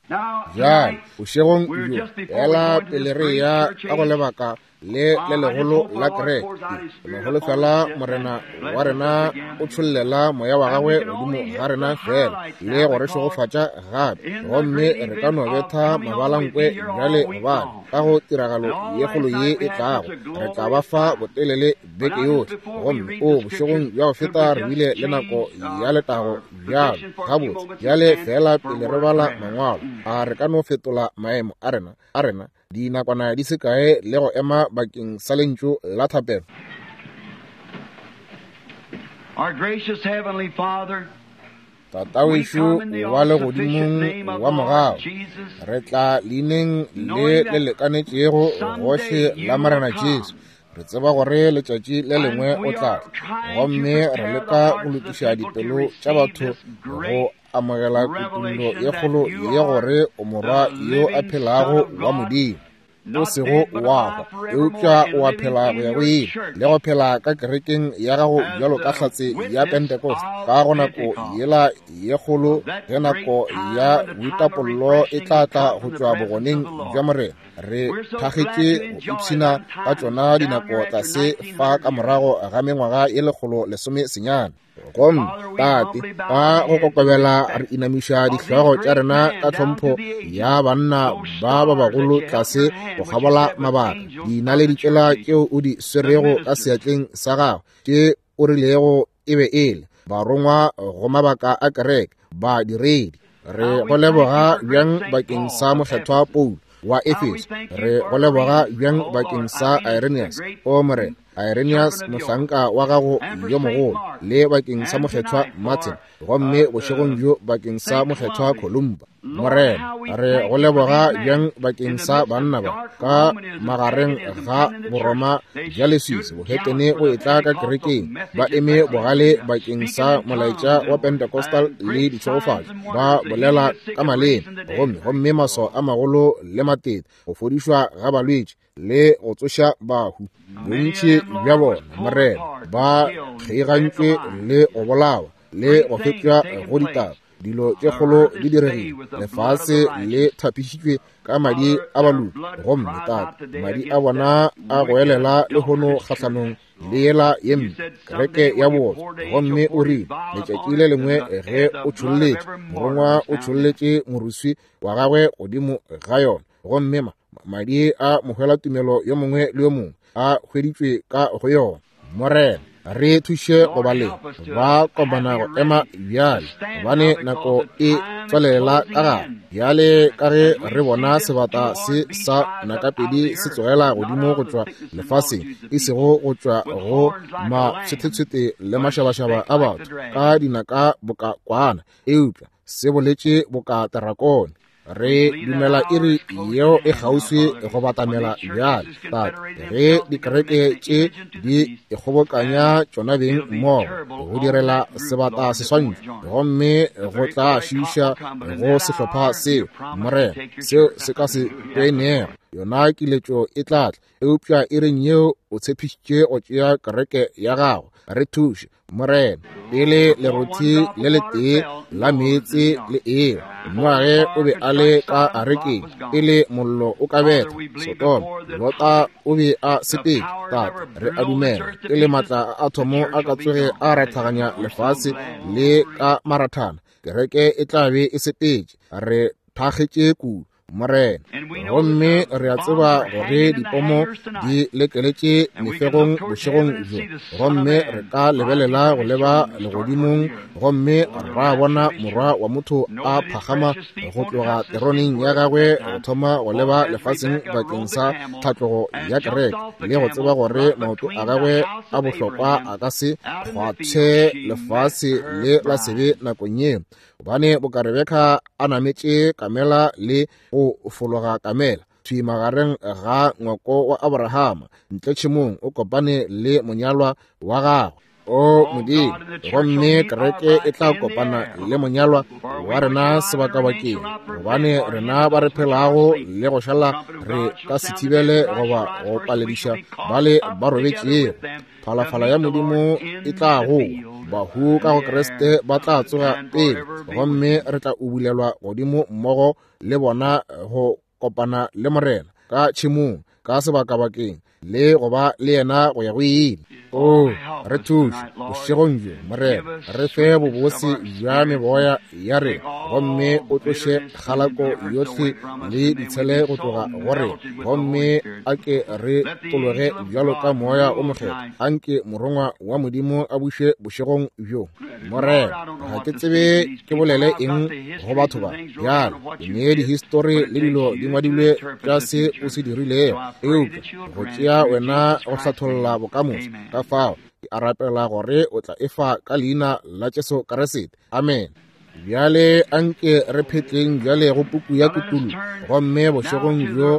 Bjale, bošegong bjo, feela pele re eya ka go lebaka le le legolo la kereke, ke no holofela Morena wa rena o tšhollela Moya wa gagwe godimo ga rena feela le go re šegofatša gape, gomme re ka no betha mabalankwe bjale, gobane ka go tiragalo ye kgolo ye e tlago re tla ba fa botelele beke yohle. Gomme o bošegong bja go feta re bile le nako ya letago bjalo. Gabotse, bjale feela pele re bala Mangwalo, a re ka no fetola maemo a rena, a rena dinakwana di se kae le go ema bakeng sa lentšu la thapelo? Our gracious Heavenly Father, Tatawešo wa legodimong wa mogau, re tla leineng le le lekanetšego gohle la Morena Jesu. Re tseba gore letšatši le lengwe o tla tla, gomme re leka go lokiša dipelo tša batho go amogela kutollo ye kgolo ye gore o Morwa yo a phelago wa Modimo, o sego wa hwa, eupša o a phela go ya go ile, le go phela ka kerekeng ya gago bjalo ka hlatse ya Pentecost, ka go nako yela ye kgolo ge nako ya boitapollo e tla tla go tšwa bogoneng bja Morena. Re thakgetše go ipshina ka tšona dinako tlase fa ka morago ga mengwaga ye 119. Gomme, Tate, ka go kokobela re inamiša dihlogo tša rena ka tlhompho ya banna ba ba bagolo tlase go kgabola mabaka, dinaledi tšela tšeo o di swerego ka seatleng sa gago, tše o rilego e be e le barongwa go mabaka a kereke, badiredi. Re go leboga bjang bakeng sa Mokgethwa Paulo wa Efeso. Re go leboga bjang bakeng sa Irenaeus, o Morena, Irenaeus mohlanka wa gago yo mogolo, le bakeng sa Mokgethwa Martin, gomme bošegong bjo bakeng sa Mokgethwa Columba. Morena, re go leboga bjang bakeng sa banna ba ka magareng ga Boroma bja leswiswi, bohetene go etla ka kerekeng, ba eme bogale bakeng sa molaetša wa Pentecostal le ditšhegofatšo, ba bolela ka maleme, gomme, gomme maswao a magolo le matete, go fodišwa ga balwetši le go tsoša bahu. Bontši bja bona, Morena, ba kgeigantšwe le go bolawa le go fetšwa go ditaba. Dilo tše kgolo di diregile, lefase le thapišitšwe ka madi a baloki, gomme Tate, madi a bona a goelela lehono kgahlanong le yela ye mpe, kereke ya bootswa. Gomme o rile, letšatši le lengwe ge o tšholletše, morongwa o tšholletše moruswi wa gagwe godimo ga yona, gomme ma, madi a mohwelatumelo yo mongwe le yo mongwe a hweditšwe ka go yona. Morena, re thuše go ba le ba kopana go ema bjale, gobane nako e tswalela ka gare. Bjale ka ge re bona sebata se sa nakapedi se tsogela godimo go tšwa lefaseng, e sego go tšwa go matshwethetshwete le mašabašaba a batho ka dinaka boka kwana, eupša se boletše boka terakone. Re dumela iri yeo e kgauswi go batamela bjale, Tate, ge dikereke tše di ikgobokanya tšona beng mmogo go direla sebata seswantšho, gomme go tla šiiša go sehlopha seo, Morena, seo se ka se tšoenego. Yona kiletšo e tla tla, eupša iring yeo o tshepišitše go tšea kereke ya gago. Re thuše, Morena, pele lerothi le letee la meetse le ewa. Noage o be a le ka arekeng pele mollo o ka betha Sodoma. Lota o be a sepetše. Tate, re a dumela pele maatla a athomo a ka tsoge a rathaganya lefase le ka marathana, kereke e tla be e sepetše. Re thakgetše kudu, Morena. Gomme re a tseba gore dipomo di lekeletše mefegong bošegong bjo, gomme re ka lebelela go leba legodimong gomme ra bona Morwa wa motho a phagama go tloga teroneng ya gagwe go thoma go leba lefaseng bakeng sa tlhatlogo ya kereke, le go tseba gore maoto a gagwe a bohlokwa a ka se kgwathe lefase le la sebe nakong yeo. Gobane boka Rebeka a nametše kamela le go fologa kamela thwi magareng ga ngwako wa Abrahama, ntle tšhemong o kopane le monyalwa wa gagwe. O Modimo, gomme kereke e tla kopana le monyalwa wa rena sebakabakeng, gobane rena ba re phelago le go šala re ka se thibele goba go palediša bale ba robetšego. Phalafala ya Modimo e tla goa. Bahu ka go Kriste ba tla tsoga pele, gomme re tla ubulelwa godimo mmogo le bona go kopana le Morena ka tšhemong, ka sebakabakeng, le go ba le yena go ya go ile. O re thuše bošegong bjo, Morena, re fe bobose bja meboya ya rena, gomme o tloše kgalako yohle le ditshele go tloga go rena, gomme a ke re tologe bjalo ka Moya o Mokgethwa. Anke morongwa wa Modimo a buše bošegong bjo, Morena. Ga ke tsebe ke bolele eng go batho ba bjalo, ke ne dihistori le dilo di ngwadilwe tša se o se dirilego, eupša go tšea wena go hlatholla bokamoso. Ka fao ke a rapela gore o tla efa ka leina la Jesu Kriste. Amen. Bjale anke re phetleng bjale go puku ya Kutullo, gomme bošegong bjo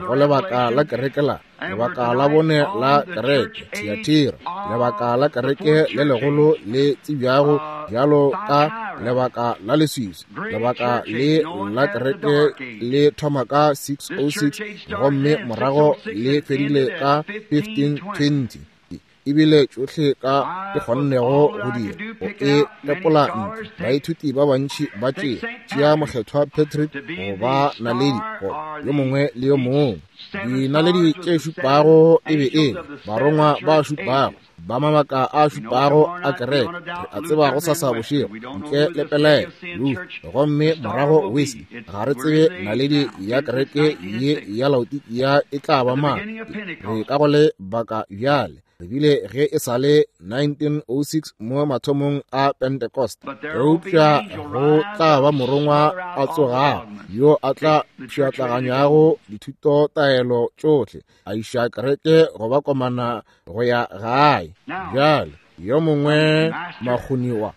go lebaka la kereke la lebaka la bone la kereke Thiatira, lebaka la kereke le legolo le tsebjago bjalo ka lebaka la leswiswi. Lebaka le la kereke le thoma ka 606 gomme morago le fedile ka 1520. Ebile tšohle ka ke kgonnego go dira go e tepola ntle. Baithuti ba bantši ba tšea Mokgethwa Patrick go ba naledi go yo mongwe le yo mongwe. Dinaledi tše šupago e be e barongwa ba šupago ba mabaka a šupago a kereke. Re a tseba go sasa bošego ntle le pelaelo Luther, gomme morago Wesley. Ga re tsebe naledi ya kereke ye ya Laodikia e tla ba mang. Re ka go lebaka bjale. Re bile ge e sa le 1906 mo mathomong a Pentecost, eupša go tla ba morongwa a tsogago yo a tla pšhatlaganyago dithutotaelo tšohle, a iša kereke go ba komana go ya gae. Bjale yo mongwe makgoniwa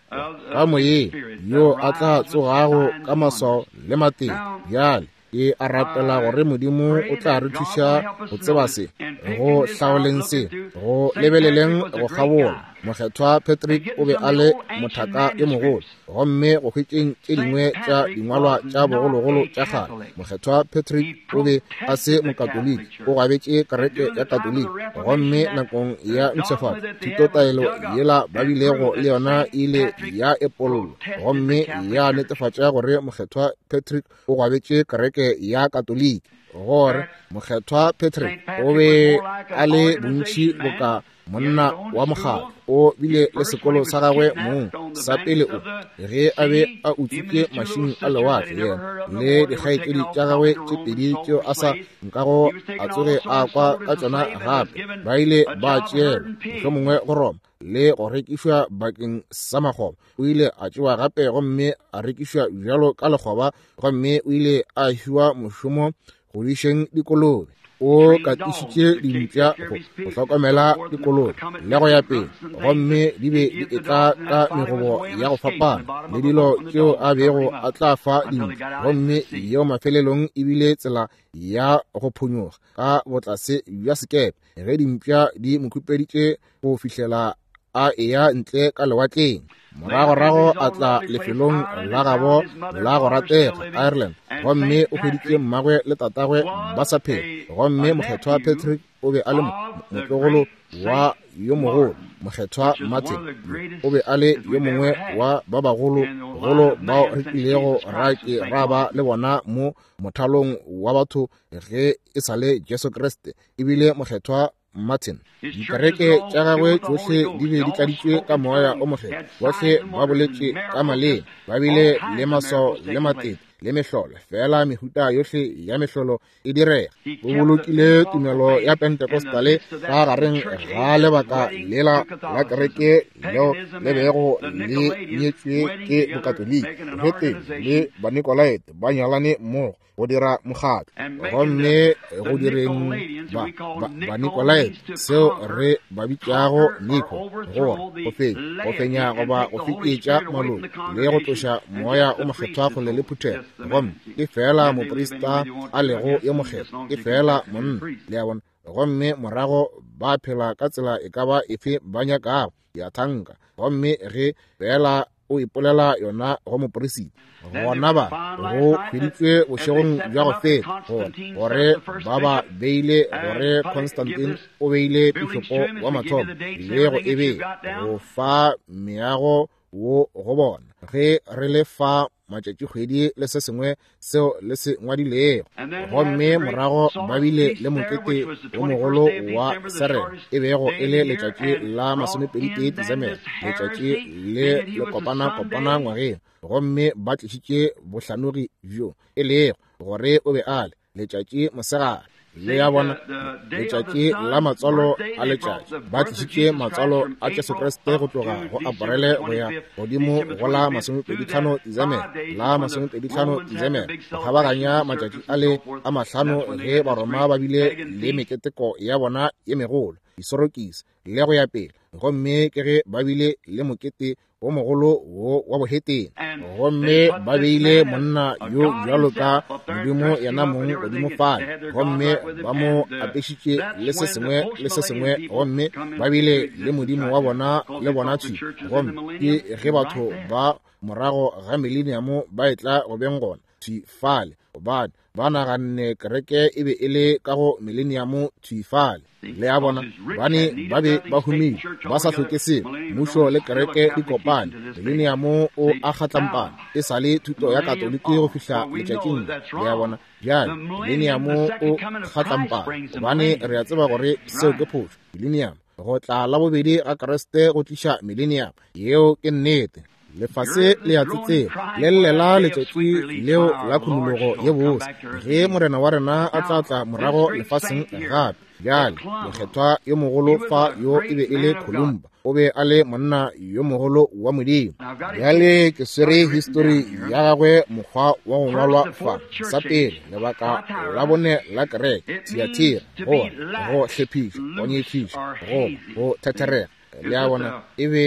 ka moyeng yo a tla tsogago ka maswao le mateng. Bjale ke a rapela gore Modimo o tla re thuša go tseba se, go hlaoleng se, go lebeleleng go kgabola. Mokgethwa Patrick o be a le mothaka yo mogolo, gomme go hwetšeng tše dingwe tša dingwalwa tša bogologolo tša kgale, Mokgethwa Patrick o be a se Mokatoliki, o gwabetše kereke ya Katoliki, gomme nakong ya mpshafatšo thutotaelo yela ba bilego le yona ile ya epollwa gomme ya netefatša gore Mokgethwa Patrick o gwabetše kereke ya Katoliki, gore Mokgethwa Patrick o be a le bontši boka monna wa mokgatlo. O bile le sekolo sa gagwe mong sa pele o ge a be a utswitše mašing a lewatle, yena le dikgaetšedi tša gagwe tše pedi tšeo a sa nkago a tsoge a kwa ka tšona gape, ba ile ba tšeelwa mohlomongwe go Roma le go rekišwa bakeng sa makgoba. O ile a tšewa gape gomme a rekišwa bjalo ka lekgoba, gomme o ile a fiwa mošomo go dišeng dikolobe. O katišitše dimpša go hlokomela dikolobe le go ya pele, gomme di be di etla ka megobo ya go fapana le dilo tšeo a bego a tla fa dimpša, gomme yeo mafelelong e bile tsela ya go phonyoga ka botlase bja sekepe ge dimpša di mo khupeditše go fihlela a eya ntle ka lewatleng. Moragorago a tla lefelong la gabo la go ratega Ireland, gomme o hweditše mmagwe le tatagwe ba sa phela, gomme Mokgethwa Patrick o be a le motlogolo wa yo mogolo Mokgethwa Martin. O be a le yo mongwe wa ba bagolo golo bao re kilego ra ke ra ba le bona mo mothalong wa batho ge e sa le Jesu Kriste, ebile Mokgethwa Martin. Dikereke tša gagwe tšohle di be di tladitšwe ka Moya o Mokgethwa, bohle ba boletše ka maleme, ba bile le maswao le matete le mehlolo, fela mehuta yohle ya mehlolo e direga. O bolokile tumelo ya Pentecostale ka gareng ga lebaka lela la kereke leo le bego le nyetšwe ke Bokatoliki, bohetene le Banikolaete ba nyalane mmogo go dira mokgatlo, gomme go direng Banikolaete seo re ba bitšago Niko, gore go fenya, go fenya goba go fetetša maloko le go tloša Moya o Mokgethwa kgole le phuthego. Gomme ke fela moprista a lego yo mokgethwa, ke fela monna, le a bona. Gomme morago ba phela ka tsela e ka ba efe ba nyakago, ya thanka. Gomme ge fela o ipolela yona go moperisita. Gona ba go hweditšwe bošegong bja go feta gore ba ba beile gore Constantine o beile pišopo wa mathomo le go e bea go fa meago wo go bona ge re le fa matšatšikgwedi le se sengwe seo le se ngwadilego. Gomme morago ba bile le mokete wo mogolo wa Serena, e bego e le letšatši la 21 Desemere, letšatši le le kopana-kopana ngwageng. Gomme ba tlišitše bohlanogi bjo e lego gore o be a le letšatši mosegare. Le ya bona letšatši la matswalo a letšatši, ba tlišitše matswalo a Jesu Kriste go tloga go Aparele go ya godimo go la 25 Desemere, la 25 Desemere, go kgabaganya matšatši a le a mahlano ge Baroma ba bile le meketeko ya bona ye megolo, disorokisi le go ya pele. Gomme ke ge ba bile le mokete wo mogolo wo wa bohetene. Gomme ba beile monna yo bjalo ka Modimo yena mong godimo fale, gomme ba mo apešitše le se sengwe le se sengwe, gomme ba bile le Modimo wa bona le bona thwi. Gomme ke ge batho ba morago ga mileniamo ba etla go beng gona thwi fale, gobane ba naganne kereke e be e le ka go mileniamo thwi fale. Le a bona, bane ba be ba humile, ba sa hloke selo. Mmušo le kereke di kopane, mileniamo o a kgatlampana, e sa le thuto ya Katoliki go fihla letšatšing. Le a bona, bjale mileniamo o kgatlampana, gobane re a tseba gore seo ke phošo. Mileniamo, go tla la bobedi ga Kriste go tliša mileniamo, yeo ke nnete. Lefase le a tsetsela, le llela letšatši leo la khunologo ye bose, ge Morena wa rena a tla tla morago lefaseng gape. Bjale mokgethwa yo mogolo fa yo e be e le Columba, o be a le monna yo mogolo wa Modimo. Bjale ke swere histori ya gagwe mokgwa wa go ngwalwa fa. Sa pele, lebaka la bone la kereke, Thyatira, go go hlephiša, go nyefiša, go thetherega. Le a bona, e be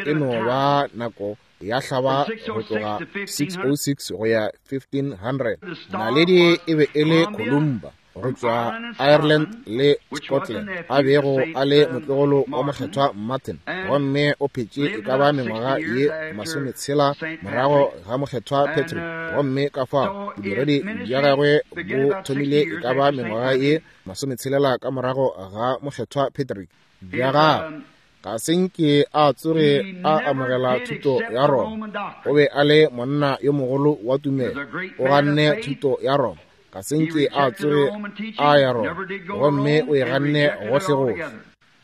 e no ba nako ya hlaba go tloga 606 go ya 1500. Naledi e be e le Columba go tšwa Ireland le Scotland, a bego a le motlogolo wa mokgethwa Martin, gomme o phetše e ka ba mengwaga ye 60 morago ga mokgethwa Patrick. Gomme ka fao bodiredi bja gagwe bo thomile e ka ba mengwaga ye 60 ka morago ga mokgethwa Patrick. Bja gagwe ga se nke a tsoge a amogela thuto ya Roma. O be a le monna yo mogolo wa tumelo, o ganne thuto ya Roma, ga se nke a tsoge a ya Roma, gomme o e ganne gohle-gohle.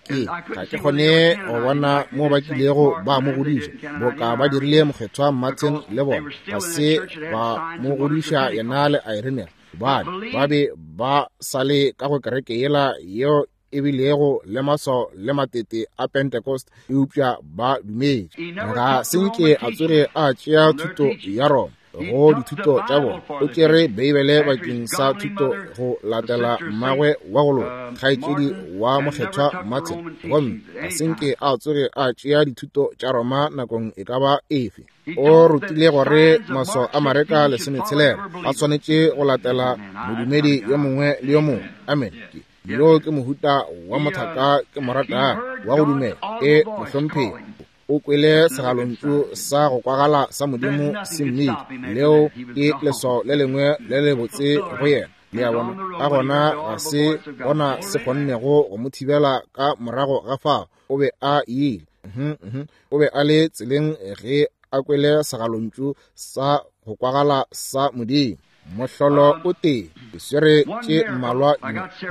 Ke ga ke kgone go bona mo ba kilego ba mo godiša boka ba dirile mokgethwa Martin le bona, ga se ba mo godiša yena le Irenaeus, gobane ba be ba sa le ka go kereke yela yeo e bilego le maswao le matete a Pentecost, eupša ba dumetše. Ga se nke a tsoge a tšea thuto ya Roma go dithuto tša bona, o tšere Beibele bakeng sa thuto go latela mmagwe wa go loka, kgaetšedi wa mokgethwa Martin, gomme ga se nke a tsoge a tšea dithuto tša Roma nakong e ka ba efe. O rutile gore maswao a Mareka 16 a swanetše go latela modumedi yo mongwe le yo mongwe. Amen. Yo ke mohuta wa mothaka ke morata wa go dumela. E mohlomphegi, o kwele segalontšu sa go kwagala sa Modimo se mmitša. Leo ke leswao le lengwe le lebotse go yena. Le a bona, ka gona ga se gona se kgonnego go mo thibela ka morago ga fao. O be a ile, o be a le tseleng ge a kwele segalontšu sa go kwagala sa Modimo. Mohlolo o tee, ke swere tše mmalwa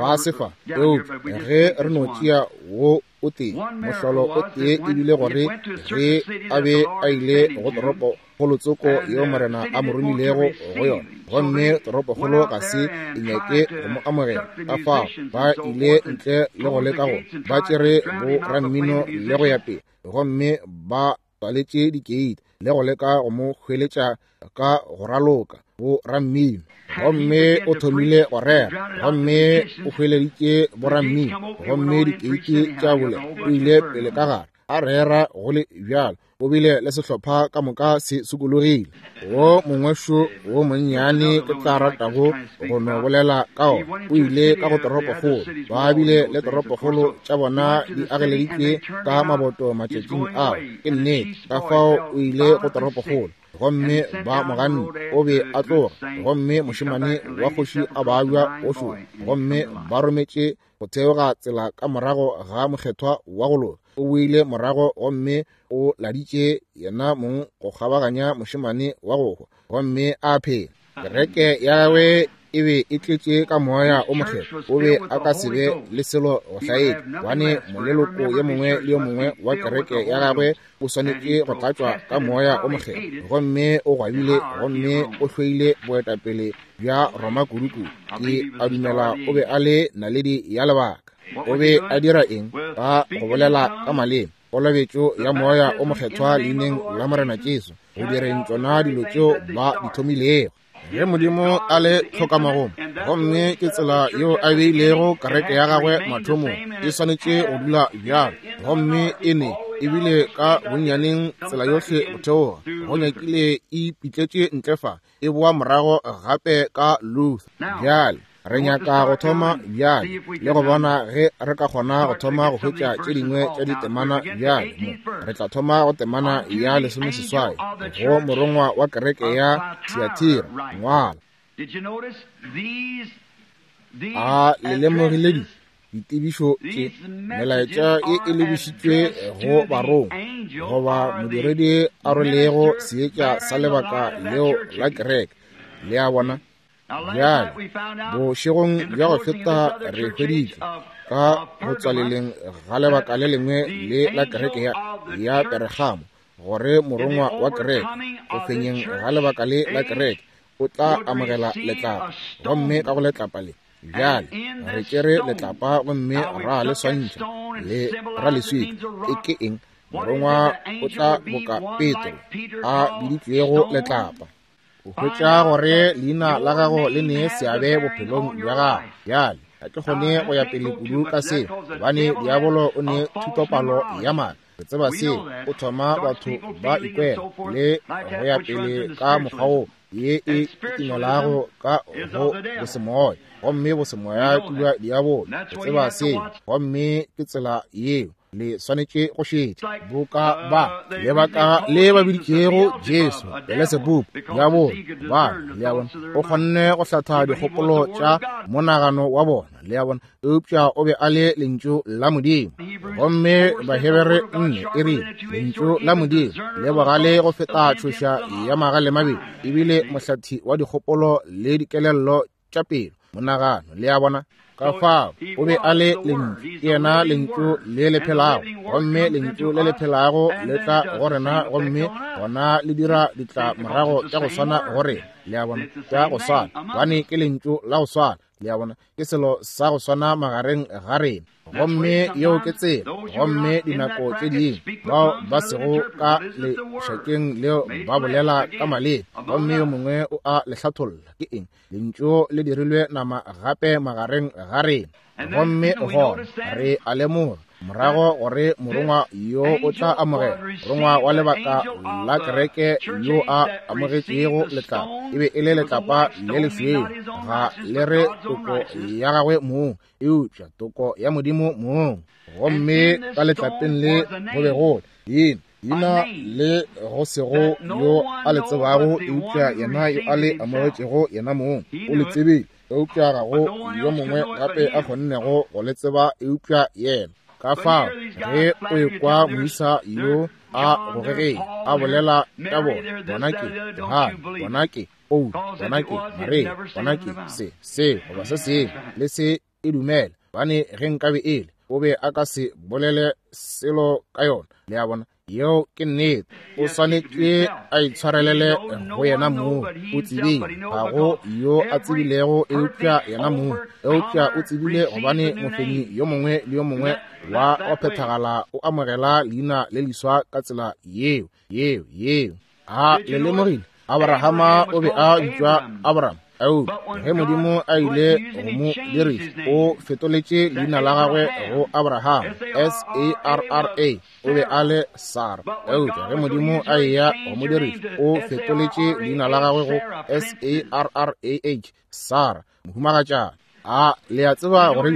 ba sefa, eupša ge re no tšea wo o tee, mohlolo o tee e bile gore ge a be a ile go toropo kgolotsoko yeo Morena a mo romilego go yona, gomme toropokgolo ga se e nyake go mo amogela, ka fao ba ile ntle le go leka go ba tšere bo rammino le go ya pele, gomme ba tswaletše dikeiti le go leka go mo hweletša ka go raloka bo rammino. Gomme o thomile go rera, gomme o hweleditše bo rammino, gomme dikeiti tša bole o ile pele ka gare. A rera go le bjalo, o bile le sehlopha ka moka se sokologile. Wo mongwe šo wo monnyane ke tla ratago go no bolela ka ona. O ile ka go toropokgolo. Ba bile le toropokgolo tša bona di ageleditšwe ka maboto matšatšing ao. Ke nnete. Ka fao o ile go toropokgolo, gomme ba mo ganne. O be a tloga, gomme mošemane wa kgoši a babja o šoro, gomme ba rometše go theoga tsela ka morago ga mokgethwa wa go loka. O boile morago gomme o laditše yena mong go kgabaganya mošemane wa go hwa, gomme a phela. Kereke ya gagwe e be e tletše ka moya o mokgethwa. O be a ka se be le selo go hlaetša, gobane moleloko yo mongwe le yo mongwe wa kereke ya gagwe o swanetše go tlatšwa ka moya o mokgethwa. Gomme o gwabile gomme o hloile boetapele bja Roma kudu-kudu. Ke a dumela o be a le naledi ya lebaka. O be a dira eng? Ka go bolela ka maleme, kolobetšo ya moya o mokgethwa leineng la Morena Jesu, go direng tšona dilo tšeo ba di thomilego. Ge Modimo a le tlhokamagomo, gomme ke tsela yeo a beilego kereke ya gagwe mathomong, e swanetše go dula bjalo, gomme e ne ebile ka bonnyaneng tsela yohle go theoga, go nyakile e ipitletše ntle fa, e boa morago gape ka Luther. Bjale re nyaka go thoma bjale le go bona ge re ka kgona go thoma go hwetša tše dingwe tša ditemana bjale. Mo re tla thoma go temana ya 18 go morongwa wa kereke ya Thiatira. Ngwala. A le lemogile di ditebišo tše? Melaetša ye e lebišitšwe go barongwa goba modiredi a rwelego seetša sa lebaka leo la kereke. Le a bona? Bjale, bošegong bja go feta re hweditše ka go tswaleleng ga lebaka le lengwe le la kereke ya Peregamo gore morongwa wa kereke go fenyeng ga lebaka le la kereke o tla amogela letlapa, gomme ka go letlapa le bjale re tšere letlapa gomme ra le swantšha le ra leswika. E ke eng? Morongwa o tla boka Petro a biditšwego letlapa. O hwetša gore leina la gago le ne seabe bophelong bja gago. Bjale ga ke kgone go ya pele kudu ka seo, gobane diabolo o ne thutopalo ya maaka. Re tseba seo. O thoma batho ba ikwela le go ya pele ka mokgwa wo ye e kitimelago ka go bosemoya, gomme bosemoya ke bja diabolo. Re tseba seo, gomme ke tsela yeo le swanetše go šetša. Boka ba lebaka le ba biditšego Jesu Beelzebub, diabolo, ba le a bona, o kgonne go hlatha dikgopolo tša monagano wa bona, le a bona, eupša o be a le lentšu la Modimo. Gomme Bahebere 4 e rile lentšu la Modimo le bogale go feta tšhoša ya magale mabedi, ebile mohlathi wa dikgopolo le dikelello tša pelo, monagano, le a bona. Ka fao o be a le lentšu, ke yena lentšu le le phelago, gomme lentšu le le phelago le tla go rena, gomme gona le dira ditlamorago tša go swana go rena, le a bona, tša go swana, gobane ke lentšu la go swana, le a bona, ke selo sa go swana magareng ga rena. Gomme yeo ke tsela. Gomme dinako tše dingwe bao ba sego ka lešakeng leo ba bolela ka maleme, gomme yo mongwe o a le hlatholla. Ke eng? Lentšu le dirilwe nama gape magareng ga rena. Gomme gona re a lemoga morago gore morongwa yo o tla amogela, morongwa wa lebaka la kereke yo a amogetšego letlapa, e be e le letlapa le lešweu, ga le re toko ya gagwe mong, eupša toko ya Modimo mong. Gomme ka letlapeng le go be go le leina le go sego yo a le tsebago, eupša yena yo a le amogetšego yena mong o le tsebile, eupša ga go yo mongwe gape a kgonnego go le tseba eupša yena. Ka fao ge o ekwa moisa yo a gogegeng a bolela ka bona, bona ke Johane, bona ke Paulo, bona ke Maria, bona ke se, se goba se sengwe, le se e dumela, gobane ge nkabe ele o be a ka se bolele selo ka yona. Le a bona, yeo ke nnete. O swanetše a itshwarelele go yena mong. O tsebile, ga go yo a tsebilego eupša yena mong, eupša o tsebile gobane mofenyi yo mongwe le yo mongwe wa go phethagala o amogela leina le leswa ka tsela yeo, yeo, yeo. A le lemogile? Abrahama o be a bitšwa Abraham. Eupša ge Modimo a ile go mo diriša, o fetoletše leina la gagwe go Abraham, S-A-R-R-A, o be a le Sara. Eupša ge Modimo a eya go mo diriša, o fetoletše leina la gagwe go S-A-R-R-A-H, Sara, mohumagatšana. A le a tseba gore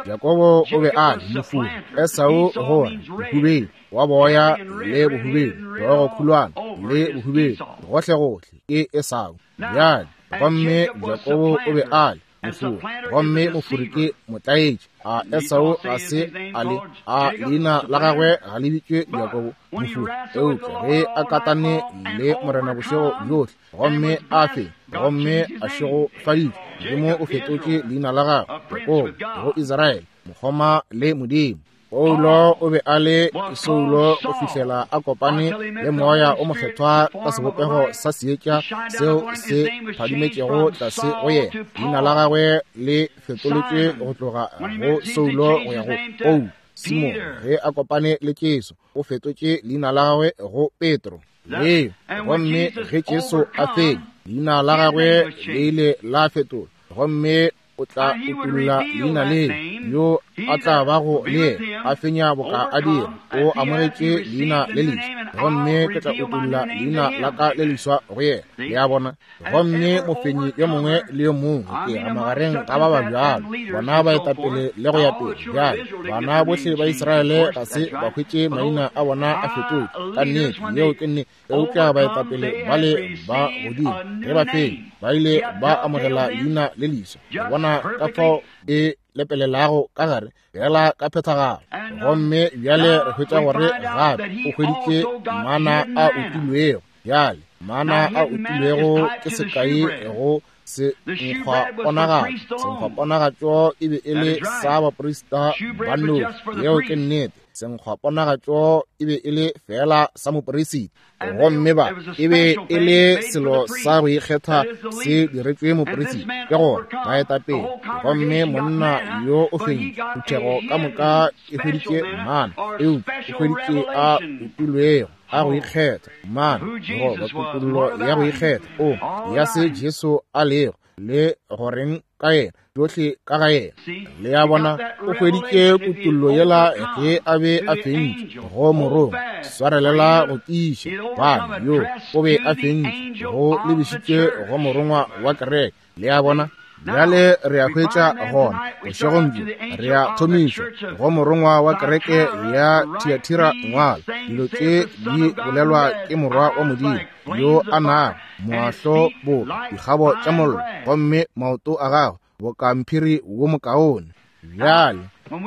Jakobo o be a le mofuri, Esau gore bohubedu wa boya le bohubedu, hlogo khulwana le bohubedu, gohlegohle ke Esau. Bjale, gomme Jakobo o be a le mofuri, gomme mofuri ke motlaetši. A Esau ga se a le, a leina la gagwe ga le bitšwe Jakobo, mofuri? Eupša ge a katane le Morena bošego bjohle, gomme a fe, gomme a šegofaditšwe, Modimo o fetotše leina la gagwe Jakobo go Israele, mokgoma le Modimo. Paulo o be a le Saulo go fihlela a kopane le Moya o Mokgethwa ka sebopego sa seetša seo se phadimetšego tlase go yena. Leina la gagwe le fetoletšwe go tloga go Saulo go ya go Paulo. Simone ge a kopane le Jesu o fetotše leina la gagwe go Petro. Leo, gomme ge Jesu a fenya, leina la gagwe le ile la fetolwa, gomme o tla utolla leina le yo a tla bago le yena a fenya boka a dira. O amogetše leina le leswa, gomme ke tla utolla leina la ka le leswa go yena. Le a bona? Gomme mofenyi yo mongwe le yo mongwe ke a magareng ga ba ba bjalo, bona baetapele le go ya pele. Bjale bana bohle ba Israele ga se ba hwetše maina a bona a fetotšwe, ka nnete, yeo ke nnete. Eupša baetapele ba le ba godimo ge ba fenya, ba ile ba amogela leina le leswa. Go bona ka fao e lepelelago ka gare fela ka phethagalo. Gomme bjale re hwetša gore gape o hweditše mana a utilwego. Bjale mana a utilwego ke sekai go senkgwaponagatšo. Senkgwaponagatšo e be e le sa baprista ba nnoši. Yeo ke nnete. Senkgwaponagatšo e be e le fela sa moperisita, gomme ba e be e le selo sa go ikgetha se diretšwe moperisita, ke gore baetapele. Gomme monna yo o fentše, phuthego ka moka e hweditše mana, eupša o hweditše a utilwego a go ikgetha, mana goba kutollo ya go ikgetha o ya se Jesu a lego le goreng ka yena, tšohle ka ga yena. Le a bona, o hweditše kutollo yela ge a be a fentše go morongwa. Swarelela go tiiša, bana yo o be a fentše go lebišitše go morongwa wa kereke. Le a bona? Bjale re a hwetša gona bošegong bjo, re a thomišwa go morongwa wa kereke ya Thiatira. Ngwala dilo tše di bolelwa ke Morwa wa Modimo yo a nago moahlo boka dikgabo tša mollo, gomme maoto a gagwe boka mphiri wo mokaone. Bjale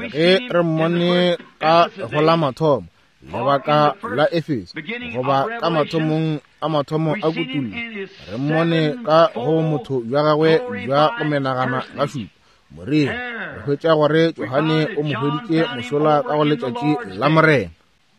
ge re mmone ka go la mathomo lebaka la Efeso, goba ka mathomong a mathomo a kutullo, re mmone ka go motho bja gagwe bja go menagana ga šupa moriri. Re hwetša gore Johane o mo hweditše mošola ka go letšatši la Morena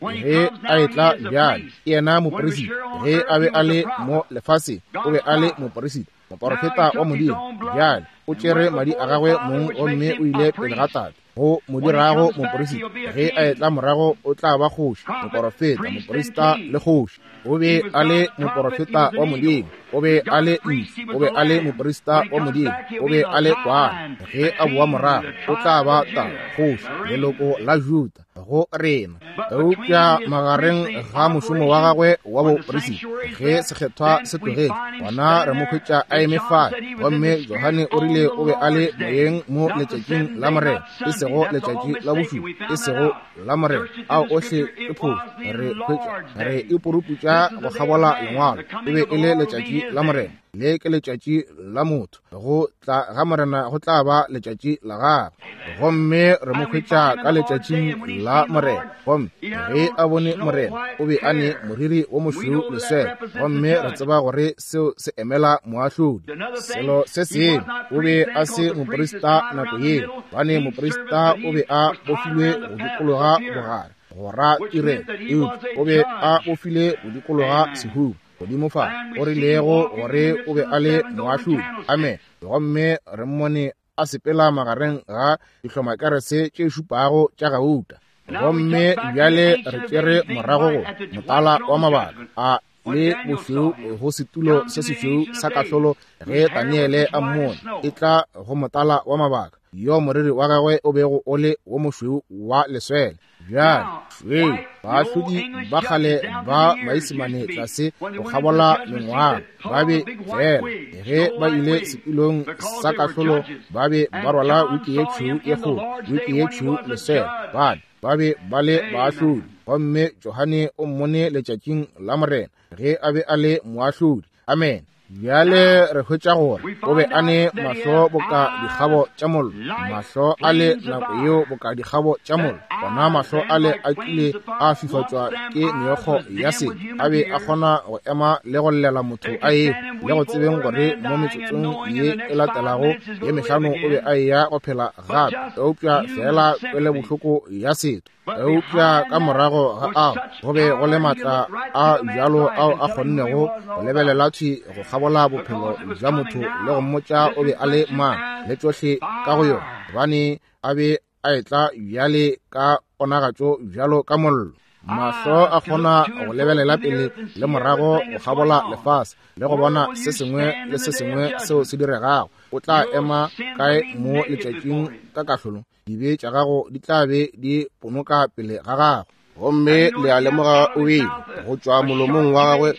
ge a etla. Bjale ke yena moperisita. Ge a be a le mo lefaseng, o be a le moperisita, moporofeta wa Modimo. Bjale o tšere madi a gagwe mong gomme o ile pele ga Tate go mo dirago moperisita. Ge a etla morago, o tla ba kgoši, moporofeta, moperisita le kgoši. O be a le moporofeta wa Modimo, o be a le ntsu, o be a le moperisita wa Modimo, o be a le kwana. Ge a boa morago, o tla ba ta kgoši, leloko la Juda go rena. Eupša magareng ga mošomo wa gagwe wa boperisita, ge sekgethwa se tlogetše, gona re mo hwetša a eme fale. Gomme Johane o rile o be a le moyeng mo letšatšing la Morena, e sego letšatši la bošupa, e sego la Morena. Ao ohle ke phošo. Re hwetša re ipuruputša go kgabola lengwalo. E be e le letšatši la Morena. Le ke letšatši la motho. Go tla ga Morena go tla ba letšatši la gagwe. Gomme re mo hwetša ka letšatšing la Morena. Gomme ge a bone Morena, o be a ne moriri wo mošweu leswele, gomme re tseba gore seo se emela moahlodi. Selo se sengwe, o be a se moprista nako yeo, gobane moprista o be a bofilwe go dikologa bogare go ra tirelo, eupša o be a bofile go dikologa sehuba godimo fa, o rilego gore o be a le moahlodi. Amen. Gomme re mmone a sepela magareng ga dihlomakerese tše šupago tša gauta. Gomme bjale re tšere morago go motala wa mabaka a. le bošweu go setulo se sešweu sa kahlolo ge Daniele a mmone e tla go motala wa mabaka, yo moriri wa gagwe o bego o le wo mošweu wa leswele. Bjale, šweu, baahlodi ba kgale ba Maisemane tlase go kgabola mengwaga ba be fela ge ba ile setulong sa kahlolo ba be ba rwala wiki ye tšhweu ye kgolo, wiki ye tšhweu leswele, bane ba be ba le baahlodi. Gomme Johane o mmone letšatšing la Morena ge a be a le moahlodi. Amen. Bjale re hwetša gore o be a ne mahlo boka dikgabo tša mollo, mahlo a le nako yeo boka dikgabo tša mollo. Gona mahlo a le a kile a fifatšwa ke meokgo ya sebe, a be a kgona go ema le go llela motho a ewa, le go tsebeng gore mo metsotsong ye e latelago ye mehlano o be a eya go phela gape, eupša feela kwele bohloko ya setho. Eupša ka morago ga ao go be go le maatla a bjalo ao a kgonnego go lebelela thwi go kgabola bophelo bja motho le go mmotša o be a le mang le tšohle ka go yona, gobane a be a etla bjale ka ponagatšo bjalo ka mollo. Mahlo a kgona go lebelela pele le morago go kgabola lefase le go bona se sengwe le se sengwe seo se diregago. O tla ema kae mo letšatšing ka kahlolong? Dibe tša gago di tla be di ponoka pele ga gago. Gomme le a lemoga o bile go tšwa molomong wa gagwe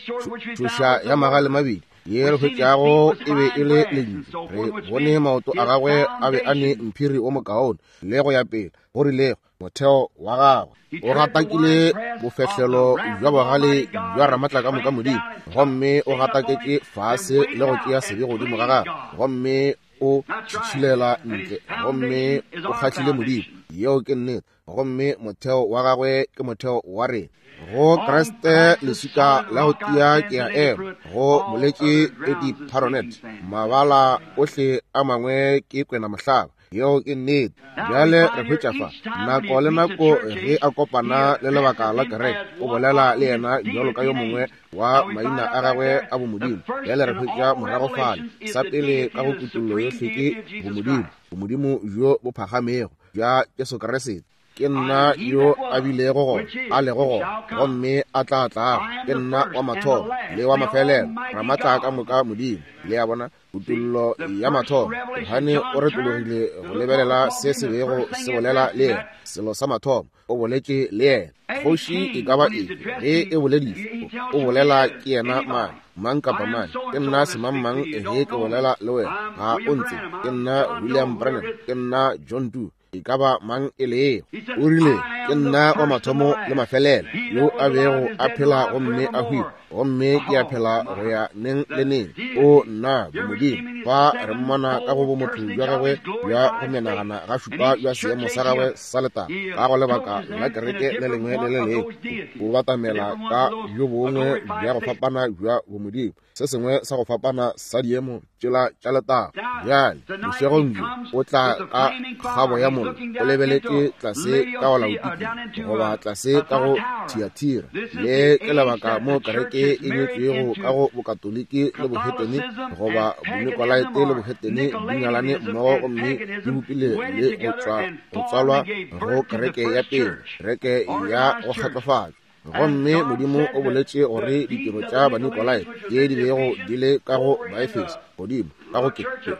tšhoša ya magale mabedi ye re hwetšago e be e le lentšu. Re bone maoto a gagwe a be a ne mphiri wo mokaone le go ya pele, go rilego motheo wa gagwe. O gatakile bofehlelo bja bogale bja Ramatlakamoka Modimo, gomme o gataketše fase le go tšea sebe godimo ga gagwe, gomme o tšhilela ntle, gomme o kgahlile Modimo. Yeo ke nnete. Gomme motheo wa gagwe ke motheo wa rena. Go Kriste leswika la go tia ke a ema, go boletše Eddie Paronet. Mabala ohle a mangwe ke kwena mohlaba. Yeo ke nnete. Bjale re hwetša fa nako le nako ge a kopana le lebaka la kereke, o bolela le yena bjalo ka yo mongwe wa maina a gagwe a bomodimo. Bjale re hwetša morago fale sa pele ka go kutollo yohle ke bomodimo, bomodimo bjo bo phagamego bja Jesu Kriste. Ke nna yo a bilego gona, a lego gona, gomme a tla tlago. Ke nna wa mathomo le wa mafelelo, Ramatla ka moka Modimo. Le a bona, kutollo ya mathomo. Johane o retologile go lebelela se se bego se bolela le yena. Selo sa mathomo, o boletše le yena. Kgoši e ka ba efe ge e boledišwa, o bolela ke yena mang, mang kapa mang. Ke nna semangmang ge ke bolela le wena, ga o ntse. Ke nna William Branham, ke nna John Doe, e ka ba mang e lego. O rile, ke nna wa mathomo le mafelelo, yo a bego a phela gomme a hwile, gomme ke a phela go ya neng le neng. O nna bomodimo. Fa re mmona ka go bomotho bja gagwe bja go menagana ga šupa bja seemo sa gagwe sa letago, ka go lebaka la kereke le lengwe le le lengwe o batamela ka bjo bongwe bja go fapana bja bomodimo, se sengwe sa go fapana sa diemo tšela tša letago. Bjale bošegong bjo o tla ka kgabo ya mollo, o lebeletše tlase ka go Laodikia goba tlase ka go Thiatira. Le ke lebaka mo kereke e nyetšwego ka go Bokatoliki le bohetene, goba Bonikolaite le bohetene di nyalane mmogo gomme di bopile le go tswalwa go kereke ya pele, kereke ya go kgatlofatšwa. Gomme Modimo o boletše gore ditiro tša Banikolaite tše di bego di le ka go Baefeso godimo ka go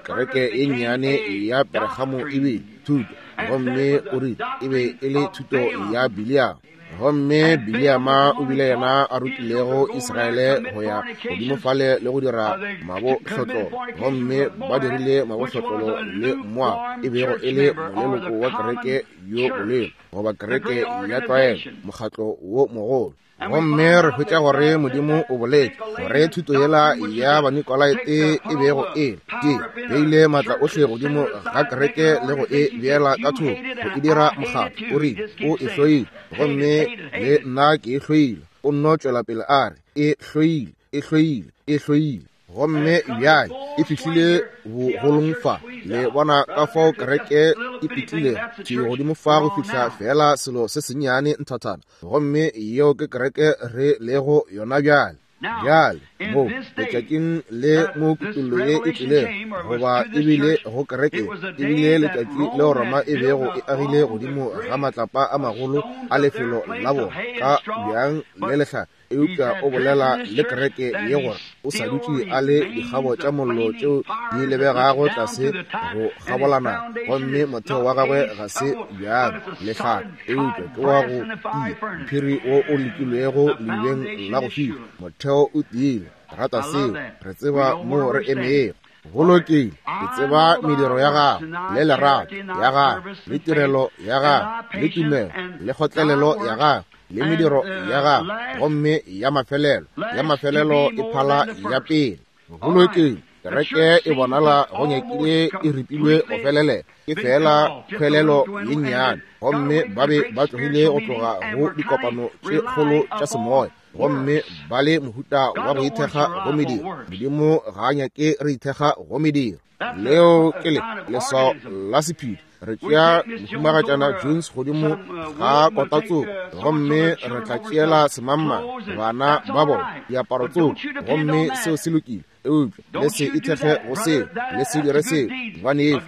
kereke ye nnyane ya Peregamo e bile thuto, gomme o rile e be e le thuto ya Biliama. Gomme Biliama o bile yena a rutilego Israele go ya godimo fale le go dira mabohlotlolo, gomme ba dirile mabohlotlolo le Moab, e bego e le moleloko wa kereke yo bolelo, goba kereke ya tlwaelo, mokgatlo wo mogolo. Gomme re hwetša gore Modimo o boletše gore thuto yela ya Banikolaite e bego e ke beile maatla ohle godimo ga kereke le go e beela ka thoko, go e dira mokgatlo. O rile o e hloile, gomme le nna ke e hloile. O nno tšwela pele a re e hloile, e hloile, e hloile. Gomme bjale e fihlile bogolong fa. Le bona ka fao kereke e pitlile thwi godimo fa go fihla feela selo se sennyane nthathana. Gomme yeo ke kereke re lego yona bjale. Bjale mo letšatšing le mo kutollo ye e tlilego, goba e bile go kereke, e bile letšatši leo Roma e bego e agile godimo ga matlapa a magolo a lefelo la bona ka bjang le lehlare. Eupša o bolela le kereke ye gore o sa dutše a le dikgabo tša mollo tšeo di lebegago tlase go kgabolana, gomme motheo wa gagwe ga se bjalo lehlaka, eupša ke wa go tia, mphiri wo o lekilwego leubeng la go fiša. Motheo o tiile. Rata seo. Re tseba mo re emego. Go lokile. Ke tseba mediro ya gago, le lerato ya gago, le tirelo ya gago, le tumelo, le kgotlelelo ya gago, le mediro ya gago, gomme ya mafelelo, ya mafelelo e phala ya pele. Go lokile. Kereke e bonala go nyakile e ripilwe go felelela, ke feela kgwelelo ye nnyane, gomme ba be ba tlogile go tloga go dikopano tše kgolo tša semoya, gomme ba le mohuta wa go ithekga go mediro. Modimo ga a nyake re ithekga go mediro. Leo ke le leswao la sephiri. Re tšea Mohumagatšana Jones godimo ga kota tsoko, gomme re tla tšeela semangmang bana ba bona diaparo tsoko, gomme seo se lokile. Eupša le se ithekge go seo, le se dire seo, gobane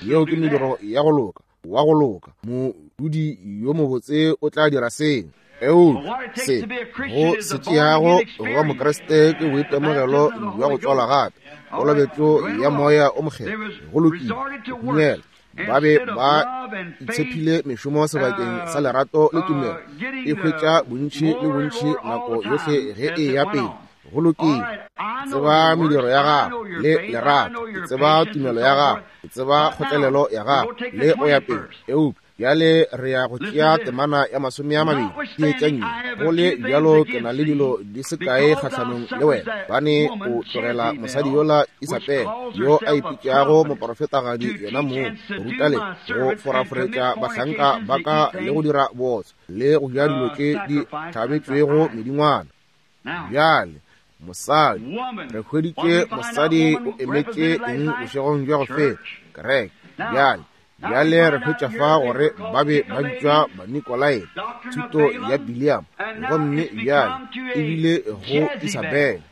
yeo ke mediro ya go loka, wa go loka. Modudi yo mobotse o tla dira seo. Eupša se go se tšeago go ba Mokriste ke boitemogelo bja go tswalwa gape, kolobetšo ya Moya o Mokgethwa. Go lokile, go dumela. Ba be ba itshephile mešomo sebakeng sa lerato le tumelo, e hwetša bontši le bontši nako yohle ge e ya pele. Go lokile. Tseba mediro ya gago le lerato, tseba tumelo ya gago, tseba kgotlelelo ya gago, le go ya pele. Eupša bjale re ya go tšea temana ya 20 ke tša nne. Go le bjalo ke na le dilo di se kae kgahlanong le wena, bane o tlogela mosadi yola Isabele, yo a ipitšago moporofetagadi yena mong, go ruta le go foraforetša bahlanka ba ka le go dira bootswa le go ja dilo tše di hlabetšwego medingwana. Bjale mosadi, re hweditše mosadi o emetše eng bošegong bja go feta? Kereke. Bjale bjale re hwetša fa gore ba be ba bitšwa Banikolaite, thuto ya Biliam, gomme bjale ebile go Isabele.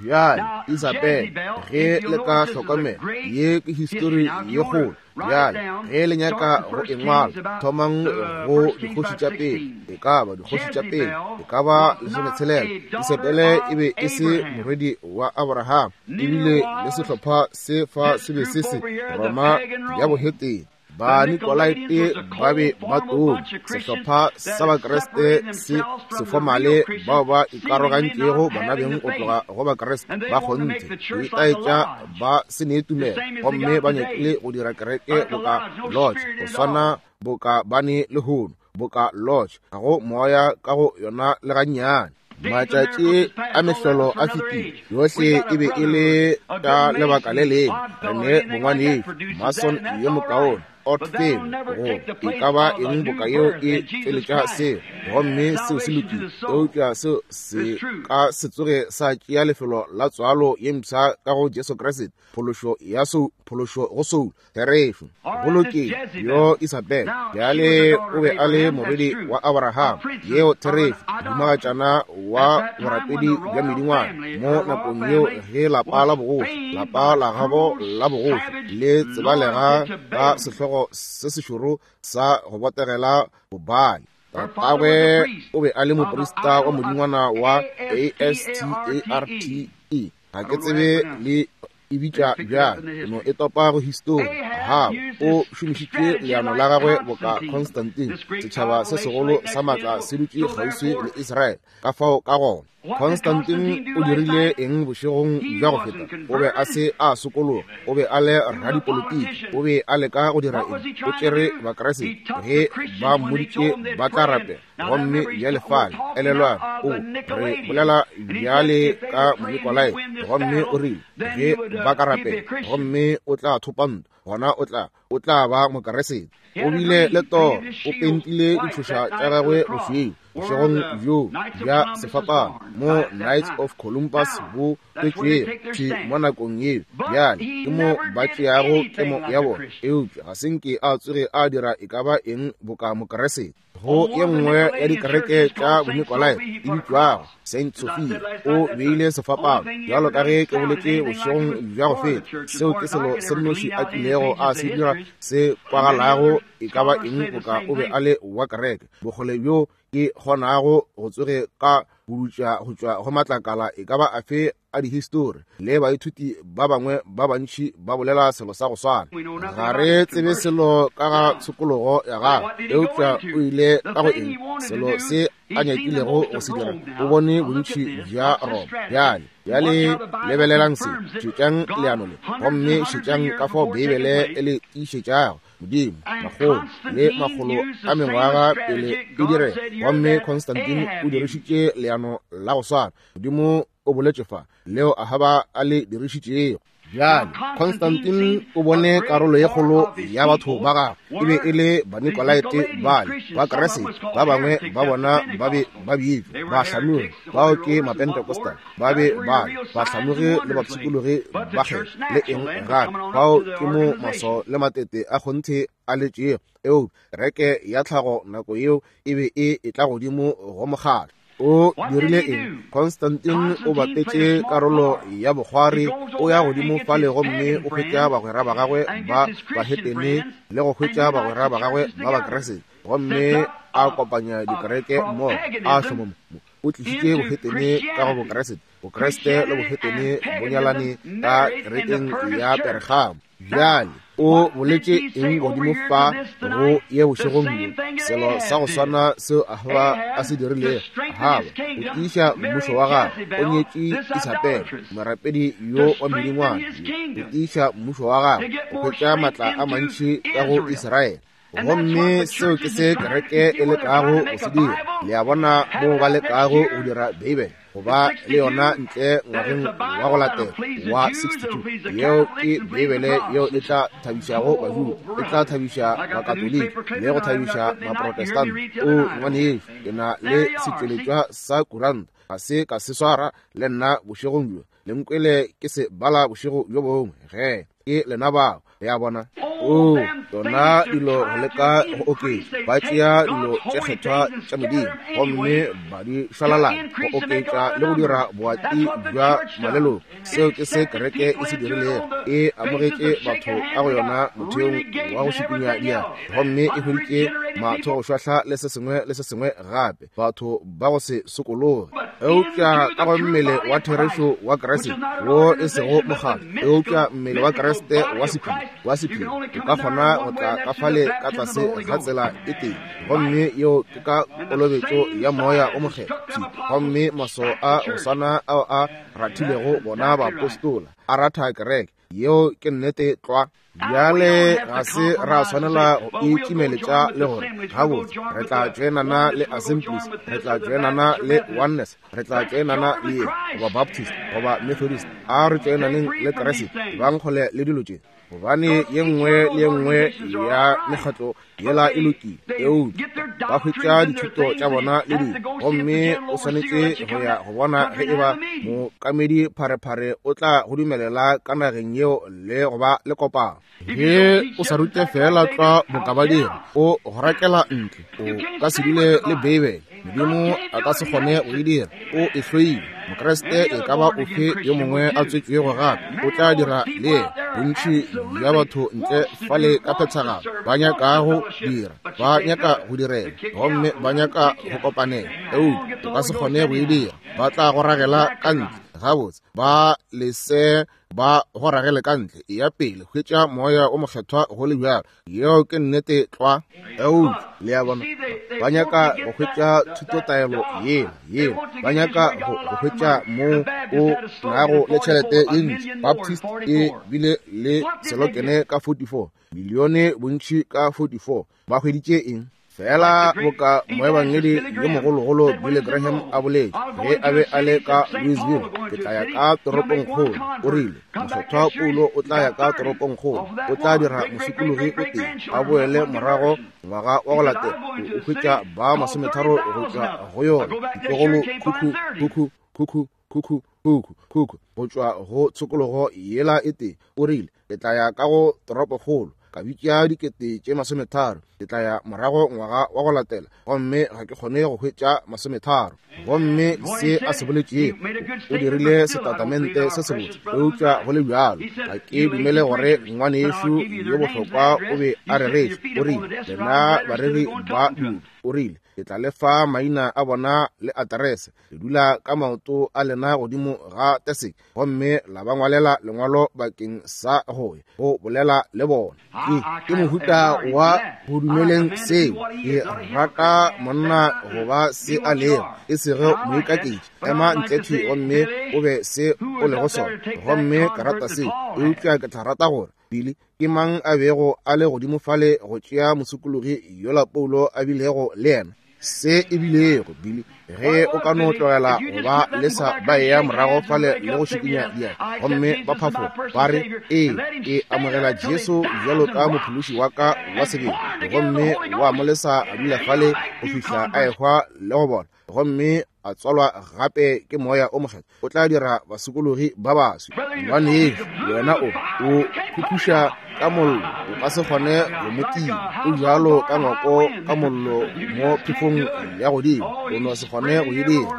Bjale Isabele, ge le ka hlokomela, ye ke histori ye kgolo. Bjale ge le nyaka go e ngwala, thomang go dikgoši tša pele, e ka ba dikgoši tša pele, e ka ba 16. Isabele e be e se morwedi wa Abraham, ebile le sehlopha se fa se be se se Roma ya bohetene. Banikolaite ba be ba tone, sehlopha sa Bakriste se sefomale bao ba ikarogantšego bonabeng go tloga go Bakriste ba kgonthe, go itaetša ba se ne tumelo, gomme ba nyakile go dira kereke boka lodge, go swana boka ba ne lehono, boka lodge, ga go moya ka go yona le gannyane. Matšatši a mehlolo a fetile, yohle e be e le ka lebaka le lengwe. Re ne bongwanetšo Mason yo mokaone, Oddfellow, go e ka ba eng boka yeo e tšweletša seo, gomme seo se lokile, eupša seo se ka se tsoge sa tšea lefelo la tswalo ye mpsha ka go Jesu Kriste, phološo ya sou, phološo go soul. Therešo. Go lokile. Yo Isabele bjale o be a le morwedi wa Abraham, yeo therešo, mohumagatšana wa borapedi bja medingwana mo nakong yeo ge lapa la bogoši, lapa la gabo la bogoši le tsebalega ka sehlogo se sešoro sa go botegela Bobaali. Tatagwe o be a le moprista wa modingwana wa Astarte. Ga ke tsebe le e bitša bjang, no e topa go histori. Ahaba o šomišitše leano la gagwe boka Constantine, setšhaba se segolo sa maatla se dutše kgauswi le Israele. Ka fao ka gona Constantine o dirile eng bošegong bja go feta? O be a se a sokologa, o be a le radipolitiki. O be a leka go dira eng? O tšere Bakriste ge ba mmoditše ba tla rapela, gomme bjale fale, elelwang, o re bolela bjale ka Monikolai, gomme o rile ge ba ka rapela gomme o tla thopa ntwa, gona o tla ba Mokeresete. O bile le toro, o pentile ditšhoša tša gagwe bošweu bošegong bjo bja sefapano mo Knights of Columbus bo tswetšwego thwi mo nakong yeo. Bjale ke mo ba tšeago kemo ya bona, eupša ga se nke a tsoge a dira e ka ba eng boka Mokeresete. Go ye nngwe ya dikereke tša Bonikolai e bitšwago Saint Sophia, o beile sefapano, bjalo ka ge ke boletše bošegong bja go feta. Seo ke selo se nnoši a kilego a se dira se kwagalago e ka ba eng boka o be a le wa kereke. Bokgole bjo ke kgonago go tsoge ka budutša go tšwa go matlakala e ka ba afe a dihistori, le baithuti ba bangwe ba bantši ba bolela selo sa go swana. Ga re tsebe selo ka ga tshokologo ya gagwe, eupša o ile ka go eng? Selo se a nyakilego go se dira, o bone bontši bja Roma. Bjale, bjale lebelelang se, šetšang leano le, gomme šetšang ka fao Beibele e le tiišetšago. Modimo, makgolo le makgolo a mengwaga pele e direga, gomme Constantine o dirišitše leano la go swana. Modimo o boletše fa leo Ahaba a le dirišitšego. Bjale Constantine o bone karolo ye kgolo ya batho ba gagwe e be e le Banikolaite bale ba Keresete, ba bangwe ba bona ba be ba bitšwa bahlanogi, bao ke Mapentecostal, ba be ba bahlanogi le bapshikologi ba kgetho le eng gape. Bao ke mo maswao le matete a kgonthe a letšego, eupša kereke ya tlhago nako yeo e be e etla godimo go mokgatlo. O dirile eng? Constantine o bapetše karolo ya bokgwari, o ya godimo fale gomme o hwetša bagwera ba gagwe ba bahetene le go hwetša bagwera ba gagwe ba Bakeresete, gomme a kopanya dikereke mmogo, a hloma o tlišitše bohetene ka go Bokeresete. Bokreste le bohetene bo nyalane ka kerekeng ya Pergamo. Bjale o boletše eng godimo fa go ye bošegong bjo? Selo sa go swana seo Ahaba a se dirilego. Ahaba o tiiša mmušo wa gagwe, o nyetše Isabele, morapedi yo wa medingwana, o tiiša mmušo wa gagwe, o hwetša matla a mantši ka go Israele. Gomme seo ke se kereke e lekago go se dira. Le a bona moo ba lekago go dira Beibele go ba le yona ntle ngwageng wa go latela wa 62. Yeo ke Beibele yeo e tla thabišago Bajuda, e tla thabiša Bakatoliki le go thabiša Maprotestant. O ngwanešu, ke na le setšweletšwa sa kuranta, ga se ka se swara le nna bošegong bjo. Le nkwele ke se bala bošego bjo bongwe ge ke lena bao. Le a bona? O, yona dilo go leka go oketša, ba tšea dilo tše kgethwa tša Modimo gomme ba di šwalalanya go oketša le go dira boati bja maleloko. Seo ke se kereke e se dirilego. E amogetše batho ka go yona motheong wa go šikinya diatla, gomme e hweditše mathogošwahla le se sengwe le se sengwe gape, batho ba go se sokologe. Eupša ka go mmele wa therešo wa Kriste, wo e sego mokgatlo, eupša mmele wa Kriste wa sephiri, wa sephiri, o ka kgona go tla ka fale ka tlase ga tsela e tee, gomme yeo ke ka kolobetšo ya Moya o Mokgethwa. Gomme maswao a go swana ao a rathilego bona baapostola, a ratha kereke. Yeo ke nnete tlwa. Bjale ga se ra swanela go itšimeletša le gore gabotse re tla tšoenana le Assemblies, re tla tšoenana le Oneness, re tla tšoenana le ye, goba Baptist, goba Methodist. A re tšoenaneng le Kriste, bang kgole le dilo tše, gobane ye nngwe le ye nngwe ya mekgatlo yela e lokile, eupša ba hwetša dithuto tša bona le dilo, gomme o swanetše go ya go bona ge eba mookamedi pharephare o tla go dumelela ka nageng yeo le go ba le kopano. Ge o sa rute feela tlwa boka ba dira, o go rakela ntle, o ka se dule le Beibele. Modimo a ka se kgone go e dira, o e hloile. Mokriste e ka ba ofe yo mongwe a tswetšwego gape o tla dira le yena. Bontši bja batho ntle fale ka phethagalo ba nyaka go dira, ba nyaka go direla, gomme ba nyaka go kopanela, eupša o ka se kgone go e dira. Ba tla go ragela ka ntle. Gabotse, ba lese ba go ragele ka ntle. Eya pele, hwetša Moya o Mokgethwa go le bjalo. Yeo ke nnete tlwa. Eupša, le a bona, ba nyaka go hwetša thutotaelo yela, yela. Ba nyaka go, go hwetša mo o nago le tšhelete ye ntši. Baptist e bile le selokene ka 44, milione bontši ka 44. Ba hweditše eng? Feela boka moebangedi yo mogologolo Billy Graham a boletše ge a be a le ka Louisville, ke tla ya ka toropongkgolo. O rile, Mokgethwa Paulo o tla ya ka toropongkgolo, o tla dira mosokologi o tee, a boele morago ngwaga wa go latela, o hwetša ba 30 go tšwa go yona, ditlogolo khukhu, khukhu, khukhu, khukhu, khukhu, khukhu, go tšwa go tshokologo yela e tee. O rile, Ke tla ya ka go toropokgolo, ka bitša 30,000, ke tla ya morago ngwaga wa go latela, gomme ga ke kgone go hwetša 30. Gomme se a se boletšego, o dirile setatamente se sebotse, eupša go le bjalo ga ke dumele gore ngwanešu yo bohlokwa o be a reretše. O rile, Lena bareri ba dilo, o rile, Ke tla le fa maina a bona le aterese. Le dula ka maoto a lena godimo ga teseke gomme la ba ngwalela lengwalo bakeng sa go ya go bolela le bona. Ke mohuta wa go dumeleng seo. Ke rata monna go ba se a lego, e sego moikaketši. Ema ntle thwi gomme o be se o lego sona. Gomme ke rata seo, eupša ke tla rata gore Billy, ke mang a bego a le godimo fale go tšea mosokologi yola Paulo a bilego le yena? Se e bilego, Billy, ge o ka no tlogela go ba lesa ba eya morago fale le go šikinya diatla gomme ba phafoga ba re, Ee, ke amogela Jesu bjalo ka mophološi wa ka wa sebele, gomme wa mo lesa a dula fale go fihla a ehwa le go bona, gomme a tswalwa gape ke Moya o Mokgethwa, o tla dira basokologi ba baswi. Ngwanešu, wena o o phuphuša ka mollo, o ka se kgone go mo tima. O bjalo ka ngwako ka mollo mo phefong ya godimo, o no se kgone go e dira.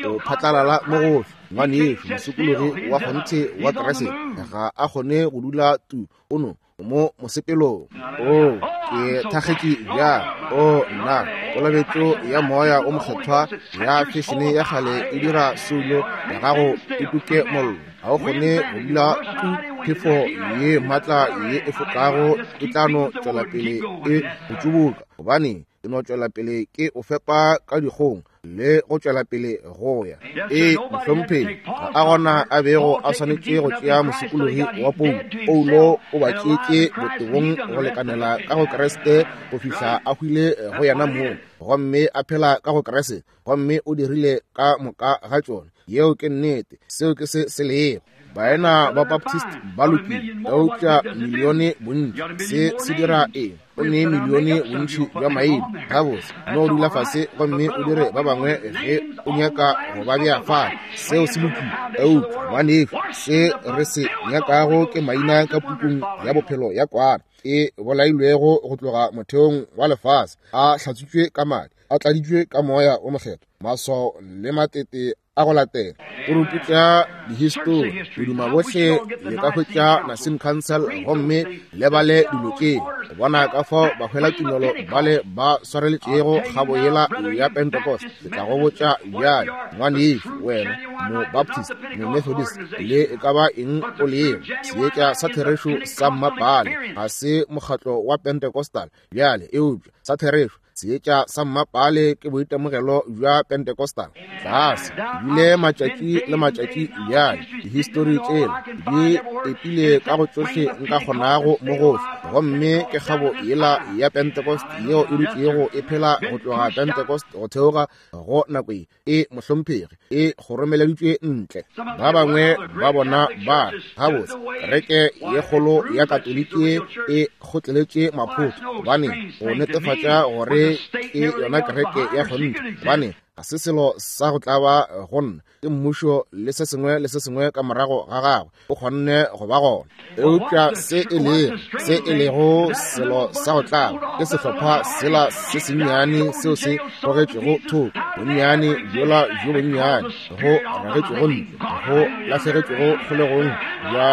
O phatlalala mo gohle. Ngwanešu, mosokologi wa kgonthe wa Kriste ga a kgone go dula tu, o no mo mosepelong. O ke thakgetše bjang. O nna, kolobetšo ya Moya o Mokgethwa ya fešene ya kgale e dira soulo ya gago e tuke mollo. Ga o kgone go dula tu, phefo ye maatla ye e fokago e tla no tšwela pele e go tšubuka, gobane e no tšwela pele ke o fepa ka dikgong le go tšwela pele go ya. Ee, mohlomphegi, ga a gona a bego a swanetše go tšea mosokologi wa Paulo. Paulo o ba tšeetše botebong go lekanela ka go Kriste go fihla a hwile go yena mong, gomme a phela ka go Kriste, gomme o dirile ka moka ga tšona. Yeo ke nnete. Seo ke se se lego. Baena ba Baptist ba lokile, eupša milione bontši. Se se dira eng? O ne milione bontši bja maina. Gabotse, no dula fase gomme o dire ba bangwe ge o nyaka go ba bea fale. Seo se lokile. Eupša, ngwanešu, se re se nyakago ke maina ka pukung ya bophelo ya Kwana, e bolailwego go tloga motheong wa lefase, a hlatswitšwe ka madi, a tladitšwe ka Moya wo Mokgethwa, maswao le matete a go latela. O ruputša dihistori, o duma bohle le ka hwetša Nicene Council gomme le bale dilo tše, go bona ka fao bahwelatumelo bale ba swareletšego kgabo yela ya Pentecost. Ke tla go botša bjale, ngwanešu, wena Mobaptist, Momethodist, le e ka ba eng o lego, seetša sa therešo sa mmapale ga se mokgatlo wa Pentecostal bjale, eupša sa therešo seetša sa mmapale ke boitemogelo bja Pentecostal. Tlase bile matšatši le matšatši bjale, dihistori tšela di epile ka go tšohle nka kgonago mo gohle, gomme ke kgabo yela ya Pentecost yeo e dutšego e phela go tloga Pentecost go theoga go nako ye. E mohlomphegi, e kgoromeleditšwe ntle. Ba bangwe ba bona ba gabotse kereke ye kgolo ya Katoliki e kgotleletše maphotho, gobane go netefatša gore ke yona kereke ya kgonthe, gobane ga se selo sa go tlaba go nna, ke mmušo le se sengwe le se sengwe ka morago ga gagwe o kgonne go ba gona. Eupša se e lego, se e lego selo sa go tlaba ke sehlopha sela se sennyane seo se gogetšwego thoko, bonnyane bjola bjo bonnyane go ragetšwego ntle, go lahlegetšwego kgolegong bja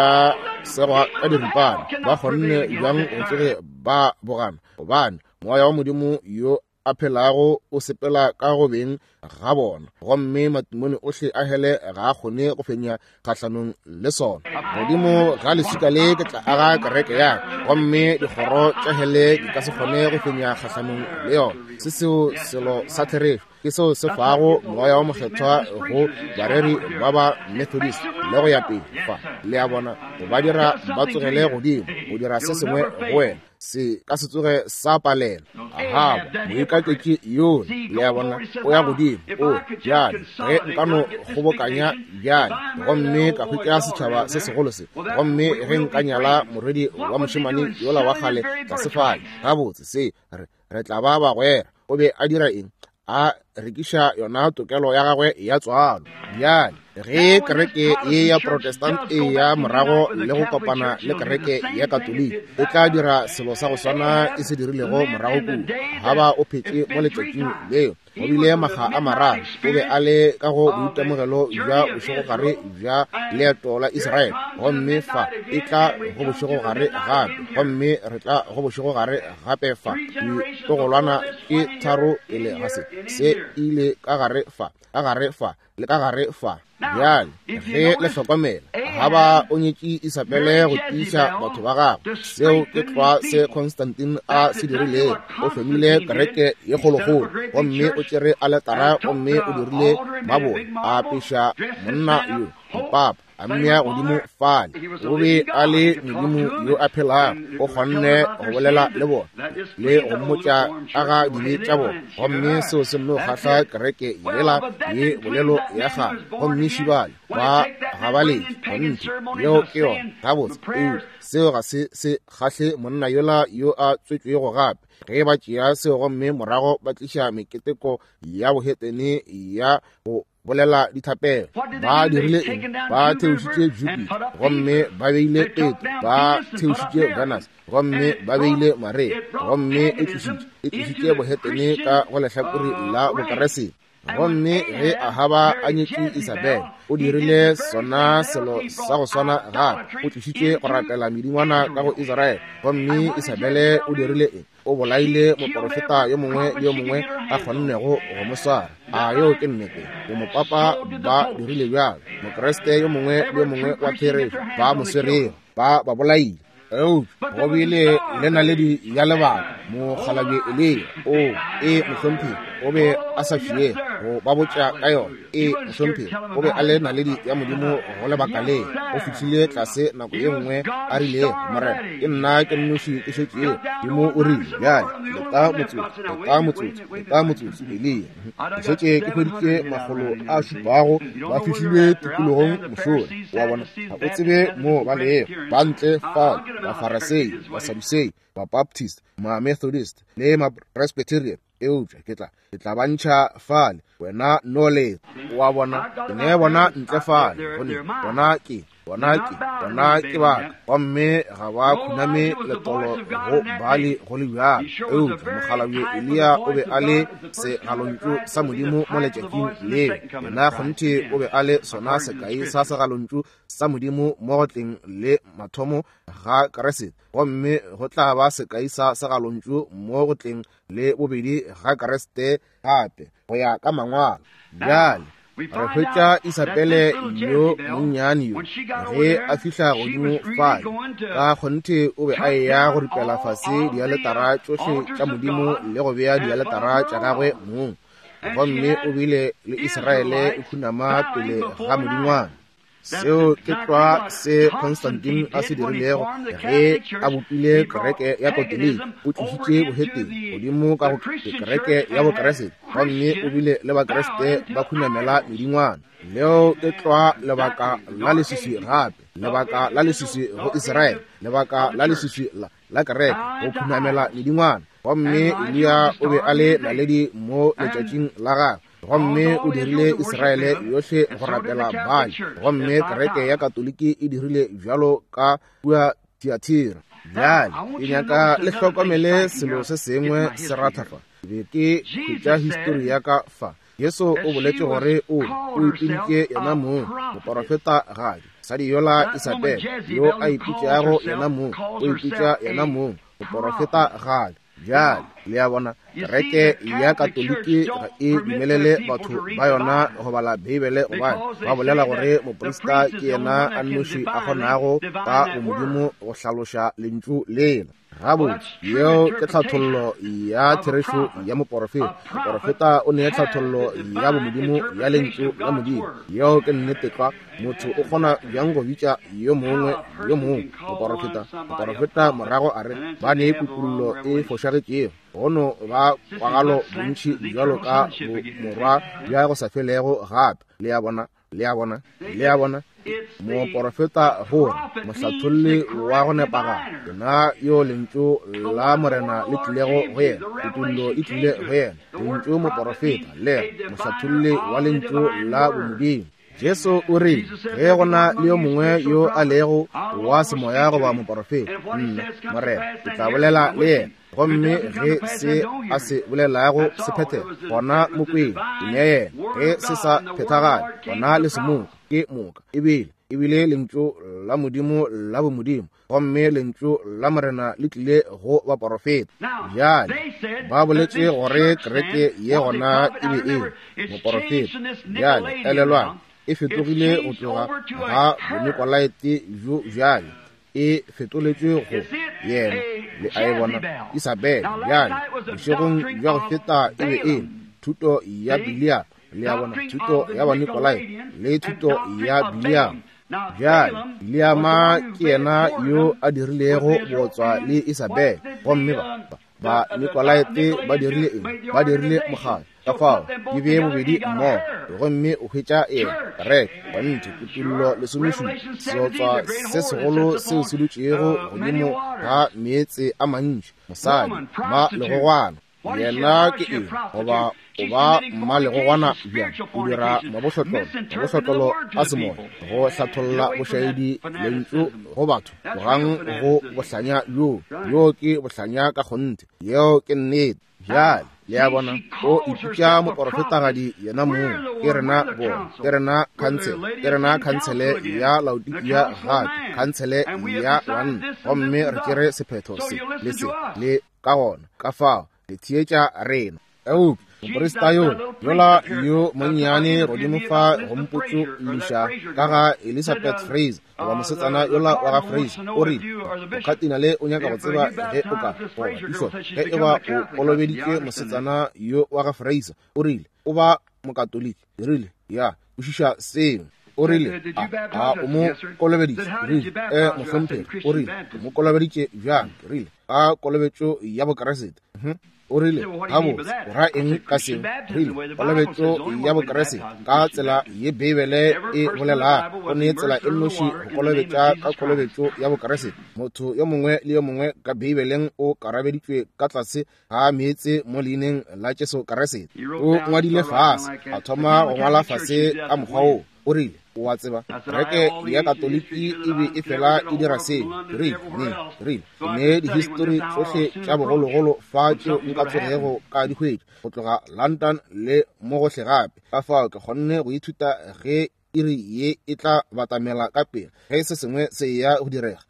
segwa ka diripana. Ba kgonne bjang go tsoge ba bogana? Gobane Moya wa Modimo yo a phelago o sepela ka go beng ga bona, gomme matimone ohle a hele ga a kgone go fenya kgahlanong le sona. Godimo ga leswika le ke tla aga kereke ya ka, gomme dikgoro tša hele di ka se kgone go fenya kgahlanong le yona. Se seo selo sa therešo, ke seo se fago Moya wo Mokgethwa go bareri ba ba Methodist le go ya pele fa. Le a bona, go ba dira ba tsogele godimo, go dira se sengwe go wena. Se ka se tsoge sa palela. Ahaba, moikaketši yola, le a bona, o ya godimo. O, bjale, ge nka no kgobokanya bjale, gomme ka hwetša setšhaba se segolo se, gomme ge nka nyala morwedi wa mošemane yola wa kgale tlase fale, gabotse, se, re, re tla ba bagwera. O be a dira eng? A rekiša yona tokelo ya gagwe ya tswalo. Bjale, ge kereke ye ya Protestant e ya morago le go kopana le kereke ya Katoliki, e tla dira selo sa go swana e se dirilego morago kua. Ahaba o phetše mo letšatšing leo. Go bile makga a mararo o be a le ka go boitemogelo bja bošegogare bja leeto la Israele, gomme fa e tla go bošegogare gape, gomme re tla go bošegogare gape fa. Ditlogolwana ke tharo pele ga se, se ile ka gare fa, ka gare fa, le ka gare fa. Bjale ge le hlokomela, ga ba o nyetše Isabele go tiiša batho ba gagwe. Seo ke tlwa se Constantine a se dirilego. O hlomile kereke ye kgolokgolo, gomme o tšere aletara gomme o dirile mabone, a apeša monna yo mopapa, a mmea godimo fale. O be a le modimo yo a phelago, o kgonne go bolela le bona le go mmotša ka ga dibe tša bona, gomme seo se nno kgahla kereke yela ye bolelo ya kgale. Gomme šibale ba gabaletše kgonthe, yeo ke yona gabotse. Eupša seo ga se se kgahle monna yola yo a tswetšwego gape, ge ba tšea seo gomme morago ba tliša meketeko ya bohetene ya go bolela dithapelo. Ba dirile eng? Ba theošitše Jupiter gomme ba beile Petro, ba theošitše Venus gomme ba beile Maria, gomme e tlišitše bohetene ka go lehlakore la Bokeresete. Gomme ge Ahaba a nyetše Isabel, o dirile sona selo sa go swana gape, o tlišitše go rapela medingwana ka go Israele. Gomme Isabele o dirile eng? O bolaile moporofeta yo mongwe le yo mongwe a kgonnego go mo swara. A yeo ke nnete? Bomopapa ba dirile bjalo. Mokriste yo mongwe le yo mongwe wa therešo ba mo swerego, ba ba bolaile. Eupša go bile le naledi ya lebaka, mokgalabje Eliya. O e mohlomphegi, o be a sa fiege go ba botša ka yona. E mohlomphegi, o be a le naledi ya Modimo go lebaka le. O fihlile tlase nako ye nngwe a rilego, Morena, ke nna ke nnoši ke šetšego. Modimo o rile, bjale leta motsotso, leta motsotso, leta motsotso, Eliya. Ke šetše ke hweditše 700 ba fihlilwe tikologong mošola. Wa bona, ga o tsebe mo ba lego, ba ntle fao, Bafarasei, Basadusei, Babaptist, Mamethodist le Mapresbyterian. Eupša ke tla ba ntšha fale, wena no leta. Wa bona, ke ne bona ntle fale, gonne bona ke bona ke ba, gomme ga ba khuname letolo go Baali go le bjalo. Eupša mokgalabje Eliya o be a le segalontšu sa Modimo mo letšatšing leo. Yena kgonthe o be a le sona sekai sa segalontšu sa Modimo mo go tleng le mathomo ga Kriste, gomme go tla ba sekai sa segalontšu mo go tleng le bobedi ga Kriste gape, go ya ka Mangwalo. Bjale re hwetša Isabele yo monnyane yo, ge a fihla godimo fale, ka kgonthe o be a eya go ripela fase dialetara tšohle tša Modimo le go bea dialetara tša gagwe mong, gomme o bile le Israele e khunama pele ga modingwana. Seo ke tlwa se Constantine a se dirilego ge a bopile kereke ya Katoliki. O tlišitše bohetene godimo ka go kereke ya Bokeresete, gomme o bile le Bakriste ba khunamela medingwana. Leo ke tlwa lebaka la leswiswi gape, lebaka la leswiswi go Israele, lebaka la leswiswi la kereke go khunamela medingwana. Gomme Eliya o be a le naledi mo letšatšing la gagwe, gomme o dirile Israele yohle go rapela Baali, gomme kereke ya Katoliki e dirile bjalo ka kua Thiatira. Bjale ke nyaka le hlokomele selo se sengwe se ratha fa. Ke be ke hwetša histori ya ka fa. Jesu o boletše gore o ipiditše yena mong moporofeta gadi. Mosadi yola Isabel yo a ipitšago yena mong, o ipitša yena mong moporofeta gadi. Bjale le a bona, kereke ya Katoliki ga e dumelele batho ba yona go bala Beibele, gobane ba bolela gore moprista ke yena a nnoši a kgonago ka bomodimo go hlaloša lentšu lela. Gabotse, yeo ke tlhathollo ya therešo ya moporofeta. Moporofeta o ne tlhathollo ya bomodimo ya lentšu la Modimo. Yeo ke nnete tlwa. Motho o kgona bjang go bitša yo mongwe yo mongwe moporofeta? Moporofeta morago a re ba ne kutollo e fošagetšego, gono ba kwagalo bontši bjalo ka bomorwa bja go sa felego gape. Le a bona, le a bona, le a bona. Moporofeta gore mohlatholli wa go nepagala, yena yo lentšu la Morena le tlilego go yena, kutollo e tlile go yena. Lentšu moporofeta le mohlatholli wa lentšu la bomodimo. Jesu o rile, ge go na le yo mongwe yo a lego wa semoya goba moporofeta, nna, Morena, ke tla bolela le yena. Gomme ge se a se bolelago se phethega, gona mo kweng, ke nea yena. Ge se sa phethagale, gona le se moka, ke moka. Ebile lentšu la Modimo la bomodimo, gomme lentšu la Morena le tlile go baporofeta. Bjale ba boletše gore kereke ye gona e be e moporofeta. Bjale elelwang, e fetogile go tloga ga bonikolaite bjo bjale e fetoletšwe go yena. Le a e bona, Isabel. Bjale bošegong bja go feta e be e thuto ya Biliam, le a bona, thuto ya Banikolaite le thuto ya Biliam. Bjale Biliama ke yena yo a dirilego bootswa le Isabel, gomme ba Nikolaite ba dirile eng? Ba dirile mokgatlo. Ka fao di bee bobedi mmogo, gomme o hwetša eng? Kereke, kgonthe, kutullo 17, seotswa se segolo seo se dutšego godimo ga meetse a mantši, mosadi ma legogwana. Yena ke eng? Goba o ba mmalegogwana bjang? O dira mabohlotlolo a semoya go hlatholla bošaedi lentšu go batho. Tlogang go bohlanya bjo. Bjo ke bohlanya ka kgonthe. Yeo ke nnete. Bjale le a bona, o ipitša moporofetagadi yena mong. Ke rena bona, ke rena khansele, ke rena khansele ya Laodikia gape, khansele ya banna, gomme re tšere sephetho se le se le ka gona. Ka fao le theetša rena. Eupša moprista yo yola yo monnyane godimo fa go mpotšološa ka ga Elizabeth Fraser, goba mosetsana yola wa ga Fraser, o rile mokhatinale o nyaka go tseba ge o ka goba pišo ge e ba o kolobeditše mosetsana yo wa ga Fraser. O rile o ba mokatoliki. Rile ya kwešiša seo. O rile a o mo kolobeditše? Rile mohlomphegi. O rile o mo kolobeditše bjang? Rile ka kolobetšo ya Bokeresete. O rile gabotse o ra eng ka seo? Rile kolobetšo ya Bokeresete ka tsela ye Beibele e bolelago. Go ne tsela e nnoši go kolobetša ka kolobetšo ya Bokeresete. Motho yo mongwe le yo mongwe ka Beibeleng o karabeditšwe ka tlase ga meetse mo leineng la Jesu Keresete. O ngwadile fase, a thoma go ngwala fase ka mokgwa wo. O rile, o a tseba, kereke ya Katoliki e be e fela e dira seo. Rile, rile, ne dihistori tšohle tša bogologolo fa tšeo nka tsogego ka di hwetša, go tloga London le mo gohle gape. Ka fao ke kgonne go ithuta ge iri ye e tla batamela ka pele, ge se sengwe se ya go direga.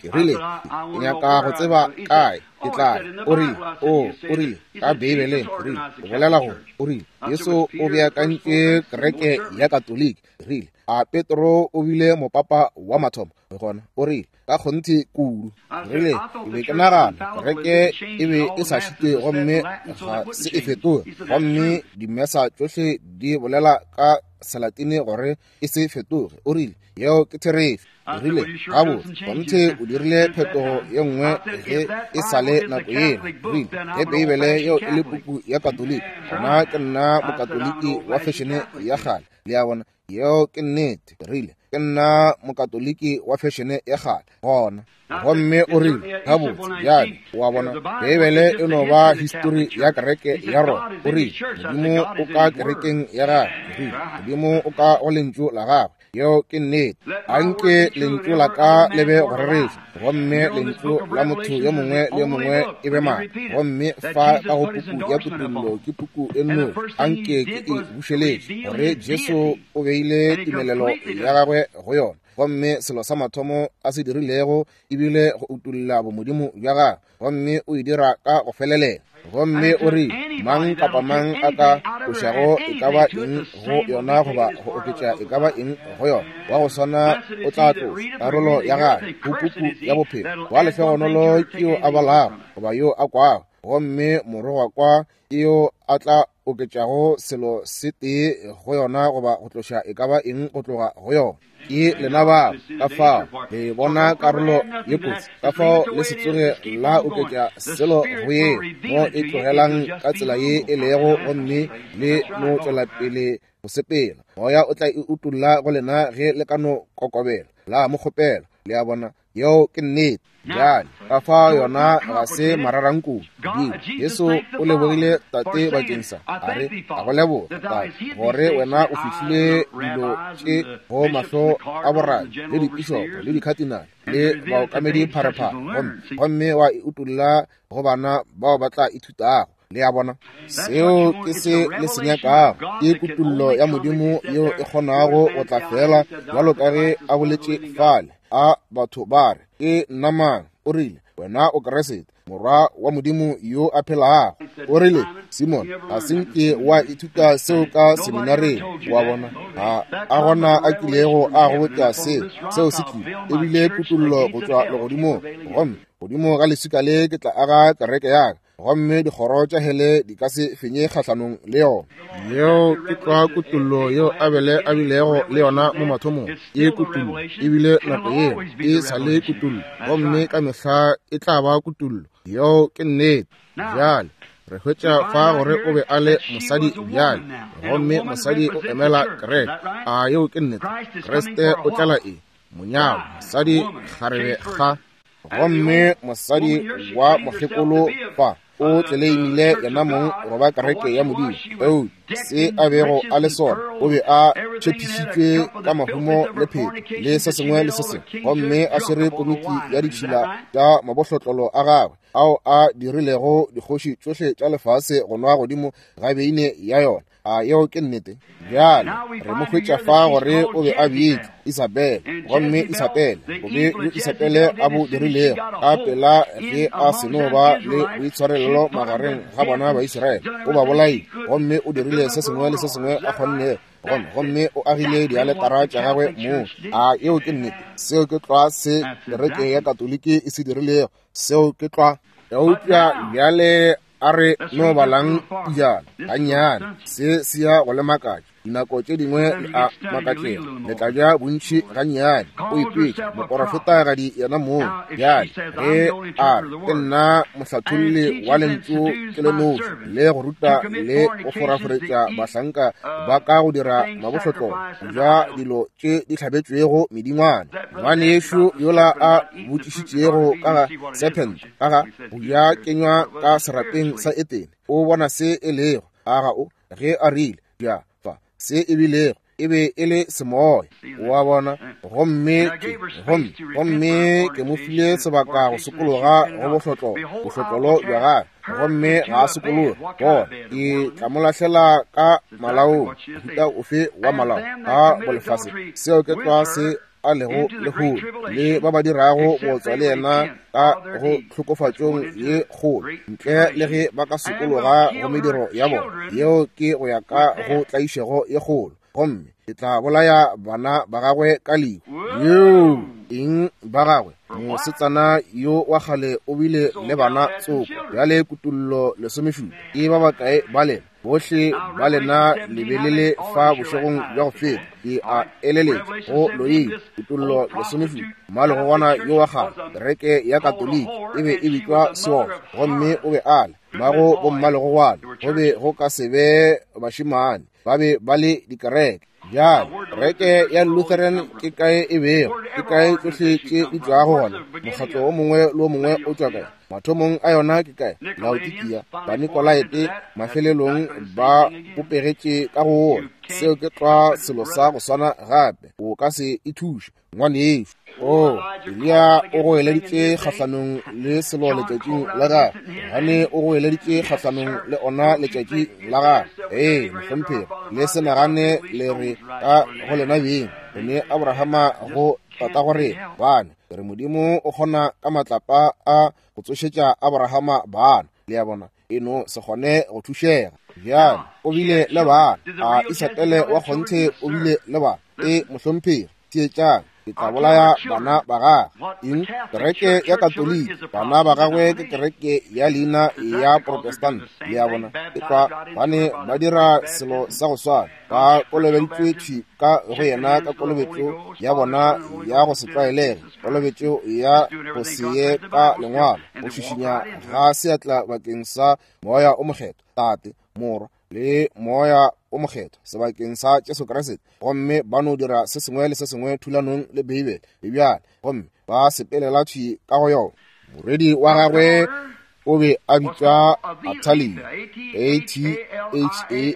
Ke rile, ke nyaka go tseba kae ke tla. O rile, o rile ka Beibeleng. Rile, o bolela gore, o rile Jesu o beakantše kereke ya Katoliki. Rile, a Petro o bile mopapa wa mathomo? Gona o rile, ka kgonthe kudu. Rile, ke be ke nagana kereke e be e sa šitwe gomme ga se e fetoge, gomme dimesa tšohle di bolela ka Selatine gore e se fetoge. O rile, yeo ke therešo. Rile, gabotse, kgonthe o dirile phetogo ye nngwe ge e sa le nako yela. Rile, ge Beibele yeo e le puku ya Katoliki, gona ke nna mokatoliki wa fešene ya kgale. Le a bona, yeo ke nnete. Rile, ke nna mokatoliki wa fešene ya kgale gona. Gomme o rile, gabotse, bjale, o a bona, Beibele e no ba histori ya kereke ya Roma. O rile, Modimo o ka kerekeng ya gagwe. Rile, Modimo o ka go lentšu la gagwe. Yeo ke nnete. Anke lentšu la ka le be go rereša, gomme lentšu la motho yo mongwe le yo mongwe e be maaka. Gomme fa ka go puku ya Kutullo ke puku e nnoši, anke ke e bušeletše, gore Jesu o beile tumelelo ya gagwe go yona. Gomme selo sa mathomo a se dirilego ebile go utolla bomodimo bja gagwe, gomme o e dira ka go felelela. Gomme o rile, mang kapa mang a ka tlošago e ka ba eng go yona goba go oketša e ka ba eng go yona, wa go swana o tla tloša karolo ya gagwe go puku ya bophelo. Wa lehlogonolo ke yo a balago goba yo a kwago, gomme morogwa kwa ke yo a tla oketšago selo se tee go yona goba go tloša e ka ba eng go tloga go yona. Ke lena bao. Ka fao le bona karolo ye kotsi, ka fao le se tsoge la oketša selo go yeo, mo e tlogelang ka tsela ye e lego, gomme le no tšwela pele go sepela. Moya o tla e utolla go lena ge le ka no kokobela la mo kgopela. Le a bona? Yeo ke nnete. Bjale, ka fao yona ga se mararankudu. Jesu o lebogile Tate bakeng sa, a re, a go leboga, Tate, gore wena o fihlile dilo tše go mahlo a borabi le dipišopo le dikhatinale le baokamedi pharephare, gomme wa e utolla go bana bao ba tla ithutago. Le a bona? Seo ke se le se nyakago, ke kutollo ya Modimo yeo e kgonago go tla fela bjalo ka ge a boletše fale. A batho ba re, Ke nna mang? O rile, Wena o Kriste, Morwa wa Modimo yo a phelago. O rile, Simon, ga se nke wa ithuta seo ka seminareng. Wa bona, ga a gona a kilego a go botša seo. Seo se tlile, e bile kutollo go tšwa legodimong. Gomme godimo ga leswika le ke tla aga kereke ya ka, gomme dikgoro tša hele di ka se fenye kgahlanong le yona. Yeo ke tlwa kutollo yeo Abele a bilego le yona mo mathomong. E kutollo e bile nako yeo, e sa le kutollo, gomme ka mehla e tla ba kutollo. Yeo ke nnete. Bjale re hwetša fa gore o be a le mosadi bjale, gomme mosadi o emela kereke. A yeo ke nnete? Kriste o tlela eng? Monyalwa, mosadi, kgarebe, ga. Gomme mosadi wa mokgekolo fa o tleleimile yena mong go ba kereke ya Modimo. Eupša se a bego a le sona, o be a tshepišitšwe ka mahumo le pheko le se sengwe le se sengwe, gomme a swere komiki ya ditšhila tša mabohlotlolo a gagwe ao a dirilego dikgoši tšohle tša lefase go nwa godimo ga beine ya yona. A yeo ke nnete? Bjale re mo hwetša fa gore o be a bitšwa Isabele, gomme Isabele, bobe bjo Isabele a bo dirilego ka pela ge a seno ba le boitshwarelelo magareng ga bona ba Israele, o ba bolaile, gomme o dirile se sengwe le se sengwe a kgonnego, gomme o agile dialetara tša gagwe moo. A yeo ke nnete? Seo ke tlwa se kereke ya Katoliki e se dirilego. Seo ke tlwa. Eupša bjale a re no balang pijana gannyane, se se ya go le makatša. Dinako tše dingwe le a makatšega, le tla ja bontši gannyane. O ipetša moporofetagadi yena mong. Bjale ge a re, Ke nna mohlatholli wa lentšu ke le noši, le go ruta le go foraforetša bahlanka ba ka go dira mabohlotlolo, go ja dilo tše di hlabetšwego medingwana. Ngwanešu yola a botšišitšego ka ga serpent, ka ga go ja kenywa ka serapeng sa Etene, o bona se e lego, a ga o? Ge a rile, Ja fa, se e bilego, e be e le semoya, o a bona. Gomme ke, gomme, gomme ke mo file sebaka go sokologa go bohlotlolo, bohlotlolo bja gagwe, gomme ga a sokologe. Bona, ke tla mo lahlela ka malaong, mohuta ofe wa malao a bolefase. Seo ke tlwa se a lego lehono, le ba ba dirago bootswa le yena ka go tlhokofatšong ye kgolo, ntle le ge ba ka sokologa go mediro ya bona. Yeo ke go ya ka go tlaišego ye kgolo, gomme ke tla bolaya bana ba gagwe ka lehu. Yeo eng ba gagwe? Mosetsana yo wa kgale o bile le bana tsoko. Bjale Kutollo 17, ke ba bakae ba lena? Bohle ba lena le be le le fa bošegong bja go feta. Ke a eleletša go loile. Kutollo 17, mmalegogwana yo wa kgale, kereke ya Katoliki e be e bitšwa seotswa, gomme o be a le mmago bommalegogwana. Go be go ka se be bašemane, ba be ba le dikereke. Bjale, kereke ya Lutheran ke kae e bego? Ke kae tšohle tše di tšwago gona? Mokgatlo o mongwe le o mongwe o tšwa kae? Mathomong a yona ke kae? Laodikia, Banikolaete, mafelelong ba bopegetše ka go wona. Seo ke tlwa selo sa go swana gape. O ka se e thuše, ngwanešu. O, Eliya o goeleditše kgahlanong le selo letšatšing la gagwe. Johane o goeleditše kgahlanong le ona letšatši la gagwe. Ee, mohlomphegi, le se nagane le re ka go lena beng, re ne Abrahama go tatago rena. Bane, re Modimo o kgona ka matlapa a go tsošetša Abrahama bana. Le a bona, e no se kgone go thušega. Bjale, o bile le bana. A Isabele wa kgonthe o bile le bana? Ee, mohlomphegi. Theetšang, ke tla bolaya bana ba gagwe. Eng? Kereke ya Katoliki. Bana ba gagwe ke kereke ya leina ya Protestant. Le a bona, e tlwa bane ba dira selo sa go swana. Ba kolobeditšwe thwi ka go yena ka kolobetšo ya bona ya go se tlwaelege, kolobetšo ya go se ye ka lengwalo, go šišinya ga seatla bakeng sa Moya o Mokgethwa, Tate, Morwa. le Moya o Mokgethwa sebakeng sa Jesu Kriste, gomme ba no dira se sengwe le se sengwe thulanong le Beibele le bjale, gomme ba sepelela thwi ka go yona. Morwedi wa gagwe o be a bitšwa Athalia, A-T-H-A-L-I-A.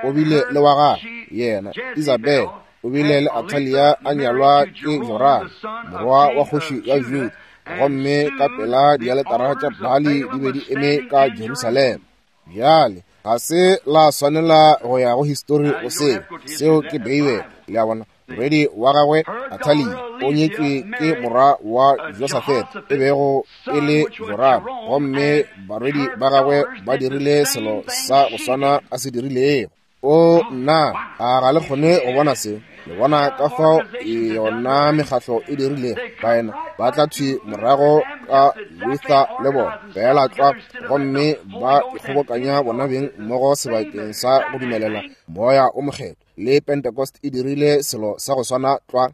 O bile le wa gagwe yena Isabel, o bile le Athalia a nyalwa ke Joram, morwa wa kgoši ya Juda, gomme ka pela dialetara tša Baali di be di eme ka Jerusalema. Bjale ga se la swanela go ya go histori go seo, seo ke Beibele. Le a bona? Morwedi wa gagwe Athalia o nyetšwe ke morwa wa Josafat, e bego e le Joram, gomme barwedi ba gagwe ba dirile selo sa go swana a se dirilego. O nna, a ga le kgone go bona se? Le bona ka fao yona mekgatlo e dirilego? Baena ba tla thwi morago ka Luther le bona, feela tlwa, gomme ba ikgobokanya bona beng mmogo sebakeng sa go dumelela Moya o Mokgethwa. Le Pentecost e dirile selo sa go swana tlwa.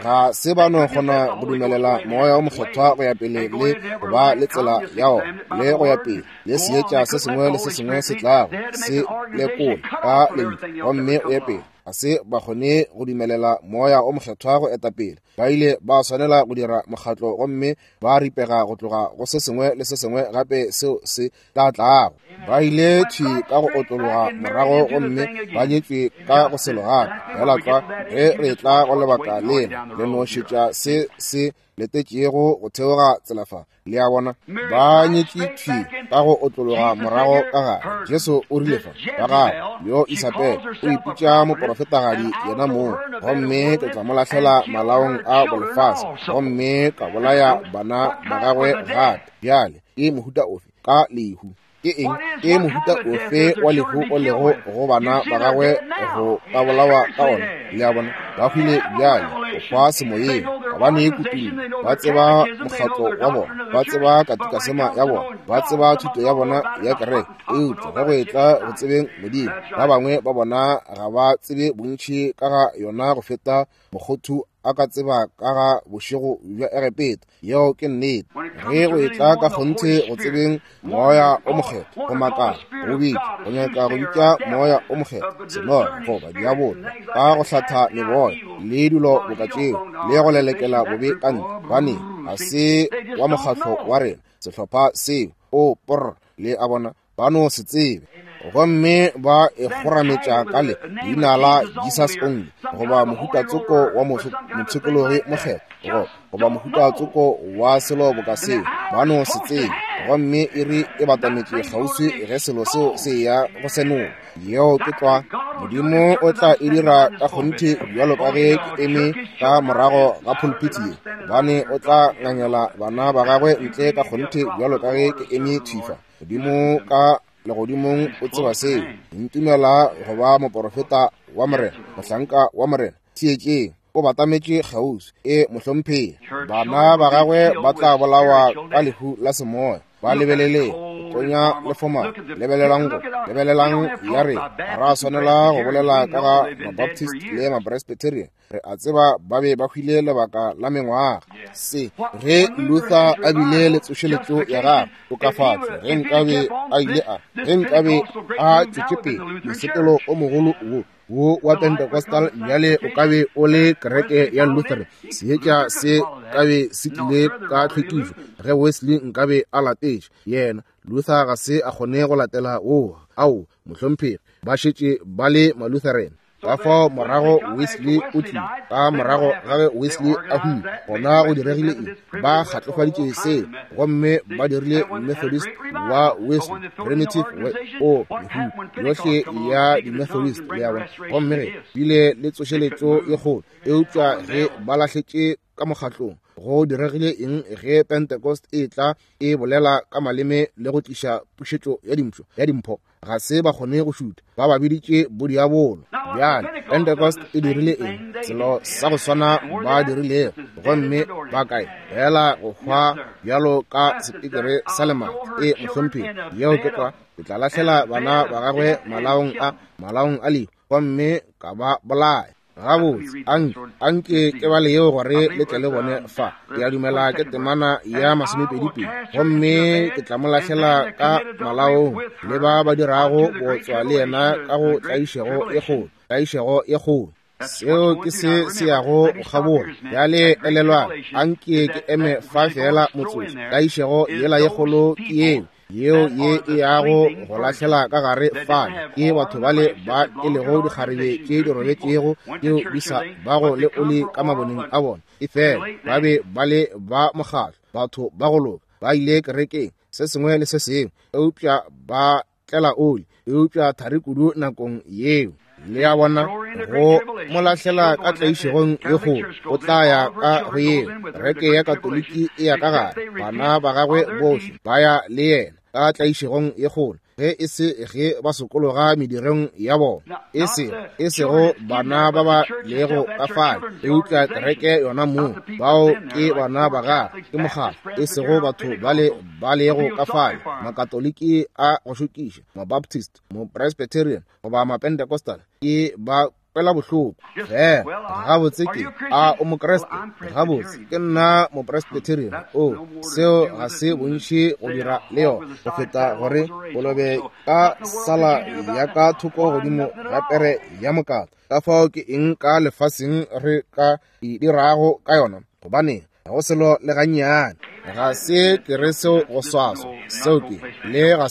Ga se ba no kgona go dumelela Moya o Mokgethwa go ya pele le go ba le tsela ya ona le go ya pele le seetša se sengwe le se sengwe se tlago se lekola ka lentšu gomme o ye pele. Ga se ba kgone go dumelela Moya o Mokgethwa go eta pele. Ba ile ba swanela go dira mokgatlo gomme ba ripega go tloga go se sengwe le se sengwe gape seo se tla tlago. Ba ile thwi ka go otlologa morago gomme ba nyetšwe ka go selo gape. Feela tlwa ge re tla go lebaka lela, le no šetša se se letetšego go theoga tsela fa. Le a bona, ba nyetšwe thwi ka go otlologa morago ka gare. Jesu o rile fa, ba gagwe yo Isabel o ipitša moprofetagadi yena mong, gomme ke tla mo lahlela malaong a bolefase gomme ka bolaya bana ba gagwe gape. Bjale ke mohuta ofe ka lehu? Ke eng? Ke mohuta ofe wa lehu o lego go bana ba gagwe go ka bolawa ka ona? Le a bona, ba hwile bjale, go hwa semoyeng, gobane kutullo. Ba tseba mokgatlo wa bona, ba tseba katikasema ya bona, ba tseba thuto ya bona ya kereke, eupša ge go etla go tsebeng Modimo, ba bangwe ba bona ga ba tsebe bontši ka ga yona go feta mokgothu a ka tseba ka ga bošego bja Egepeta. Yeo ke nnete. Ge go etla ka kgonthe go tsebeng Moya o Mokgethwa, go makala, go bitša, go nyaka go bitša Moya o Mokgethwa senoga goba diabolo, ka go hlatha meboya le dilo boka tšeo, le go lelekela bobe ka ntle, gobane ga se wa mokgatlo wa rena, sehlopha seo. O porr, le a bona, ba no se tsebe, gomme ba e kgorametša ka le leina la Jesus Only, goba mohuta tsoko wa mopshikologi mokgethwa, goba mohuta tsoko wa selo boka seo. Ba no se tsebe, gomme iri e batametše kgauswi ge selo seo se ya go senola. Yeo ke tlwa. Modimo o tla e dira ka kgonthe bjalo ka ge ke eme ka morago ga pulpiti ye, gobane o tla ngangela bana ba gagwe ntle ka kgonthe bjalo ka ge ke eme thwi fa. Modimo ka legodimong o tseba seo. Ntumela go ba moporofeta wa Morena, mohlanka wa Morena. Theetšeng, o batametše kgauswi. E mohlomphegi, bana ba gagwe ba tla bolawa ka lehu la semoya. Ba lebeleleng, go tonya le fomana. Lebelelang go, lebelelang ya re, ga ra swanela go bolela ka ga Mabaptist le Mapresbyterian. Re a tseba ba be ba hwile lebaka la mengwaga. Se, ge Luther a bile le tsošeletšo ya gagwe, tokafatšo, ge nkabe a ile a, ge nkabe a tšwetše pele mosepelo o mogolo wo, wo wa Pentecostal, bjale o ka be o le kereke ya Lutheran. Seetša se ka be se tlile ka tlhwekišo ge Wesley nkabe a latetše yena. Luther ga se a kgone go latela wo. Ao, mohlomphegi, ba šetše ba le Malutheran. Ka fao morago Wesley o tlile, ka morago ga ge Wesley a hwile, gona go diregile eng? Ba kgatlofaditše seo gomme ba dirile Methodist wa Wesley, primitive o mehuta yohle ya di-Methodist, le a bona. Gomme ge bile le tsošeletšo ye kgolo, eupša ge ba lahletše ka mokgatlong, go diregile eng ge Pentecost e tla e bolela ka maleme le go tliša pušetšo ya dimpho, ya dimpho? Ga se ba kgone go šutha, ba ba biditše bodiabolo. Bjale Pentecost e dirile eng? Selo sa go swana ba dirilego, gomme ba kae? Fela go hwa bjalo ka sepikere sa lemati. E mohlomphegi, yeo ke tlwa. Ke tla lahlela bana ba gagwe malaong a, malaong a lehu, gomme ka ba bolaya. Gabotse, anke ke bale yeo gore le tle le bone fa. Ke a dumela ke temana ya 22. Gomme ke tla mo lahlela ka malaong le ba ba dirago bootswa le yena ka go tlaišego e kgolo, tlaišego e kgolo. Seo ke se se yago go kgabola. Bjale elelwang, anke ke eme fa fela motsotso. Tlaišego yela ye kgolo ke yeo, yeo ye e yago go lahlela ka gare fale ke batho bale ba e lego dikgarebe tše di robetšego, tšeo di sa bago le oli ka maboneng a bona. Efela ba be ba le ba mokgatlo, batho ba go loka, ba ile kerekeng, se sengwe le se sengwe, eupša ba tlela oli, eupša thari kudu nakong yeo. Le a bona, go mo lahlela ka tlaišegong e kgolo, o tla ya ka go yeo. Kereke ya Katoliki e ya ka gare, bana ba gagwe bohle ba ya le yena ka tlaišegong e kgolo, ge e se ge ba sokologa medirong ya bona, e sego bana ba ba lego ka fale, eupša kereke yona moo, bao ke bana ba gagwe, ke mokgatlo, e sego batho bale ba lego ka fale, Makatoliki a go šokiša, Mabaptist, Mopresbyterian goba Mapentecostal, ke ba kwela bohloko. Fela gabotse ke a o Mokreste? Gabotse ke nna Mopresbyterian. O seo ga se bontši go dira le yona go feta gore kolobe ka sala ya ka thoko godimo ga pere ya mokata. Ka fao ke eng ka lefaseng re ka e dirago ka yona? Gobane ga go selo le gannyane. Ga se ke re seo go swaswa, seo ke le ga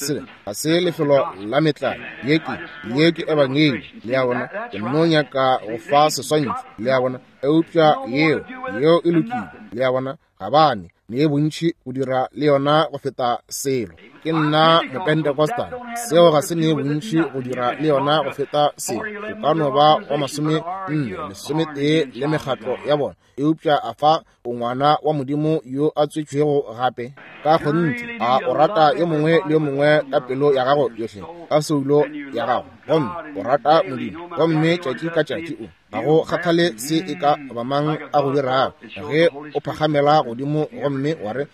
se lefelo la metlae. Ye ke ebangedi, le a bona. Ke nno nyaka go fa seswantšho, le a bona, eupša yeo e lokile, le a bona, gabane ne bontši go dira le yona go feta selo. Ke nna Mopentecostal, seo ga se ne bontši go dira le yona go feta selo. O ka no ba wa 41 11 le mekgatlo ya bona, eupša a fa o ngwana wa Modimo yo a tswetšwego gape ka kgonthe. A o rata yo mongwe le yo mongwe ka pelo ya gago yohle, ka soulo ya gago, gomme o rata Modimo, gomme tšatši ka tšatši o ga go kgathale se e ka ba mang a go dirago, ge o phagamela godimo gomme wa re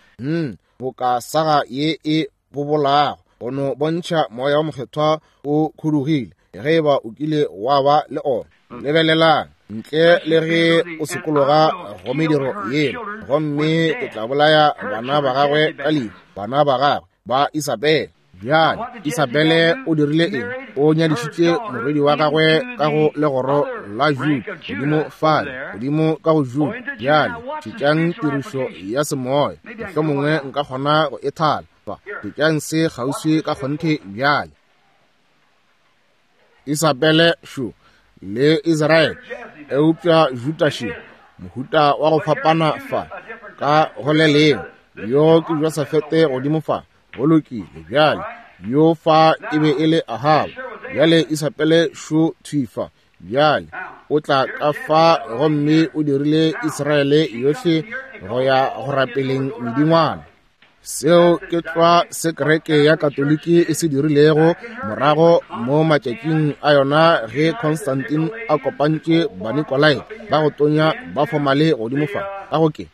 boka saga ye e bobolago, go no bontšha moya wa mokgethwa o khudugile, ge eba o kile wa ba le ona. Lebelelang ntle le ge o sokologa go mediro yela, gomme ke tla bolaya bana ba gagwe ka lehu, bana ba gagwe ba Isabele. Bjale Isabele o dirile eng? O nyadišitše morwedi wa gagwe ka go legoro la Juda, godimo fale, godimo ka go Juda. Bjale šetšang tirišo ya semoya, mohlomongwe nka kgona go e thala fa. Šetšang se kgauswi ka kgonthe bjale. Isabele šo le Israele, eupša Juda še, mohuta wa go fapana fa ka go le lengwe. Yo ke Josafete godimo fa, go lokile. Bjale yo fa e be e le Ahaba. Bjale Isabele šo thwi fa. Bjale o tla ka fa gomme o dirile Israele yohle go ya go rapeleng medingwana. Seo ke tlwa se kereke ya Katoliki e se dirilego morago mo matšatšing a yona ge Constantine a kopantše Banikolaite ba go tonya ba fomale godimo fa ka go ke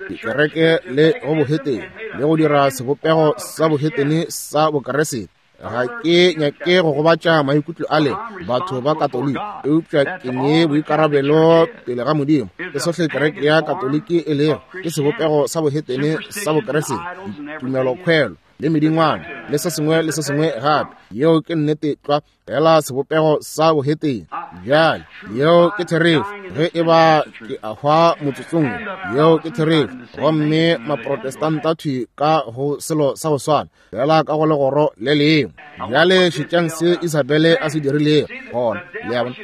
dikereke le go bohetene le go dira sebopego sa bohetene sa Bokeresete. Ga ke nyake go gobatša maikutlo a le batho ba Katoliki, eupša ke ne boikarabelo pele ga Modimo. Ke sohle kereke ya Katoliki e lego ke sebopego sa bohetene sa Bokeresete, tumelokhwelo le medingwana le se sengwe le se sengwe gape. Yeo ke nnete tlwa, fela sebopego sa bohetene. Bjale yeo ke therešo. Ge e ba ke a hwa motsotsong, yeo ke therešo. Gomme Maprotestanta thwi ka go selo sa go swana, fela ka go legoro le lengwe. Bjale šetšang se Isabele a se dirilego gona. Le a bona,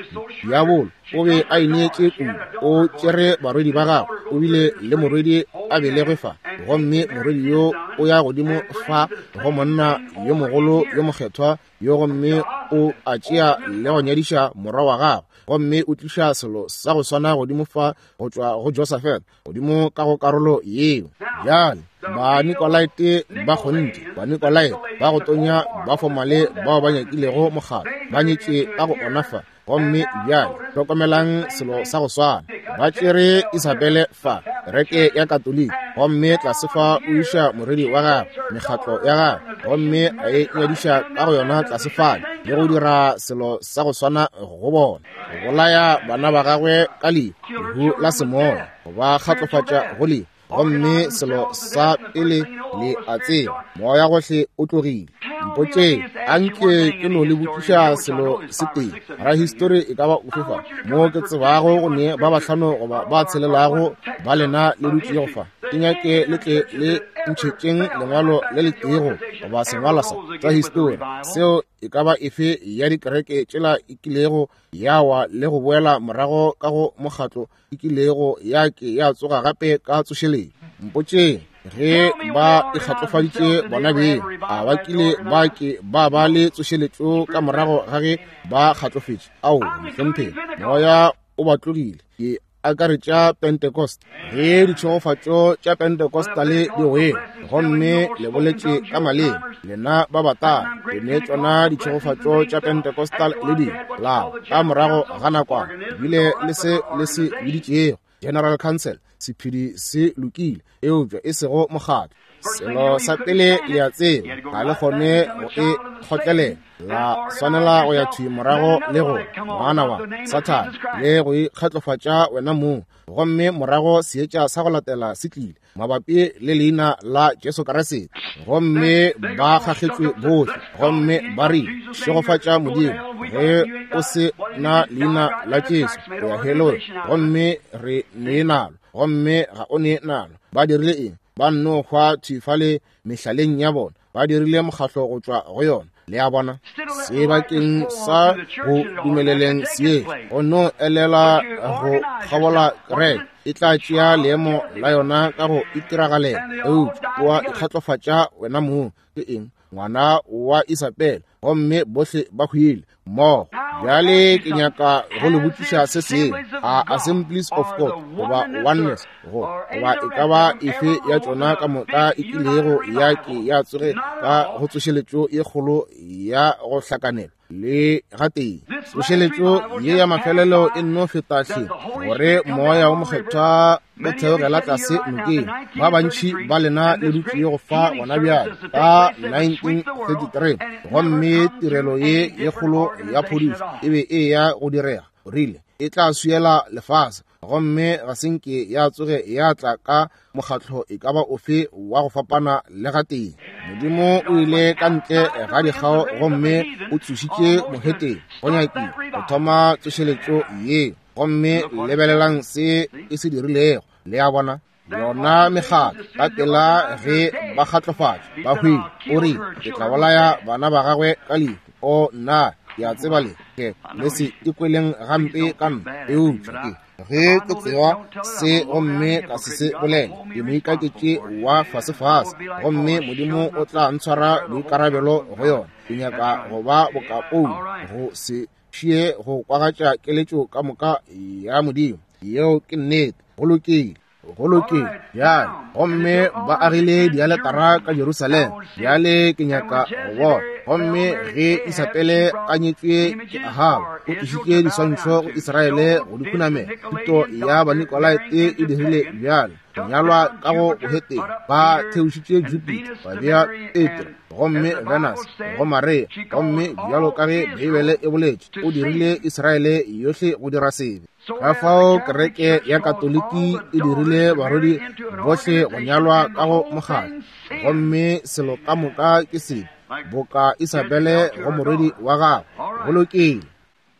diabolo o be a ineetše kudu, o tšere barwedi ba gagwe, o bile le morwedi a belegwe fa, gomme morwedi yo o ya godimo fa go monna yo mogolo yo mokgethwa yo, gomme o a tšea le go nyadiša morwa wa gagwe, gomme o tliša selo sa go swana godimo fa go tšwa go Josafat godimo ka go karolo yeo. Bjale Banikolaite ba kgonthe, Banikolaite ba go tonya ba fomale bao ba nyakilego mokgatlo, ba nyetše ka go ona fa. Gomme bjale hlokomelang selo sa go swana, ba tšere Isabele fa. Kereke ya Katoliki, gomme tlase fa o iša morwedi wa gagwe, mekgatlo ya gagwe, gomme a e nyadiša ka go yona tlase fale, le go dira selo sa go swana go bona, go bolaya bana ba gagwe ka lehu, lehu la semoya, go ba kgatlofatša go lehu. Gomme selo sa pele le a tseba, moya gohle o tlogile. Mpotšeng, a nke ke no le botšiša selo se tee. Rahistori e ka ba ofe fa mo ke tsebago go ne ba bahlano goba ba tshelelago ba lena le dutšego fa, ke nyake le tle le ntšhetšeng lengwalo le le teego goba sengwalwa sa tsa histori seo e ka ba efe ya dikereke tšela e kilego ya wa le go boela morago ka go mokgatlo e kilego ya ke ya tsoga gape ka tsošeletšo. Mpotšeng ge ba ikgatlofaditše bona beng, a ba kile ba ke ba ba le tsošeletšo ka morago ga ge ba kgatlofetše? Ao, mohlomphegi, moya o ba tlogile. Ke akaretša Pentecost, ge ditšhegofatšo tša Pentecostale di wele, gomme le boletše ka maleme, lena ba batala, le ne tšona ditšhegofatšo tša Pentecostal le di la ka morago ga nakwana, ebile le se le se biditšego General Council, sephedi se lokile, eupša e sego mokgatlo. Selo sa pele le a tseba, ga le kgone go e kgotlelela, la swanela go ya thwi morago le go ngwana wa Sathane le go ikgatlofatša wena mong, gomme morago seetša sa go latela se tlile mabapi le leina la Jesu Kriste, gomme ba kgakgetšwe bohle, gomme ba rile, šegofatša Modimo, ge o se na leina la Jesu o ya helong, gomme re ne nalo, gomme ga o ne nalo. Ba dirile eng? Ba nno hwa thwi fale mehlaleng ya bona, ba dirile mokgatlo go tšwa go yona. Le a bona, sebakeng sa go dumeleleng seetša go no elela go kgabola kereke, e tla tšea leemo la yona ka go itiragalela, eupša o a ikgatlofatša wena mong. Ke eng? Ngwana wa Isabela, gomme bohle ba hwile mmogo. Bjale ke nyaka go le botšiša se sengwe. A Assemblies of God goba Oneness go goba e ka ba efe ya tšona ka moka e kilego ya ke ya tsoge ka go tsošeletšo ye kgolo ya go hlakanelwa le gatee? Tsošeletšo ye ya mafelelo e nno feta hle gore moya wo mokgethwa o theogela tlase nokeng. Ba bantši ba lena le dutše go fa gona bjale ka 1933, gomme tirelo ye ye kgolo ya phodišo e be e ya go direga. O rile e tla swiela lefase, gomme ga se nke ya tsoge ya tla ka mokgatlo e ka ba ofe wa go fapana le gatee. Modimo o ile ka ntle ga dikgao gomme o tsošitše moheteng go nyakile go thoma tsošeletšo ye, gomme lebelelang se e se dirilego. Le a bona, yona mekgatlo ka pela ge ba kgatlofatšwa ba hwile. O rile ke tla bolaya bana ba gagwe ka lehu. O nna, ke a tseba le ke le se ikweleng gampe ka nna, eupša ke ge ke tseba se gomme ka se se bolela, ke moikaketše wa fasefase, gomme Modimo o tla ntshwara boikarabelo go yona. Ke nyaka go ba boka Paulo, go se šie go kwagatša keletšo ka moka ya Modimo. Yeo ke nnete. Go lokile, go lokile. Bjale, gomme ba agile dialetara ka Jerusalema. Bjale ke nyaka go bona. Gomme ge Isabele a nyetšwe ke Ahaba, o tlišitše diswantšho go Israele go di khunamela. Thuto ya Banikolaite e dirile bjalo. Go nyalwa ka go boheteng, ba theošitše Jupiter, ba bea Petro, gomme Venus go Maria, gomme bjalo ka ge Beibele e boletše, o dirile Israele yohle go dira sebe. Ka fao kereke ya Katoliki e dirile barwedi bohle go nyalwa ka go mokgatlo, gomme selo ka moka ke sebe, boka Isabele go morwedi wa gagwe. Go lokile.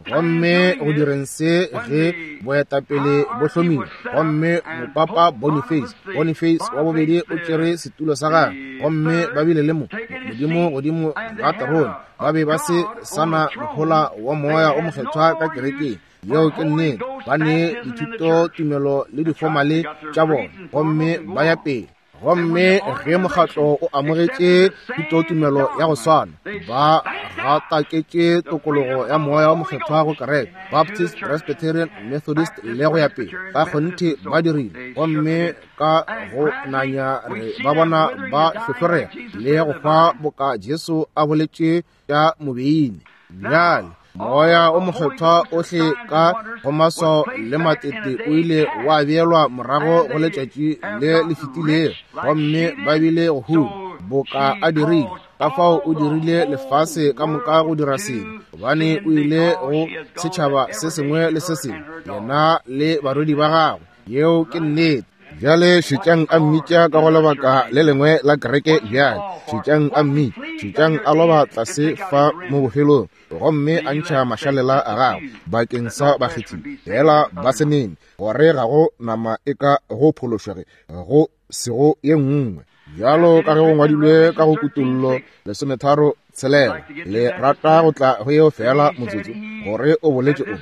Gomme go direng se ge boetapele bo hlomile, gomme mopapa Boniface, Boniface wa bobedi o tšere setulo sa gagwe, gomme ba bile le mo Modimo godimo ga terone, ba be ba se sana mohola wa moya o mokgethwa ka kerekeng. Yeo ke nnete. Ba ne dithuto tumelo le difomale tša bona, gomme ba ya pele. Gomme ge mokgatlo o amogetše thutotumelo ya go swana, ba gataketše tokologo ya moya wa mokgethwa go kereke, Baptist, Presbyterian, Methodist le go ya pele. Ka kgonthe ba dirile. Gomme ka go nanya re ba bona ba hlohlorega le go hwa boka Jesu a boletše tša mobeine. Bjale Moya o Mokgethwa ohle ka go maswao le matete o ile wa beelwa morago go letšatši le le fetilego, gomme ba bile go huma boka a dirile. Ka fao o dirile lefase ka moka go dira sebe, gobane o ile go setšhaba se sengwe le se sengwe, yena le barwedi ba gagwe. Yeo ke nnete. Bjale šetšang a mmitša ka go lebaka le lengwe la kereke bjale. Šetšang a mmitša, šetšang a loba tlase fa mo bofelong, gomme a ntšha mašalela a gagwe bakeng sa bakgethi fela ba se nene, gore ga go nama e ka go phološwa ge go sego ye nngwe. Bjalo ka ge go ngwadilwe ka go Kutollo 13:6, le rata go tla go yeo fela motsotso, gore o boletše o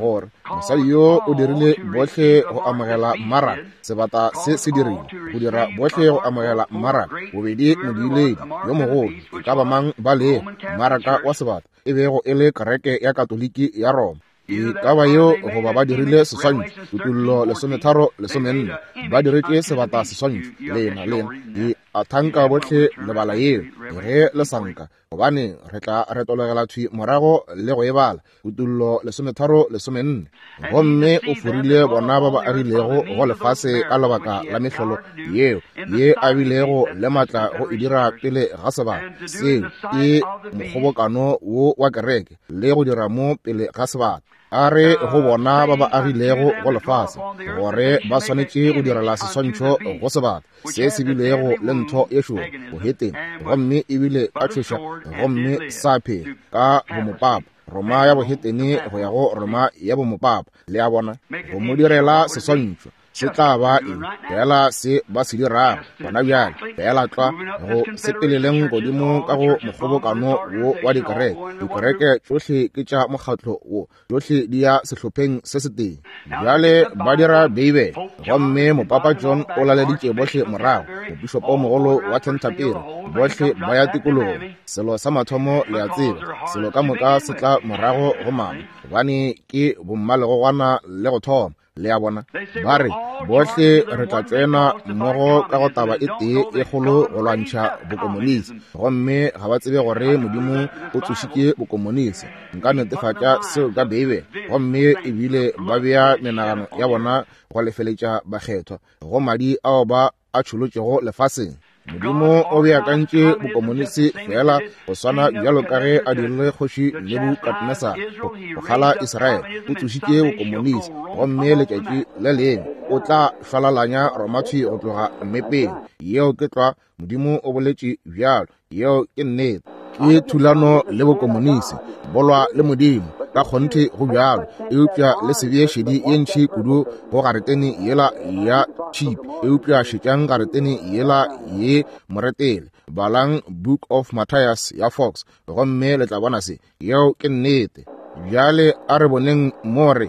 gore mosadi yo o dirile bohle go amogela mmaraka, sebata se se dirile go dira bohle go amogela mmaraka, bobedi modiiledi yo mogolo e ka ba mang ba lego mmaraka wa sebata e bego e le kereke ya Katoliki ya Roma. E ka ba yeo goba ba dirile seswantšho, Kutollo 13:14, ba diretše sebata seswantšho. Lena, lena, di a thanka bohle lebala yeo, ge le sa nka, gobane re tla retologela thwi morago le go e bala, Kutollo 13:14. Gomme o forile bona ba ba agilego go lefase ka lebaka la mehlolo yeo, ye a bilego le matla go e dira pele ga sebata. Seo ke mokgobokano wo wa kereke, le go dira mo pele ga sebata. A re go bona ba ba agilego go lefase gore ba swanetše go direla seswantšho go sebata se se bilego le ntho ye šoro boheteng, gomme ebile ka tšhoša, gomme sa phela ka bomopapa, Roma ya bohetene go ya go Roma ya bomopapa, le a bona, go mo direla seswantšho. Se tla ba eng? Feela se ba se dirago gona bjale, feela tlwa go sepeleleng godimo ka go mokgobokano wo wa dikereke. Dikereke tšohle ke tša mokgatlo wo, tšohle di ya sehlopheng se setee. Bjale ba dira Beibele, gomme Mopapa John o laleditše bohle morago, mopišopomogolo wa Canterbury, bohle ba ya tikologong. Selo sa mathomo le a tseba, selo ka moka se tla morago go mama, gobane ke bommalegogwana le go thoma. Le a bona? Ba re, bohle re tla tsena mmogo ka go taba e tee e kgolo go lwantšha bokomonisi, gomme ga ba tsebe gore Modimo o tsošitše bokomonisi. Nka netefatša seo ka Beibele. Gomme ebile ba bea menagano ya bona go lefeletša bakgethwa go madi ao ba a tšholotšego lefaseng. Modimo o beakantše bokomonisi feela go swana bjalo ka ge a dirile kgoši Nebukadnesar go kgala Israele. O tsošitše bokomonisi, gomme letšatši le lengwe o tla šwalalanya Roma thwi go tloga mmepeng. Yeo ke tlwa. Modimo o boletše bjalo. Yeo ke nnete. Ke thulano le bokomonisi, bolwa le Modimo. Ka kgonthe go bjalo, eupša le se bee šedi ye ntši kudu go garetene yela ya tšhipi, eupša šetšang garetene yela ye moretele. Balang Book of Matthias ya Fox, gomme le tla bona se. Yeo ke nnete. Bjale a re boneng mo re,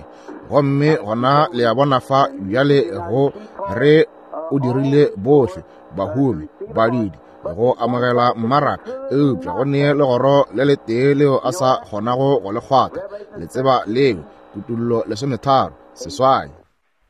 gomme gona le a bona fa bjale go re o dirile bohle bahumi, badidi, go amogela mmaraka, eupša go ne legoro le letee leo a sa kgonago go le kgwatha. Le tseba leo, Kutullo 13:8.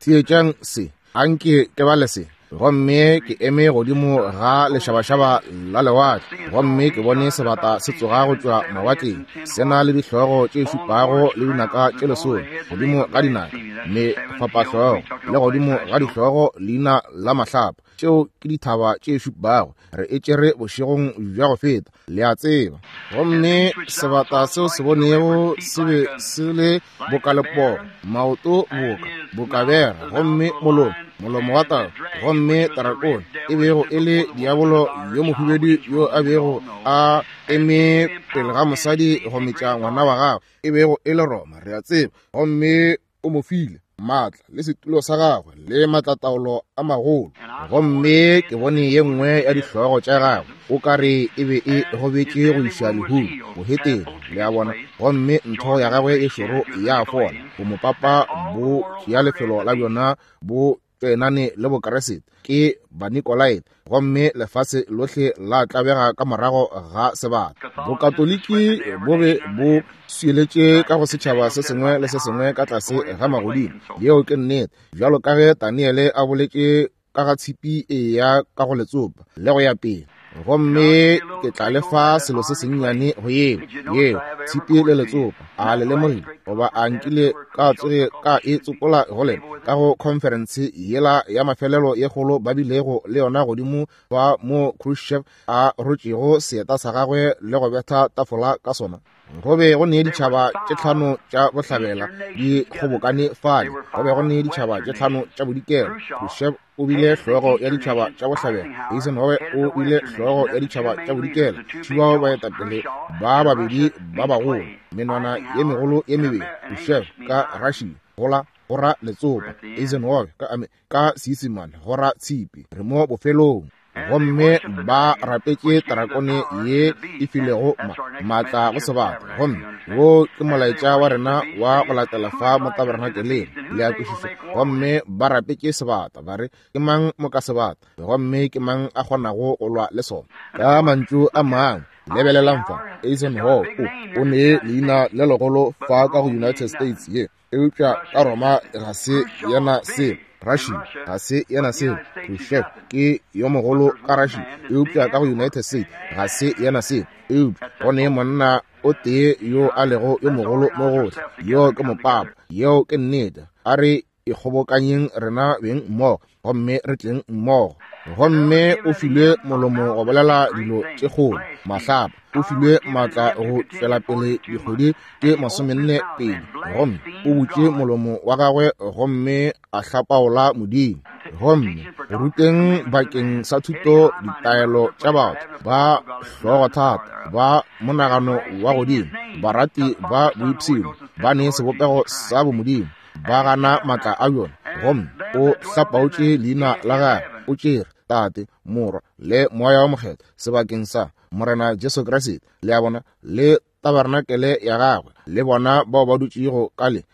Theetšang se, anke ke bale se. Gomme ke eme godimo ga lešabašaba la lewatle, gomme ke bone sebata se tsoga go tšwa mawatleng, se na le dihlogo tše šupago le dinaka tše lesome godimo ga dinaka, mefapahlogo, le godimo ga dihlogo leina la mahlapa. Tšeo ke dithaba tše šupago, re e tšere bošegong bja go feta, le a tseba. Gomme sebata seo se bonego se be se le boka lepoo, maoto boka boka bera, gomme molomo molomo wa tau, gomme tarakone e bego e le diabolo yo mohubedu yo a bego a eme pele ga mosadi go metša ngwana wa gagwe, e bego e le Roma, re a tseba. Gomme o mo file maatla le setulo sa gagwe le maatlataolo a magolo. Gomme ke bone ye nngwe ya dihlogo tša gagwe o ka re e be e gobetše go iša lehung, boheteng, le a bona. Gomme ntho ya gagwe e šoro ya fola, bomopapa bo tšea lefelo la bjona bo tšoenane le Bokeresete, ke Banikolaite, gomme lefase lohle la tlabega ka morago ga sebata. Bokatoliki bo be bo swieletše ka go setšhaba se sengwe le se sengwe ka tlase ga magodimo. Yeo ke nnete. Bjalo ka ge Daniele a boletše ka ga tshipi e ya ka go letsopa, le go ya pele. Gomme ke tla le fa selo se sennyane go yeo, yeo, tshipi le letsopa. A le lemogile, goba a nkile ka tsoge ka e tsopola go lena ka go khonferense yela ya mafelelo ye kgolo ba bilego le yona godimo fa mo Khrushchev a rotšego seeta sa gagwe le go betha tafola ka sona? Go be go ne ditšhaba tše tlhano tša bohlabela di kgobokane fale, go be go ne ditšhaba tše tlhano tša bodikela. Khrushchev o bile hlogo ya ditšhaba tša bohlabela, Eisenhower o bile hlogo ya ditšhaba tša bodikela. Tšhibao baetapele ba babedi ba bagolo, menwana ye megolo ye mebedi, Khrushchev ka Russia, gola go ra letsopa, Eisenhower ka ka Seisemane go ra tshipi. Re mo bofelong. Gomme ba rapetše tarakone ye e filego maatla go sebata. Gomme wo ke molaetša wa rena wa go latela fa mo tabernakeleng, le a kwešiša. Gomme ba rapetše sebata, ba re, Ke mang mo ka sebata? Gomme ke mang a kgonago go lwa le sona? Ka mantšu a mangwe, lebelelang fa, Eisenhower o ne leina le legolo fa ka go United States ye, eupša ka Roma ga se yena selo, Russia ga se yena selo, Khrushchev ke yo mogolo ka Russia, eupša ka go United States ga se yena selo. Eupša go ne monna o tee yo a lego yo mogolo mo gohle, yo ke mopapa. Yeo ke nnete. A re ikgobokanyeng rena beng mmogo gomme re tleng mmogo. Gomme o filwe molomo go bolela dilo tše kgolo, mahlapa. O filwe maatla go tšwela pele dikgwedi tše 42, gomme o butše molomo wa gagwe gomme a hlapaola Modimo. Gomme go ruteng bakeng sa thuto ditaelo tša batho ba hlogothata, ba monagano wa godimo, barati ba boipshino, ba ne sebopego sa bomodimo, ba gana maatla a bjona. Gomme o hlapaotše leina la gagwe, o tšere Tate, Morwa le Moya wa Mokgethwa sebakeng sa Morena Jesu Kriste, le a bona, le tabernakelé ya gagwe, le bona bao ba dutšego ka le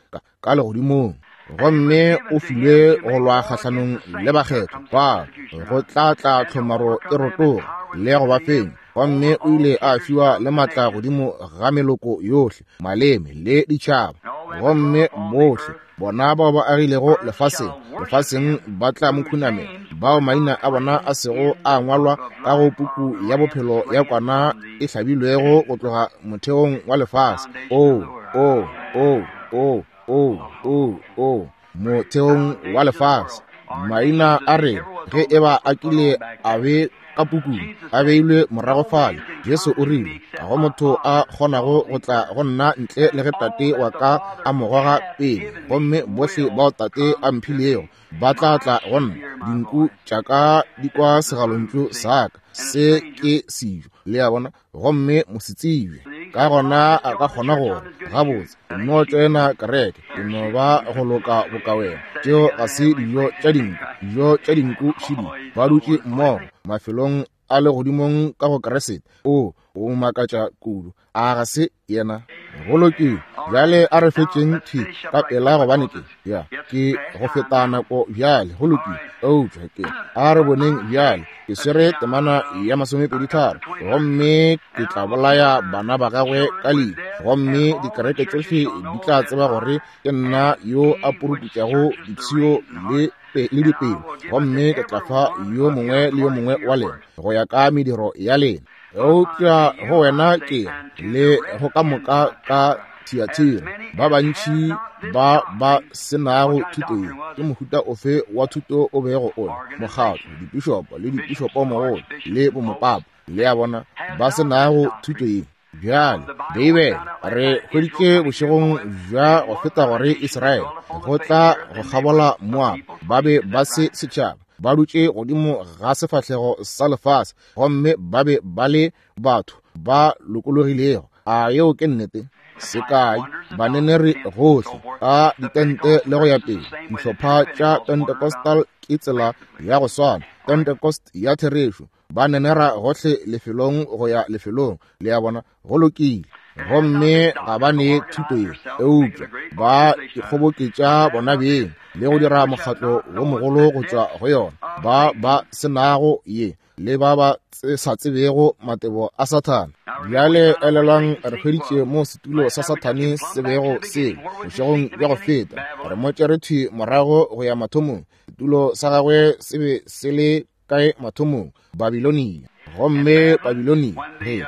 ka legodimong. Gomme o filwe go lwa kgahlanong le bakgethwa ba go tla tla tlhomaro e rotoga le go ba fenya. Gomme o ile a fiwa le maatla godimo ga meloko yohle, maleme le ditšhaba. Gomme bohle bona bao ba agilego lefaseng, lefaseng ba tla mo khunamela, bao maina a bona a sego a ngwalwa ka go puku ya bophelo ya kwana e hlabilwego go tloga motheong wa lefase. O, o, o, o, o, o, o, motheong wa lefase. Maina a rena, ge eba a kile a be ka pukung, a beilwe morago fale. Jesu o rile, ga go motho a kgonago go tla go nna ntle le ge Tate wa ka a mo goga pele, gomme bohle bao Tate a mphilego ba tla tla go nna. Dinku tša ka di kwa segalontšu sa ka, se ke sejo, le a bona, gomme mosetsebje. Ka gona a ka kgona gore, gabotse, ke no tšoena kereke, ke no ba go loka boka wena. Tšeo ga se dijo tša dinku. Dijo tša dinku šidi ba dutše mmogo mafelong a legodimong ka go Kriste. O, o makatša kudu. A ga se yena? Go lokile. Bjale a re fetšeng thwi ka pela, gobane ke ya ke go feta nako bjale. Go lokile. Eupša ke a re boneng bjale. Ke swere temana ya 23, gomme ke tla bolaya bana ba gagwe ka lehu, gomme dikereke tšohle di tla tseba gore ke nna yo a puruputšago dipshio le le dipelo, gomme ke tla fa yo mongwe le yo mongwe wa lena go ya ka mediro ya lena. Eupša go wena ke le go ka moka ka Thiatira, ba bantši ba ba se nago thuto ye. Ke mohuta ofe wa thuto o bego o le? Mokgatlo, dipišopo le dipišopomogolo le bomopapa, le a bona, ba se nago thuto ye. Bjale, Beibele, re hweditše bošegong bja go feta gore Israele go tla go kgabola Moab, ba be ba se setšhaba, ba dutše godimo ga sefahlego sa lefase, gomme ba be ba le batho ba lokologilego. A yeo ke nnete? Sekai, baneneri gohle ka ditente le go ya pele, dihlopha tša Pentecostal ke tsela ya go swana, Pentecost ya therešo, ba nenera gohle lefelong go ya lefelong, le a bona. Go lokile. Gomme ga ba ne thuto ye, eupša ba ikgoboketša bona beng le go dira mokgatlo wo mogolo go tšwa go yona. Ba ba se nago ye le ba ba sa tsebego matebo a Sathane. Bjale elelwang, re hweditše mo setulo sa Sathane se bego se bošegong bja go feta. Re mo tšere thwi morago go ya mathomong. Setulo sa gagwe se be se le kae mathomong? Babilonia. Gomme Babilonia, ge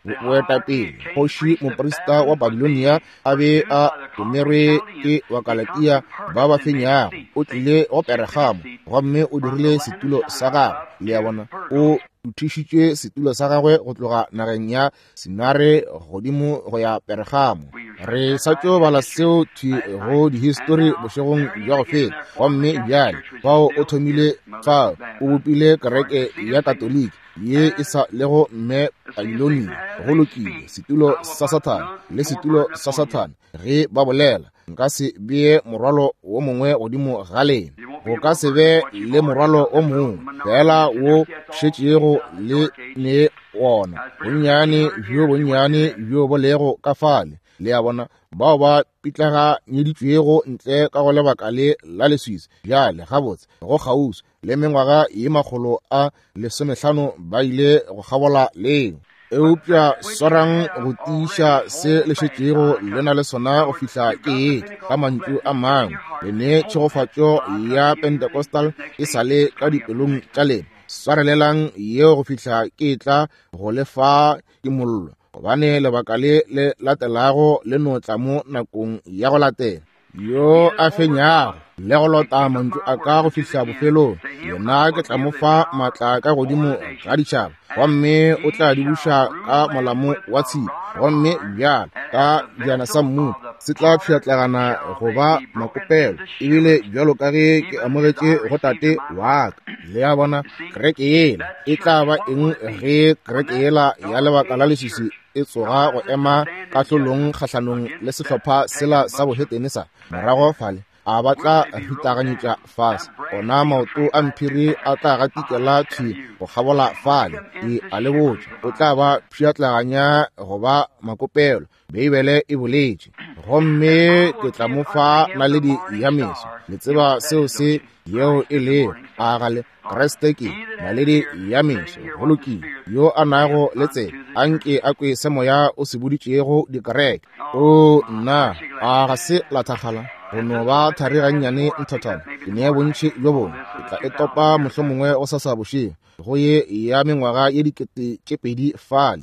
boetapele kgoši moprista wa Babilonia a be a romerwe ke Bakalatia ba ba fenyago, o tlile go Peregamo gomme o dirile setulo sa gagwe. Le a bona, o tuthišitše setulo sa gagwe go tloga nageng ya Sinare godimo go ya Peregamo. Re sa tšo bala seo thwi go dihistori bošegong bja go feta. Gomme bjale fao o thomile, fao o bopile kereke ya Katoliki ye e sa lego mme Babilonia. Go lokile, setulo sa Sathane le setulo sa Sathane. Ge ba bolela, nka se bee morwalo wo mongwe godimo ga lena. Go ka se be le morwalo o mongwe fela wo šetšego le ne wona, bonnyane bjo bonnyane bjo bo lego ka fale. Le a bona, bao ba pitlaganyeditšwego ntle ka go lebaka le la leswiswi bjale gabotse go kgauswi le mengwaga ye 150 ba ile go kgabola leo. Eupša swarang go tiiša se le šetšego le na le sona go fihla ke etla. Ka mantšu a mangwe, le ne tšhegofatšo ya Pentecostal e sa le ka dipelong tša lena. Swarelelang yeo go fihla ke etla go le fa kimollo, gobane lebaka le le latelago le no tla mo nakong ya go latela. Yo a fenyago le go lota mantšu a ka go fihla bofelong, yena ke tla mo fa maatla ka godimo ga ditšhaba, gomme o tla di buša ka molamo wa tshipi, gomme bjalo ka bjana sa mmupo se tla pšhatlagana go ba makopelo, ebile bjalo ka ge ke amogetše go Tate wa ka. Le a bona, kereke yela e tla ba eng ge kereke yela ya lebaka la leswiswi e tsoga go ema kahlolong kgahlanong le sehlopha sela sa bohetene sa morago fale? A ba tla ritaganyetša fase, ona maoto a mphiri a tla gatikela thwi go kgabola fale. Ke a le botša, o tla ba pšhatlaganya go ba makopelo, Beibele e boletše. Gomme ke tla mo fa naledi ya meso. Le tseba seo se yeo e lego, a ga le? Kriste ke naledi ya meso. Go lokile. Yo a nago le tsebe, a nke a kwe se Moya o se boditšego dikereke. O nna, a ga se la thakgala go no ba thari gannyane nthathana. Ke nea bontši bjo bongwe, ke tla e topa mohlomongwe go sasa bošego go ye ya mengwaga ye 2000 fale.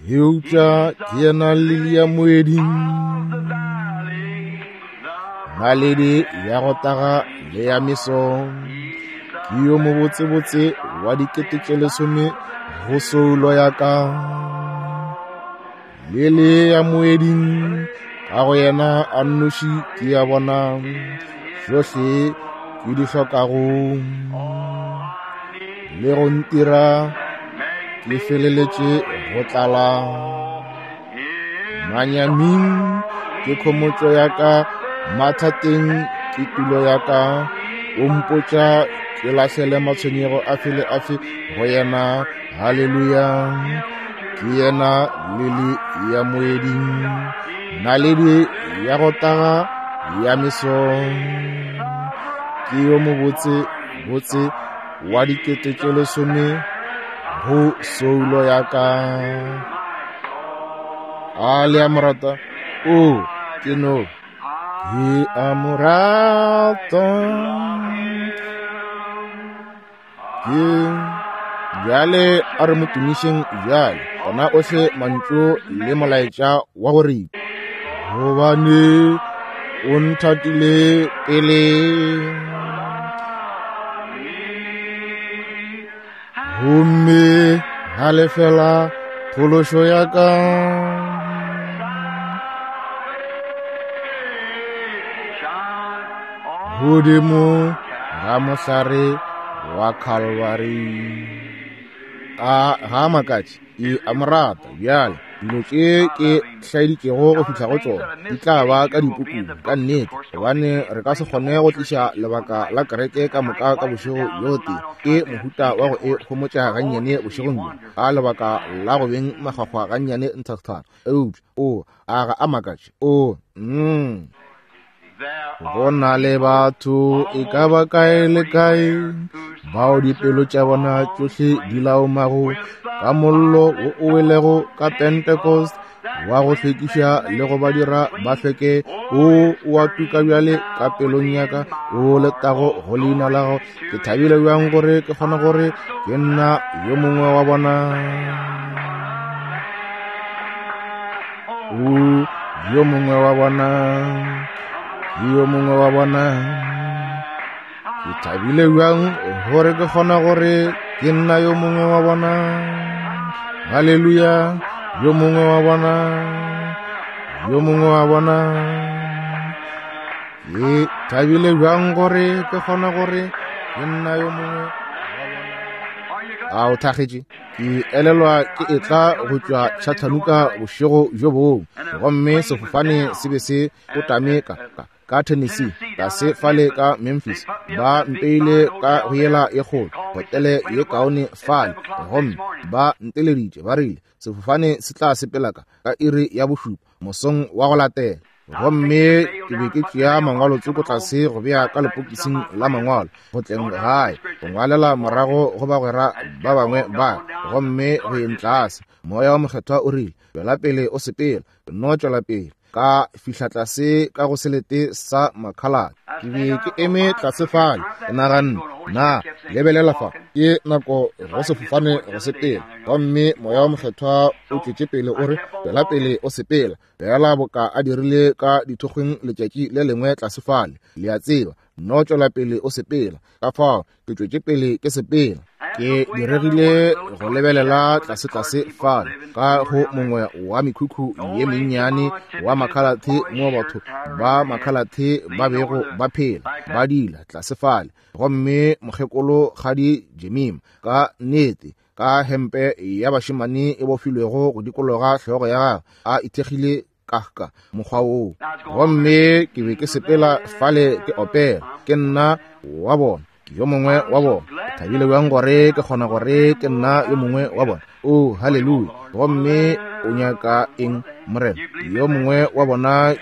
Eupša ke yena lili ya moeding, naledi ya go taga le ya meso, ke yo mobotsebotse wa 10,000 go soulo ya ka. Lili ya moeding, ka go yena a nnoši ke ya bona tšohle ke di hlokago, le go ntira ke feleletše go tlala. Manyaming ke khomotšo ya ka, mathateng ke tulo ya ka. O mpotša ke lahlele matshwenyego afe le afe go yena. Haleluya! Ke yena lili ya moeding, naledi ya go taga ya meso. Ke yo mobotse botse wa 10,000 go soulo ya ka. A le a mo rata? O, ke no ke a mo rata. Ke bjale a re mo tumišeng bjale, ona ohle mantšu le molaetša wa go ripa. Gobane o nthatile pele, gomme ga lefela phološo ya ka. Godimo ga mohlare wa Calvary. A ga makatše, ke a mo rata. Bjale dilo tše ke hlaeditšego go fihla go tšona di tla ba ka dipukung ka nnete, gobane re ka se kgone go tliša lebaka la kereke ka moka ka bošego bjo tee. Ke mohuta wa go e homotša gannyane bošegong bjo, ka lebaka la go beng makgwakgwa gannyane nthathana. Eupša o a ga a makatše. O Go na le batho e ka ba kae le kae bao dipelo tša bona tšohle di laomago ka mollo wo o welego ka Pentecost. wa go hlwekiša le go ba dira ba hlweke, o o a tuka bjale ka pelong ya ka, o letago go leina la gago. Ke thabile bjang gore ke kgona gore ke nna yo mongwe wa bona. O yo mongwe wa bona, ke yo mongwe wa bona. Ke thabile bjang gore ke kgona gore ke nna yo mongwe wa bona. Haleluya, yo mongwe wa bona, yo mongwe wa bona. Ke thabile bjang gore ke kgona gore ke nna yo mongwe wa bona. A o thakgetše? Ke elelwa ke etla go tšwa Chattanooga bošego bjo bongwe, gomme sefofane se be se kotame ka Tennessee, tlase fale ka Memphis. Ba mpeile ka go yela ye kgolo, hotele ye kaone fale, gomme ba nteleditše ba rile sefofane se tla sepela ka iri ya 7 mosong wa go latela. Gomme ke be ke tšea mangwalo tsoko tlase go bea ka lepokising la mangwalo go tleng gae, go ngwalela morago go bagwera ba bangwe ba, gomme go yeng tlase. Moya wa Mokgethwa o rile, tšwela pele o sepela, no tšwela pele. Ka fihla tlase ka go selete sa Makhalate. Ke be ke eme tlase fale, ke naganne, na lebelela fa, ke nako go sefofane go sepela. Gomme Moya wa Mokgethwa o tšwetše pele o re, tšwela pele o sepela, fela boka a dirile ka dithokgweng letšatši le lengwe tlase fale. Le a tseba, no tšwela pele o sepela. Ka fao ke tšwetše pele ke sepela. Ke diregile go lebelela tlase-tlase fale ka go mongwe wa mekhukhu ye mennyane wa Makhalathe, mo batho ba Makhalathe ba bego ba phela ba dila tlase fale. Gomme mokgekolo Kgadi Jemima, ka nnete, ka hempe ya bašemane e bofilwego go dikologa hlogo ya gagwe, a ithekgile ka mokgwa woo. Gomme ke be ke sepela fale ke opela, ke nna wa bona, ke yo mongwe wa bona. Ke thabile bjang gore ke kgona gore ke nna yo mongwe wa bona. Oh, haleluya. Gomme o nyaka eng, Morena? Yo mongwe wa bona,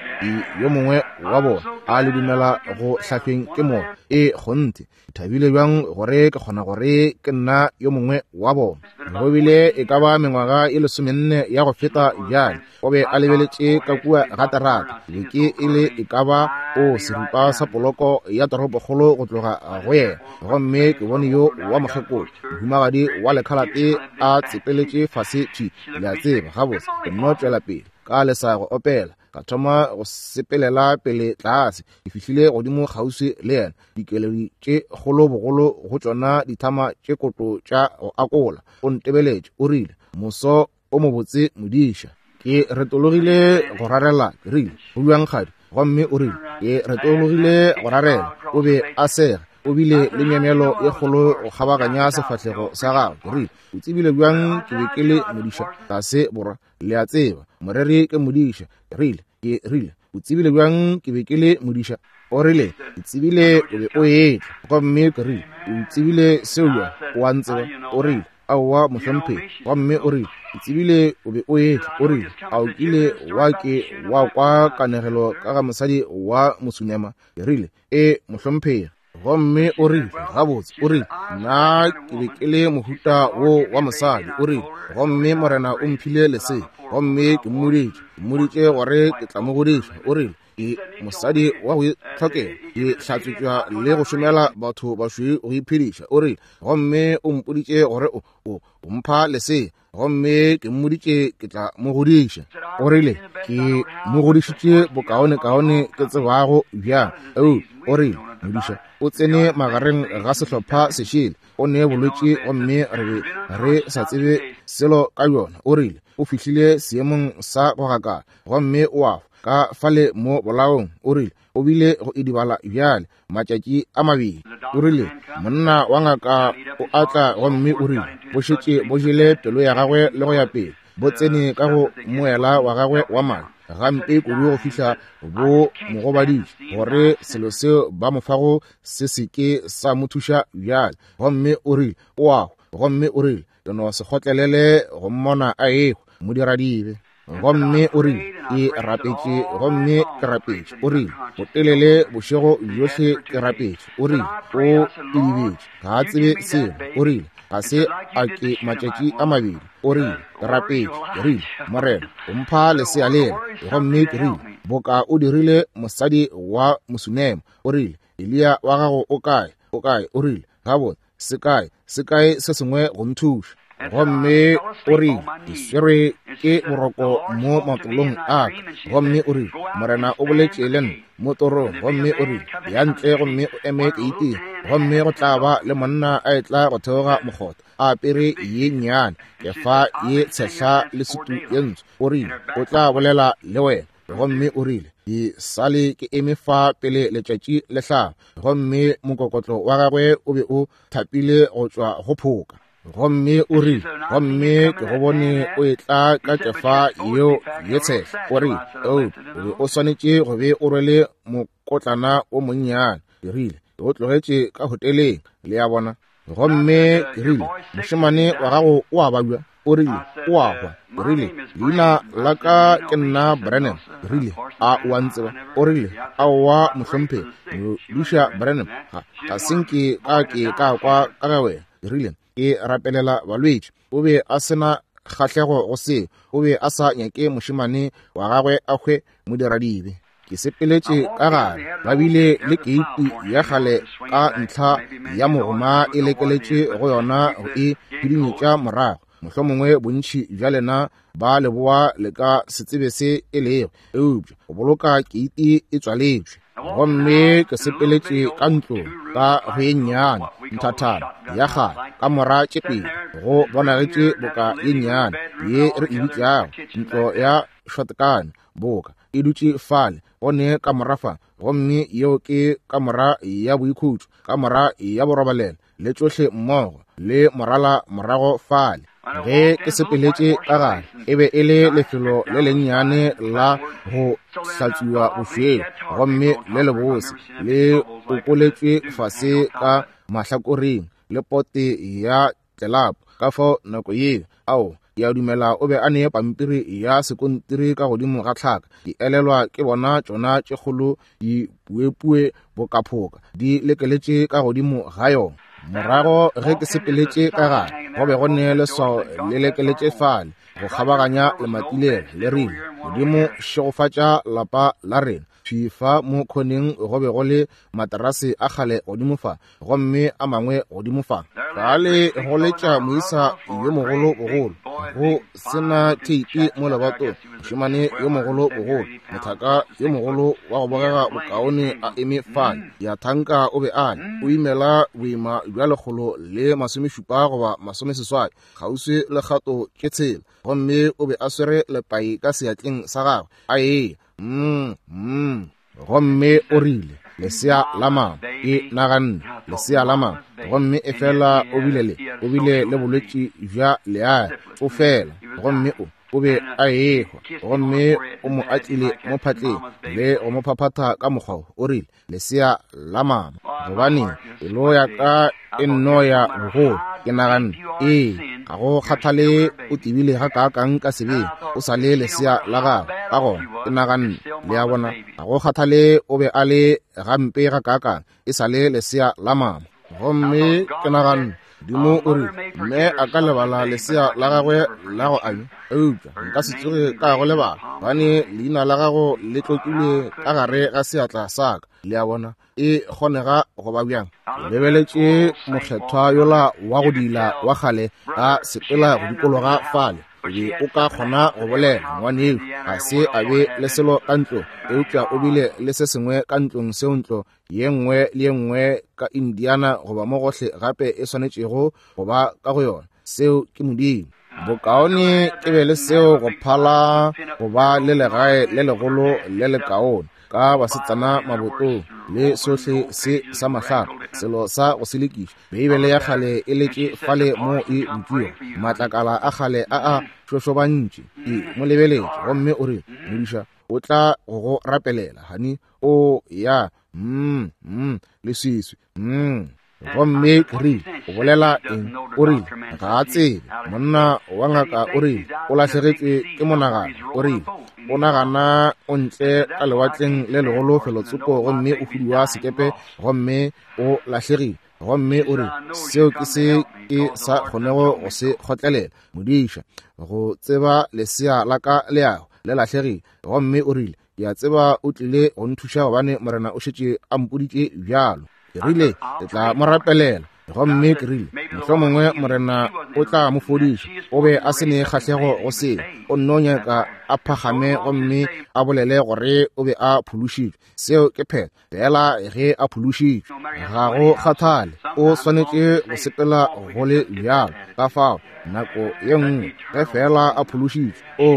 yo mongwe wa bona. A le dumela go hlahlweng ke Moya? E kgonthe. Ke thabile bjang gore ke kgona gore ke nna yo mongwe wa bona. Go bile e ka ba mengwaga e 14 ya go feta bjale, o be a lebeletše ka kua ga terata. Be ke e le e ka ba o seripa sa poloko ya toropokgolo go tloga go yena, gomme ke bone yo wa mokgekolo mohumagadi wa lekhalate a tsepeletše fase thwi. Le a tseba, gabotse ke nno tšwela pele ka lesa go opela, ka thoma go sepelela pele tlase. Ke fihlile godimo kgauswi le yena, dikeledi tše kgolo bogolo go tšona dithama tše koto tša go akola. O ntebeletše, o rile, moso o mobotse modiša. Ke retologile go rarela, ke rile, go bjang kgadi? Gomme o rile, ke retologile go rarela. O be a sega, o bile le myemyelo ye kgolo go kgabaganya sefahlego sa gagwe. Ke rile, o tsebile bjang ke be ke le modiša tlase borwa? Le a tseba, moreri ke modiša. Ke rile, ke rile, o tsebile bjang ke be ke le modiša? O rile, ke tsebile o be o etla. Gomme ke rile, o tsebile seo bjang? O a ntseba? O rile, aowa mohlomphegi. Gomme o rile, ke tsebile o be o etla. O rile, a o kile wa ke wa kwa kanegelo ka ga mosadi wa Mosunema? Ke rile, e mohlomphegi. Gomme o rile, gabotse, o rile, nna ke be ke le mohuta wo wa mosadi. O rile, gomme Morena o mphile lesea, gomme ke mmoditše gore ke tla mo godiša. O rile, ke mosadi wa go itlhokela, ke hlatswetšwa le go šomela batho bašweu go iphediša. O rile, gomme o mpoditše gore o mpha lesea, gomme ke mmoditše ke tla mo godiša. O rile, ke mo godišitše bokaonekaone ke tsebago bjang. O rile, modiša o tsene magareng ga sehlopha sešele, o ne bolwetši gomme re be re sa tsebe selo ka yona. O rile, o fihlile seemong sa go gakala gomme o a ka fale mo bolaong. O rile, o bile go idibala bjale matšatši a mabedi. O rile, monna wa ngaka o atla gomme o rile, bo šetše bo jele pelo ya gagwe le go ya pele, bo tsene ka go moela wa gagwe wa madi gampe kudu go fihla bo mo gobaditše, gore selo seo ba mo fago se se ke sa mo thuša bjale. Gomme o rile, o a hwa. Gomme o rile, ke no se kgotlelele go mmona a ehwa, modiradibe. Gomme o rile, ke rapetše gomme ke rapetše. O rile, botelele bošego bjohle ke rapetše. O rile, o idibetše, ga a tsebe selo. O rile, Ga se a ke matšatši a mabedi. O rile, ke rapetše. Ke rile, Morena, o mpha lesea lela. Gomme ke rile, boka o dirile mosadi wa Mosunema. O rile, Eliya wa gago o kae? O kae? O rile, gabotse, se kae, se kae se sengwe go nthuša? Gomme o rile, ke swerwe ke boroko mo matolong a ka. Gomme o rile, Morena o boletše le nna mo torong. Gomme o rile, ya ntle gomme o eme keiting, gomme go tla ba le monna a etla go theoga mokgotha, a apere ye nnyane, kefa ye tshehla le sutu ye ntsho. O rile, o tla bolela le wena. Gomme o rile, ke sale ke eme fa pele letšatši le hlaba. Gomme mokokotlo wa gagwe o be o thapile go tšwa go phoka. Gomme o rile, gomme ke go bone o etla ka kefa yeo ye tshehla. O rile, o be o swanetše go be o rwele mokotlana o monnyane. Ke rile, ke o tlogetše ka hoteleng, le a bona. Gomme ke rile, mošemane wa gago o a babja? O rile, o a hwa. Ke rile, leina la ka ke nna Branham. Ke rile, a o a ntseba? O rile, aowa mohlomphegi, Modiša Branham, ga se nke ka ke ka kwa ka ga wena. Ke rile, ke rapelela balwetši. O be a se na kgahlego go seo. O be a sa nyake mošemane wa gagwe a hwe modiradibe. Ke sepeletše ka gare, ba bile le keiti ya kgale ka ntlha ya mogoma e lekeletše go yona go e hudunyetša morago. Mohlomongwe bontši bja lena ba leboa le ka se tsebe se e lego, eupša go boloka keiti e tswaletšwe. Gomme ke sepeletše ka ntlong ka go ye nnyane nthathana ya kgale ka mora tše pedi, go bonagetše boka ye nnyane ye re e bitšago ntlo ya shotgun, boka e dutše fale go ne kamora fa, gomme yeo ke kamora ya boikhutšo, kamora ya borobalelo, le tšohle mmogo, le morala morago fale. Ge ke sepeletše ka gare, e be e le lefelo le lennyane la go hlatswiwa bošweu, gomme le lebose, le okoletšwe fase ka mahlakoreng le pote ya tlelapo. Ka fao nako yeo, ao, ke a dumela o be a ne pampiri ya sekontiri ka godimo ga tlhaka. Ke elelwa ke bona tšona tše kgolo dipuepue bokaphoka di lekeletše ka godimo ga yona. Morago ge ke sepeletše ka gare, go be go ne leswao le lekeletše fale go kgabaganya lemati lela, le rile, Modimo šegofatša lapa la rena. Thwi fa mo khoneng go be go le materase a kgale godimo fa, gomme a mangwe godimo fa. Fale go letša moisa yo mogolo bogolo, go sena theipi mo lebatong, mošemane yo mogolo bogolo, mothaka yo mogolo wa go bogega bokaone a eme fale. Ya thanka o be a le, o imela boima bja 170 goba 80, kgauswi le kgato tše 6, gomme o be a swere lepai ka seatleng sa gagwe, a eya. Gomme o rile, lesea la mama. Ke naganne, lesea la mama. Gomme efela o bile le, o bile le bolwetši bja leae, o fela. Gomme o be a ehwa. Gomme o mo atlile mo phatleng le go mo phaphatha ka mokgwa wo. O rile, lesea la mama. Gobane pelo ya ka e nno ya bogolo. Ke naganne, ee, ga go kgathale o tebile ga kaakang ka sebeng, o sa le lesea la gago. Ka gona ke naganne, le a bona, ga go kgathale o be a le gampe ga kaakang, e sa le lesea la mama. Gomme ke naganne, Modimo o rile, mme a ka lebala lesea la gagwe la go anywa, eupša nka se tsoge ka go lebala, gobane leina la gago le tlokilwe ka gare ga seatla sa ka. Le a bona, e kgonega go ba bjang? Ke lebeletše mokgethwa yola wa go dila wa kgale a sepela go dikologa fale. O be o ka kgona go bolela, ngwanešu, ga se a be le selo ka ntlong, eupša o bile le se sengwe ka ntlong seo ntlo ye nngwe le ye nngwe ka Indiana goba mo gohle gape e swanetšego go ba ka go yona. Seo ke Modimo. Bokaone ke be le seo go phala go ba le legae le legolo le lekaone ka basetsana mabotong le sohle se sa mahlapa, selo sa go selekiša. Beibele ya kgale e letše fale mo e butšwego, matlakala a kgale a a šošobantše. Ke mo lebeletše gomme o rile, Modiša o tla go go rapelela, hani. O ya, leswiswi, Gomme ke rile, o bolela eng? O rile, ga a tsebe. Monna wa ngaka o rile, o lahlegetšwe ke monagano. O rile, o nagana o ntle ka lewatleng le legolo felotsoko, gomme o huduwa sekepe, gomme o lahlegile. Gomme o re, Seo ke se ke sa kgonego go se kgotlelela, modiša, go tseba lesea la ka le yago le lahlegile. Gomme o rile, Ke a tseba o tlile go nthuša gobane Morena o šetše a mpoditše bjalo. Ke rile, Ke tla mo rapelela. Gomme ke rile, Mohlomongwe Morena o tla mo fodiša. O be a se ne kgahlego go seo. O nno nyaka a phagame gomme a bolele gore o be a phološitšwe. Seo ke phetho. Fela ge a phološitšwe, ga go kgathale, o swanetše go sepela go le bjalo. Ka fao, nako ye nngwe, ge fela a phološitšwe, o,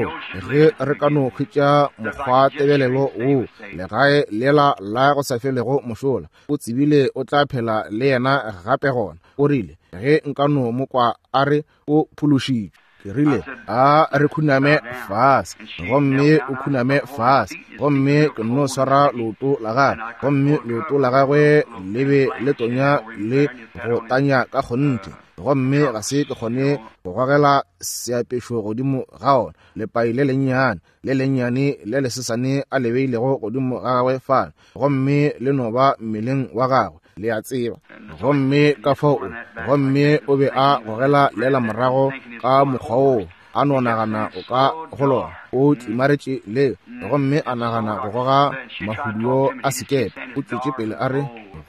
ge re ka no hwetša mokgwatebelelo woo, legae lela la go sa felego mošola, o tsebile o tla phela le yena gape gona. O rile, Ge nka no mo kwa a re o phološitšwe. Ke rile, A re khuname fase. Gomme o khuname fase. Gomme ke nno swara leoto la gagwe, gomme leoto la gagwe le be le tonya le go tanya ka kgonthe. Gomme ga se ke kgone go gogela seapešo godimo ga ona, lepai le lennyane, le lennyane le lesesane a le beilego godimo ga gagwe fale, gomme le no ba mmeleng wa gagwe, le a tseba. Gomme ka fao o, gomme o be a gogela lela morago ka mokgwa woo, a no nagana o ka go lona, o tlimaretše le, gomme a nagana go goga mahuduo a sekepe. O tšwetše pele a re,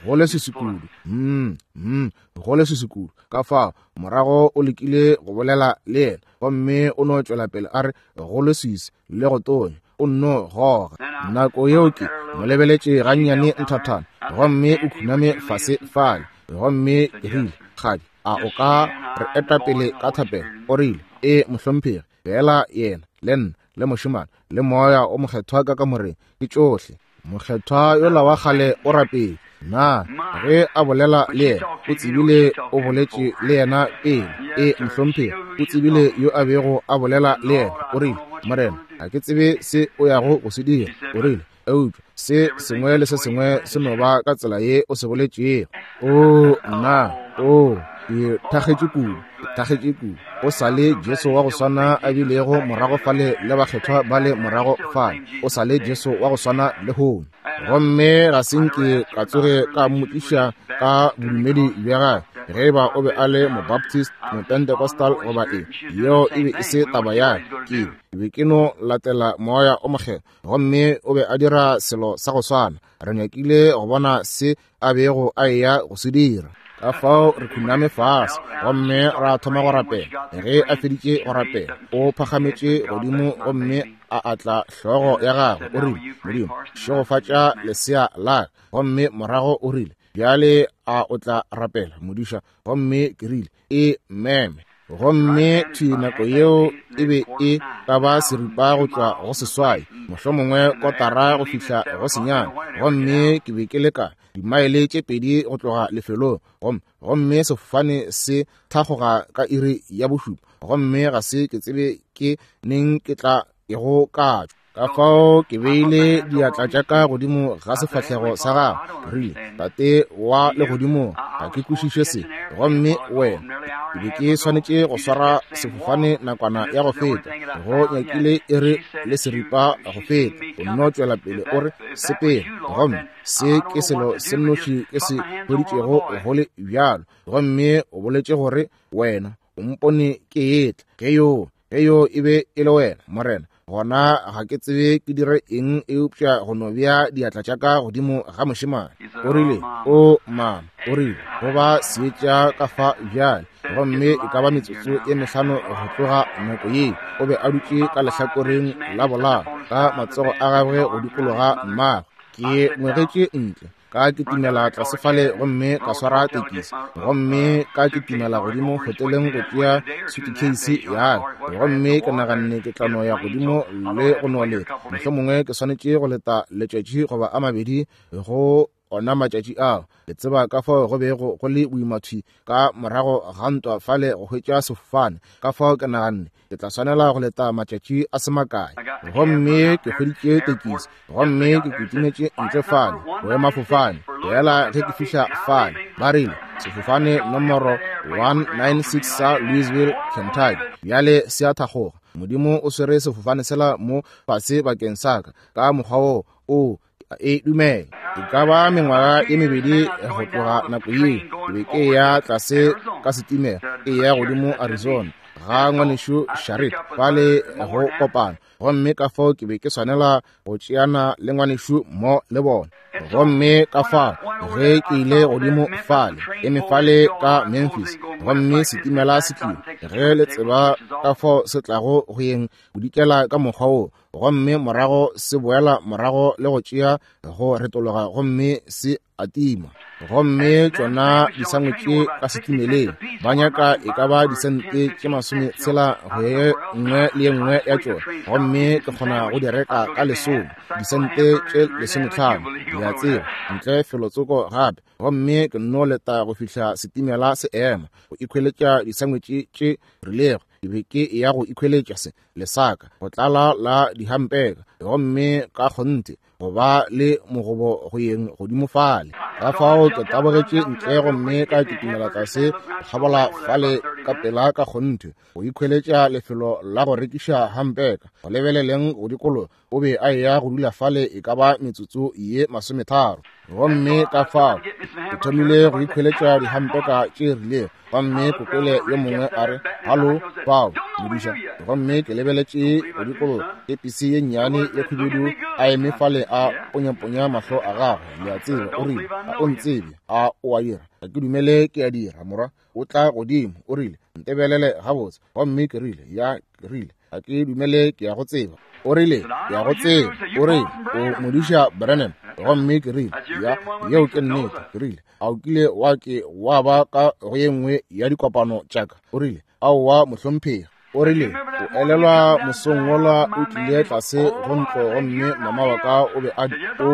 Go leswiswi kudu, mm, mm, go leswiswi kudu. Ka fao morago o lekile go bolela le yena, gomme o no tšwela pele a re, Go leswiswi le go tonya, o nno goga. Nako yeo ke mo lebeletše gannyane nthathana, gomme o khuname fase fale. Gomme ke rile, Kgadi, a o ka re eta pele ka thapelo? O rile, Ee, mohlomphegi. Feela yena le nna le mošemane le Moya o Mokgethwa ka kamoreng, ke tšohle. Mokgethwa yola wa kgale o rapetše. Na ge a bolela le yena, o tsebile o boletše le yena pele? Ee, mohlomphegi, o tsebile yo a bego a bolela le yena. O rile, Morena, ga ke tsebe se o yago go se dira. O rile, Eupša se sengwe le se sengwe se no ba ka tsela ye o se boletšego. Oo, nna! Oo, ke thakgetše kudu, ke thakgetše kudu. O sa le Jesu wa go swana a bilego morago fale le bakgethwa ba le morago fale. O sa le Jesu wa go swana lehono. Gomme ga se nke ka tsoge ka mmotšiša ka bodumedi bja gagwe, ge eba o be a le Mobaptist, Mopentecostal goba eng. Yeo e be e se taba ya ka. Ke be ke no latela Moya o Mokgethwa, gomme o be a dira selo sa go swana. Re nyakile go bona se a bego a eya go se dira. Ka fao re khuname fase gomme ra thoma go rapela. Ge a feditše go rapela, o phagametše godimo gomme a atla hlogo ya gagwe. O rile, Modimo, šegofatša lesea la ka. Gomme morago o rile, Bjale a o tla rapela, modiša? Gomme ke rile, E meme. Gomme thwi nako yeo e be e ka ba seripa go tšwa go seswai, mohlomongwe kotara go fihla go senyane. Gomme ke be ke le ka dimaele tše pedi go tloga lefelong, gomme, gomme sefofane se thakgoga ka iri ya bošupa, gomme ga se ke tsebe ke neng ke tla ego ka tšwa. Ka fao ke beile diatla tša ka godimo ga sefahlego sa gagwe, ke rile, Tate wa Legodimo, ga ke kwešiše se. Gomme wena, ke be ke swanetše go swara sefofane nakwana ya go feta, go nyakile iri le seripa go feta. O nno tšwela pele o re, Sepela. Gomme se ke selo se nnoši ke se hweditšego go le bjalo. Gomme o boletše gore wena o mpone ke etla. Ge yoo Ge yoo e be e le wena, Morena, gona ga ke tsebe ke dire eng eupša go no bea diatla tša ka godimo ga mošemane. O rile, O mama, o rile, go ba seetša ka fa bjale, gomme e ka ba metsotso e mehlano go tloga nako ye. O be a dutše ka lehlakoreng la bolao, ka matsogo a gagwe go dikologa mmagwe. Ke ngwegetše ntle. Ka kitimela tlase fale gomme ka swara tekisi, gomme ka kitimela godimo hoteleng go tšea sutukheisi ya ka. Gomme ke naganne ke tla no ya godimo le go no leta, mohlomongwe ke swanetše go leta letšatši goba a mabedi go ona matšatši ao. Le tseba ka fao go bego go le boima thwi ka morago ga ntwa fale go hwetša sefofane. Ka fao ke naganne ke tla swanela go leta matšatši a se makae. Gomme ke hweditše tekisi, gomme ke kitimetše ntle fale boemafofane. Fela ge ke fihla fale, ba rile sefofane nomoro 196 sa Louisville, Kentucky, bjale se a thakgoga. Modimo o swere sefofane sela mo fase bakeng sa ka, ka mokgwa woo. O. a e dumela. E ka ba mengwaga ye mebedi go tloga nako yeo, ke be ke ya tlase ka setimela, e ya godimo Arizona, ga ngwanešu Sharrit, fale go kopana. Gomme ka fao ke be ke swanela go tšeana le ngwanešu mo le bona. Gomme ka fao ge ke ile godimo fale, eme fale ka Memphis, gomme setimela se tlile, ge le tseba ka fao se tlago go yeng bodikela ka mokgwa wo, gomme morago se boela morago le go tšea go retologa gomme se atima. Gomme tšona disangwetše ka setimeleng ba nyaka e ka ba disente tše 60 go ye nngwe le ye nngwe ya tšona, gomme ke kgona go di reka ka lesome, disente tše 15, le a tseba, ntle felotsoko gape. Gomme ke nno leta go fihla setimela se ema go ikhweletša disangwetše tše rilego. Ke be ke ya go ikhweletša se lesaka go tlala la dihampeka, gomme ka kgonthe go ba le mogobo go yeng godimo fale. Ka fao ke tabogetše ntle gomme ka kitimela tlase kgabola fale ka pela ka kgonthe go ikhweletša lefelo la go rekiša hampeka. Go lebeleleng go dikologa, o be a eya go dula fale e ka ba metsotso ye 30. Gomme ka fao ke thomile go ikhweletša dihampeka tše rilego, gomme kokole yo mongwe a re, "Halo, fao, modiša." Gomme ke lebeletše go dikologa, kepisi ye nnyane ye khubedu a eme fale a ponyaponya mahlo a gagwe, le a tseba. O rile, "A o ntsebe? A o a dira? Ga ke dumele ke a dira, morwa." O tla godimo, o rile, "Ntebelele gabotse." Gomme ke rile, "Ya," ke rile, "ga ke dumele ke ya go tseba." O rile, "Ke ya go tseba." O rile, "O modiša Branham." Gomme ke rile, "Ya, yeo ke nnete." Ke rile, "A o kile wa ke wa ba ka go ye nngwe ya dikopano tša ka?" O rile, "Aowa, mohlomphegi." O rile, "O elelwa mosong wola o tlile tlase go ntlo gomme mama wa ka o be a o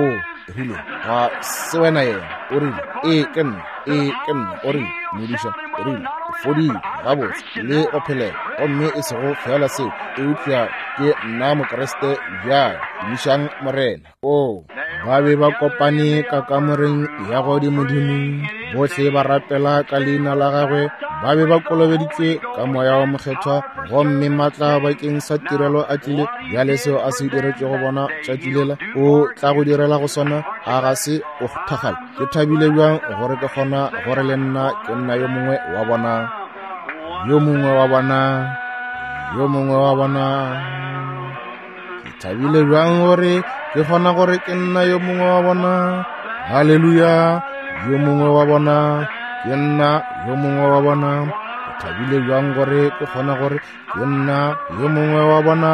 rile, ga se wena yena?" O rile, "Ee, ke nna. Ee, ke nna." O rile, "Modiša," o rile, "o fodile gabotse le go phelela, gomme e sego fela seo, eupša ke nna Mokriste bjale. Tumišang Morena." O, ba be ba kopane ka kamoreng ya godimodimo, bohle ba rapela ka leina la gagwe, ba be ba kolobeditšwe ka moya wa mokgethwa, gomme matla bakeng sa tirelo a tlile. Bjale seo a se diretšego bona tšatši lela, o tla go direla go swana. A ga se o thakgale? Ke thabile bjang gore ke kgona gore le nna ke nna yo mongwe wa bona, yo mongwe wa bona, yo mongwe wa bona. Ke thabile bjang gore ke kgona gore ke nna yo mongwe wa bona. Haleluya, yo mongwe wa bona, ke nna yo mongwe wa bona. Ke thabile bjang gore ke kgona gore ke nna yo mongwe wa bona.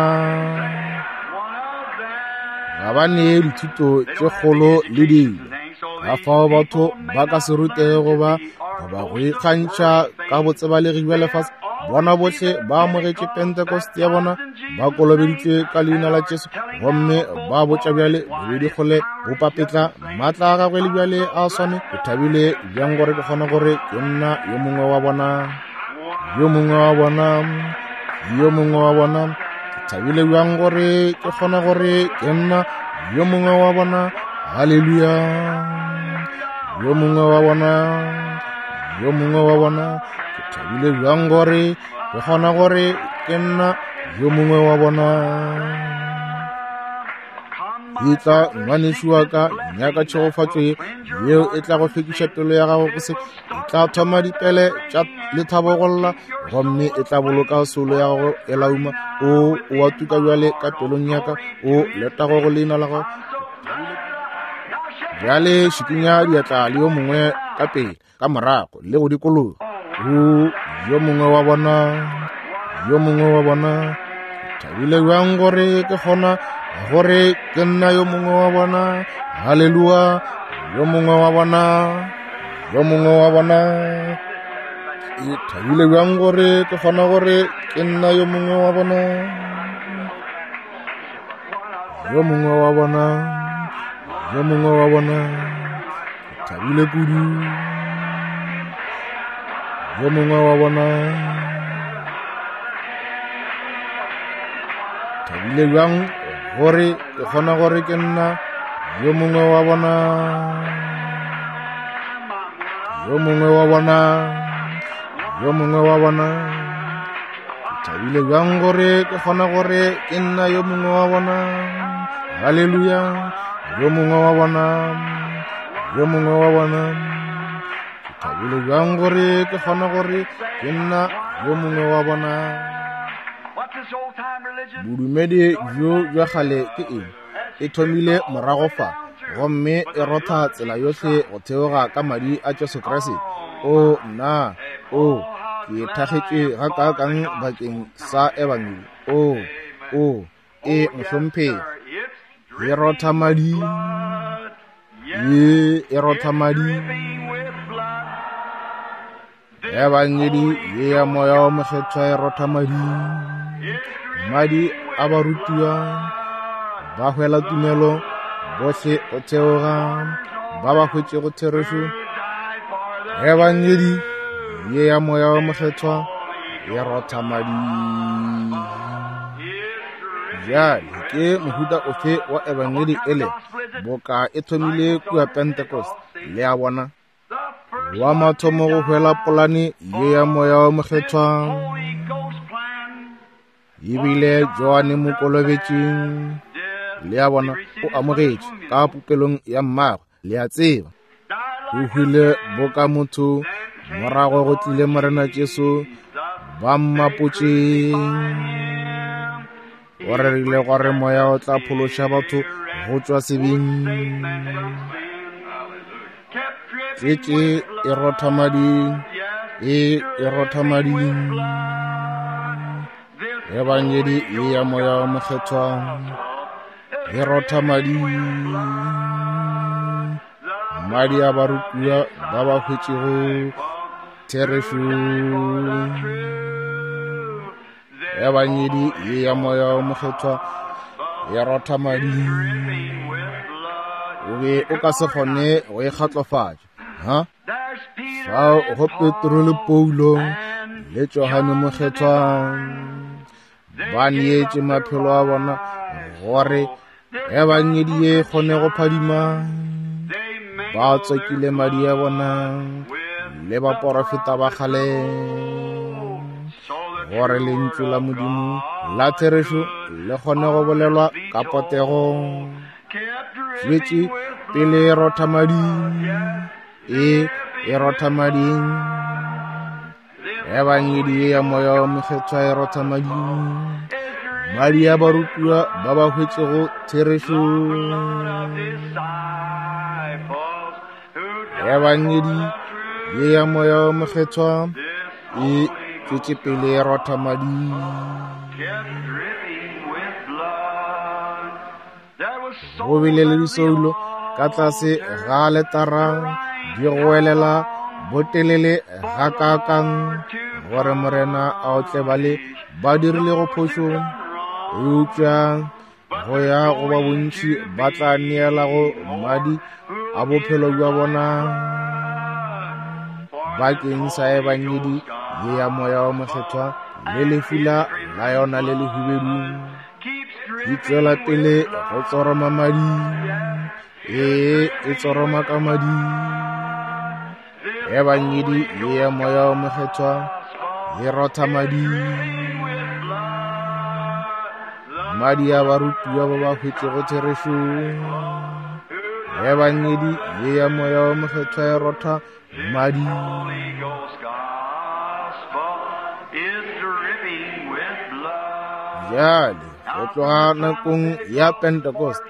Ga ba nee dithuto tše kgolo le dilo, ka fao batho ba ka se rutego goba go ikgantšha ka botsebalegi bja lefase. Bona bohle ba amogetše Pentecost ya bona, ba kolobeditšwe ka leina la Jesu, gomme ba botša bjale bobedi kgole bopapetla matla a gagwe le bjale a swane. Ke thabile bjang gore ke kgona gore ke nna yo mongwe wa bona, yo mongwe wa bona, yo mongwe wa bona. Ke thabile bjang gore ke kgona gore ke nna yo mongwe wa bona. Haleluya, yo mongwe wa bona, yo mongwe wa bona. Ke thabile bjang gore ke kgona gore ke nna yo mongwe wa bona. E tla ngwanešu wa ka, nyaka tšhegofatšo ye yeo e tla go hlwekiša pelo ya gago go se, e tla thoma dipele tša lethabo go lla, gomme e tla boloka soulo ya gago e lauma. O wa tuka bjale ka pelong ya ka, o letago go leina la gago. Bjale šikinya diatla le yo mongwe ka pele, ka morago le go dikologa. O yo mongwe wa bona, yo mongwe wa bona. Ke thabile bjang gore ke kgona gore ke nna yo mongwe wa bona. Haleluya, yo mongwe wa bona, yo mongwe wa bona. Ke thabile bjang gore ke kgona gore ke nna yo mongwe wa bona, yo mongwe wa bona, yo mongwe wa bona. Ke thabile kudu, yo mongwe wa bona. Thabile bjang gore ke kgona gore ke nna yo mongwe wa bona, yo mongwe wa bona, yo mongwe wa bona. Ke thabile bjang gore ke kgona gore ke nna yo mongwe wa bona. Haleluya, Yo mongwe wa bona, yo mongwe wa bona. Ke thabile bjang gore ke kgona gore ke nna yo mongwe wa bona. Bodumedi bjo bja kgale ke eng? E thomile morago fa, gomme e rotha tsela yohle go theoga ka madi a Jesu Kriste. O nna, o, ke thakgetše gakaakang bakeng sa Ebangedi. O, o, e mohlomphegi. E rotha madi, ye e rotha madi. Ebangedi ye ya Moya wo Mokgethwa e rotha madi, madi a barutiwa ba hwela tumelo bohle go theoga ba ba hwetšego therešo. Ebangedi ye ya Moya wo Mokgethwa e rotha madi. Bjale ke mohuta ofe wa ebangedi ele boka e thomile kua Pentecost? Le a bona? Wa mathomo go hwela polane ye ya Moya wo Mokgethwa ebile Johane Mokolobetši. Le a bona, o amogetše ka popelong ya mmagwe, le a tseba. O hwile boka motho, morago go tlile Morena Jesu, ba mmapotše. O rerile gore Moya o tla phološa batho go tšwa sebeng. Tletše e rotha madi, e e rotha madi. Ebangedi ye ya Moya wo Mokgethwa e rotha madi, madi a barutiwa ba ba hwetšego therešo. Ebangedi ye ya Moya wo Mokgethwa e rotha madi. O be o ka se kgone go e kgatlofatša, ha? Fao go Petro le Paulo le Johane Mokgethwa ba neetše maphelo a bona gore ebangedi ye kgone go phadima. Ba tswakile madi a bona le baporofeta ba kgale gore lentšu la Modimo la therešo le kgone go bolelwa ka potego. Tšwetše pele e rotha madi, e e rotha madi. Ebangedi ye ya Moya wo Mokgethwa e rotha madi, madi a barutiwa ba ba hwetšego therešo. Ebangedi ye ya Moya wo Mokgethwa e tšwetše pele e rotha madi. Go bile le disoulo ka tlase ga aletara di goelela botelele gakaakang gore Morena a otle bale ba dirilego phošo, eupša go ya go ba bontši ba tla neelago madi a bophelo bja bona bakeng sa ebangedi ye ya Moya wo Mokgethwa le lefula la yona le lehubedu. Di tšwela pele go tsoroma madi, ee, e tsoroma ka madi. Ebangedi ye ya Moya wo Mokgethwa e rotha madi, madi a barutiwa ba ba hwetšego therešo. Ebangedi ye ya Moya wo Mokgethwa e rotha madi. Bjale go tloga nakong ya Pentecost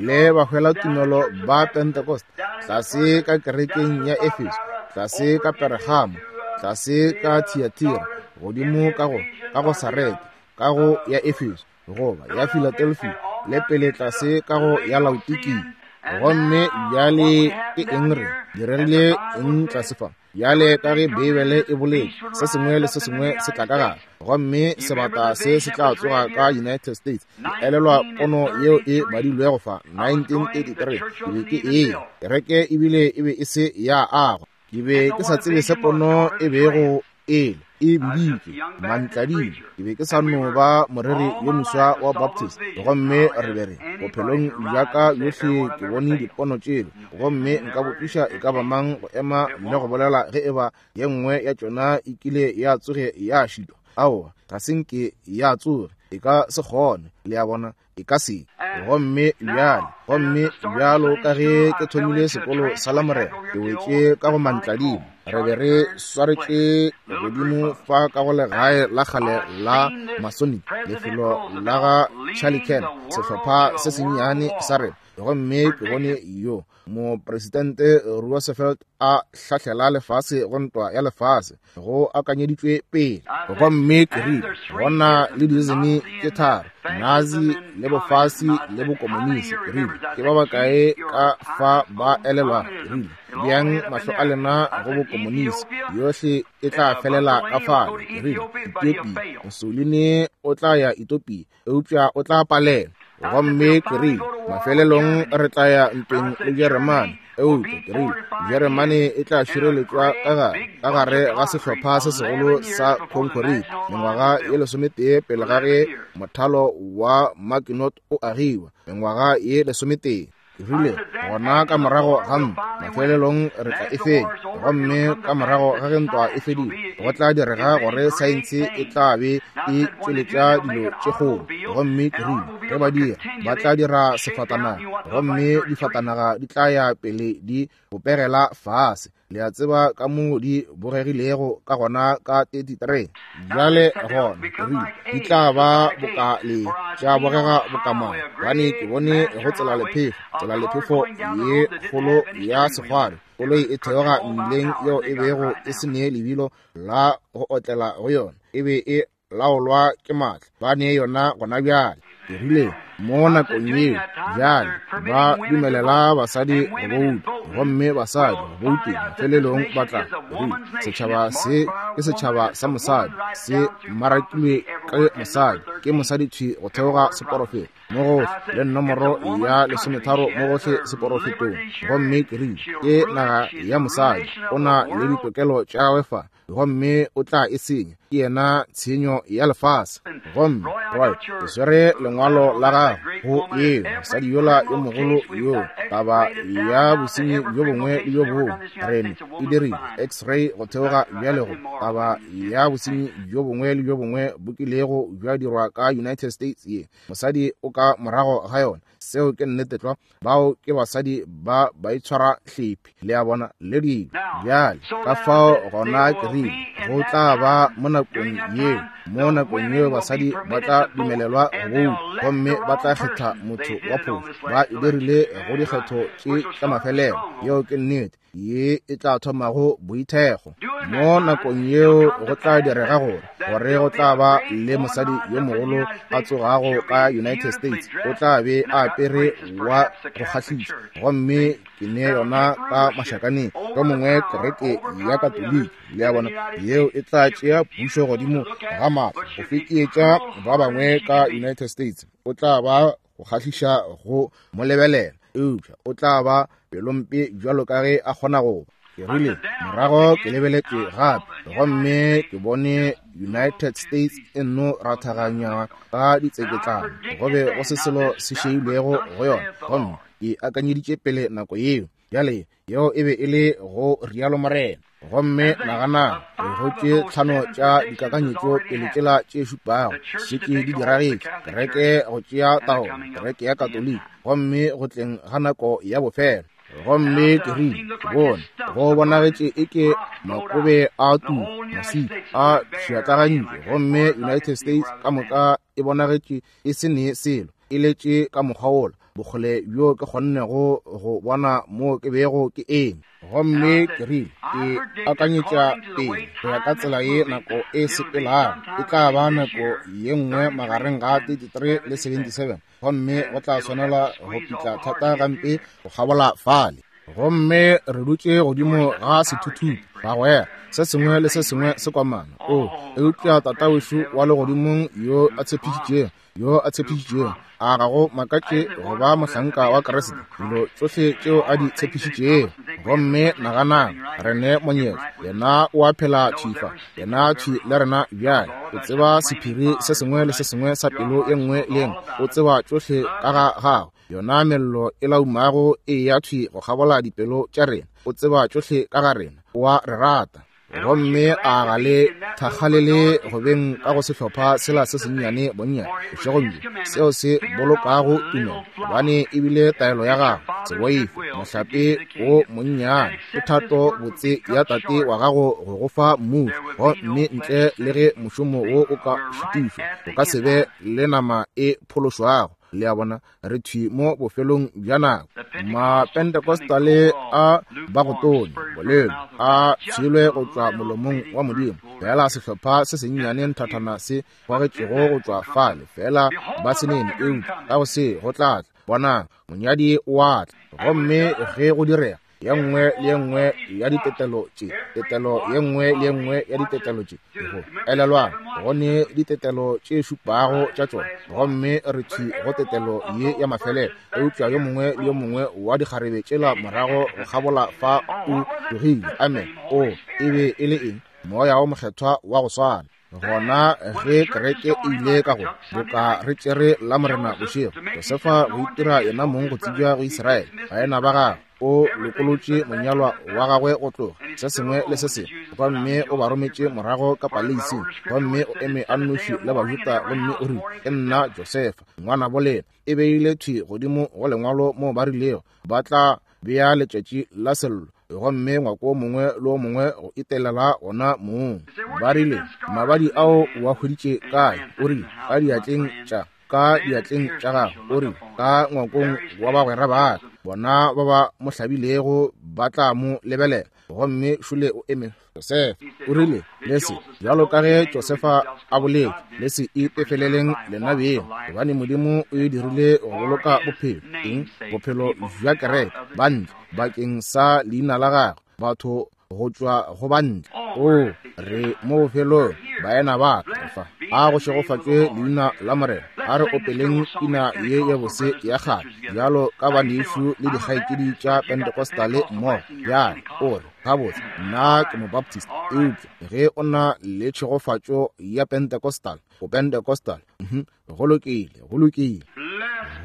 le bahwelatumelo ba Pentecost tlase ka kerekeng ya Efeso, tlase ka Pergamo, tlase ka Thiatira, godimo ka go ka go Sarete, ka go ya Efeso goba ya Philadelphia, le pele tlase ka go ya Laodikia. Gomme bjale ke eng re diregile eng tlase fa? Bjale ka ge Beibele e boletše, se sengwe le se sengwe se tla ka gare, gomme sebata se se tla tsoga ka United States. Ke elelwa pono yeo e badilwego fa 1933. Ke be ke eya kereke ebile e be e se ya agwa. Ke be ke sa tsebe se pono e bego ele e biditšwe mantladima. Ke be ke sa no ba moreri yo moswa wa Baptist, gomme re be re bophelong bja ka bjohle ke bone dipono tšelo, gomme nka botšiša e ka ba mang go ema le go bolela ge e ba ye nngwe ya tšona e kile ya tsoge ya šitwa. Aowa, ga se nke ya tsoge. E ka se kgone, le a bona, e ka se. Gomme bjale, gomme bjalo ka ge ke thomile sekolo sa Lamorena, ke wetše ka go mantladimo. Re be re swaretše godimo fa ka go legae la kgale la Masonic, lefelo la ga Charlie Kern, sehlopha se sennyane sa rena. Gomme ke bone yo Mopresidente Roosevelt a hlahlela lefase go ntwa ya lefase, go akanyeditšwe pele. Gomme ke rile, go na le diism tše tharo, Nazi le bofasi le bokomonisi. Ke rile, ke ba bakae ka fa ba elelwago? Ke rile, beang mahlo a lena go bokomonisi, yohle e tla felela ka fale. Ke rile, Ethiopia, Mussolini o tla ya Ethiopia, eupša o tla palelwa. Gomme ke rile, mafelelong re tla ya ntweng le Jeremane, eupša ke rile, Jeremane e tla šireletšwa ka gare, ka gare ga sehlopha se segolo sa khonkhoriti, mengwaga ye lesometee pele ga ge mothalo wa Maginot o agiwa, mengwaga ye lesometee. Ke rile, gona ka morago ga ntwa, mafelelong re tla e fenya. Gomme ka morago ga ge ntwa e fedile, go tla direga gore saense e tla be e tšweletša dilo tše kgolo. Gomme ke rile, ge ba dira, ba tla dira sefatanaga, gomme difatanaga di tla ya pele di bopegela fase. Le a tseba ka moo di bogegilego ka gona ka 33. Bjale gona, ke rile, di tla ba boka le, tša bogega boka mang, gobane ke bone go tselalephefo, tselalephefo ye kgolo ya sekgwari, koloi e theoga mmileng yeo e bego e se ne lebilo la go otlela go yona, e be e laolwa ke maatla, ba ne yona gona bjale. Ke rile, mo nakong yeo, bjale ba dumelela basadi go bouta, gomme basadi go bouteng mafelelong ba tla. Ke rile, setšhaba se ke setšhaba sa mosadi, se mmarakilwe ke mosadi, ke mosadi thwi go theoga seporofeta mo gohle, le nomoro ya lesometharo mo gohle seporofetong. Gomme ke rile, ke naga ya mosadi, o na le ditokelo tša gagwe fa, gomme o tla e senya, ke yena tshenyo ya lefase. Gomme Roy, ke swere lengwalo la gago go eo mosadi yola yo mogolo yo, taba ya bosenyi bjo bongwe le bjo bongwe rene e dirile x-ray go theoga bjale go taba ya bosenyi bjo bongwe le bjo bongwe bo kilego bja dirwa ka United States ye mosadi o ka morago ga yona. Seo ke nnete tlwa. Bao ke basadi ba baitshwara hlephi, le a bona, le dilo. Bjale, ka fao gona ke rile, go tla ba mo nakong yeo, mo nakong yeo basadi ba tla dumelelwa go bouta, gomme ba tla kgetha motho wa phošo. Ba e dirile go dikgetho tše tša mafelelo. Yeo ke nnete. Ye e tla thomago boithekgo. Mo nakong yeo go tla direga gore, gore go tla ba le mosadi yo mogolo a tsogago ka United States, o tla be a apere wa go kgahliša, gomme ke ne yona ka mašakaneng, yo mongwe kereke ya Katoliki, le a bona, yeo e tla tšea pušo godimo ga maatla go fekeetša ba bangwe ka United States. O tla ba go kgahliša go mo lebelela, eupša o tla ba pelompe bjalo ka ge a kgona go ba. Ke rile, morago ke lebeletše gape, gomme ke bone United States e nno rathaganywa ka ditseketlana, go be go se selo se šeilwego go yona, gomme ke akanyeditše pele nako yeo. Bjale, yeo e be e le go rialo Morena. Gomme naganang, go tše tlhano tša dikakanyetšo pele tšela tše šupago šetše di diragetše, kereke go tšea taolo, kereke ya Katoliki, gomme go tleng ga nako ya bofelo. Gomme ke rile, ke bone go bonagetše eke makobe a tuka, maswika a pšhatlagantšwe, gomme United States ka moka e bonagetše e se ne selo, e letše ka mokgwa wola, bokgole bjo ke kgonnego go bona mo ke bego ke eme. Gomme ke rile, ke akanyetša pele go ya ka tsela ye nako e sepelago, e tla ba nako ye nngwe magareng ga 33 le 77, gomme go tla swanela go pitla thata gampe go kgabola fale. Gomme re dutše godimo ga sethuthupi, bagwera, se sengwe le se sengwe se komana. O, eupša Tatawešu wa Legodimong yo a tshepišitšego, yo a tshepišitšego, a ga go makatše go ba mohlanka wa Kriste, dilo tšohle tšeo a di tshepišitšego. Gomme naganang, re ne monyetla, yena o a phela thwi fa, yena thwi le rena bjale. O tseba sephiri se sengwe le se sengwe sa pelo ye nngwe le ye nngwe, o tseba tšohle ka ga gago. Yona mello e laumago e ya thwi go kgabola dipelo tša rena, o tseba tšohle ka ga rena, o a re rata. Gomme a ga le thakgalele go beng ka go sehlopha sela se sennyane bonnyane bošegong bjo, seo se bolokago tumelo, gobane e bile taelo ya gagwe, Se boife, mohlape wo monnyane, ke thato botse ya Tate wa gago go go fa mmušo. Gomme ntle le ge mošomo wo o ka šitišwa, o ka se be le nama e phološwago. Le a bona, re thwi mo bofelong bja nako. Mapentecostale a ba go tonya, bolelo, a tshwelwe go tšwa molomong wa Modimo. Feela sehlopha se sennyane nthathana se gogetšego go tšwa fale, feela ba se nene, eupša ka go se go tla tla. Bonang, monyadi o a tla. Gomme ge go direga, ye nngwe le ye nngwe ya ditetelo tše, tetelo ye nngwe le ye nngwe ya ditetelo tše, go elelwang, go ne ditetelo tše šupago tša tšona, gomme re thwi go tetelo ye ya mafelelo. Eupša yo mongwe le yo mongwe wa dikgarebe tšela morago go kgabola fa o tlogile. Amen. O, e be e le eng? Moya wo Mokgethwa wa go swana. Gona ge kereke e ile ka go boka re tšere la Morena bošego, Josefa go itira yena mong go tsebja go Israele, baena ba gagwe, o lokolotše monyalwa wa gagwe go tloga, se sengwe le se sengwe, gomme o ba rometše morago ka paleising, gomme o eme a nnoši le Bajuda, gomme o rile, Ke nna Josefa, ngwanabo lena. E beile thwi godimo go lengwalo moo ba rilego ba tla bea letšatši la sello, gomme ngwako o mongwe le o mongwe go itelela ona mong. Ba rile, Mabadi ao o a hweditše kae? O rile, Ka diatleng tša, ka diatleng tša gago. O rile, Ka ngwakong wa bagwera ba ka. Bona ba ba mo hlabilego ba tla mo lebelela. Gomme šole o eme Josefa. O rile, Le se, bjalo ka ge Josefa a boletše, le se ipefeleleng lena beng, gobane Modimo o e dirile go boloka bophelo, eng? Bophelo bja kereke, bantle, bakeng sa leina la gagwe, batho go tšwa go bantle. Oo, re mo bofelong, baena ba ka, re fa. A go šegofatšwe leina la Morena. A re opeleng pina ye ya bose ya kgale, bjalo ka banešu le dikgaetšedi tša Pentecostale mmogo. Bjale, o re, Gabotse, nna ke Mobaptist. Eupša ge o na le tšhegofatšo ya Pentecostal, o Pentecostal. Mhm, go lokile, go lokile.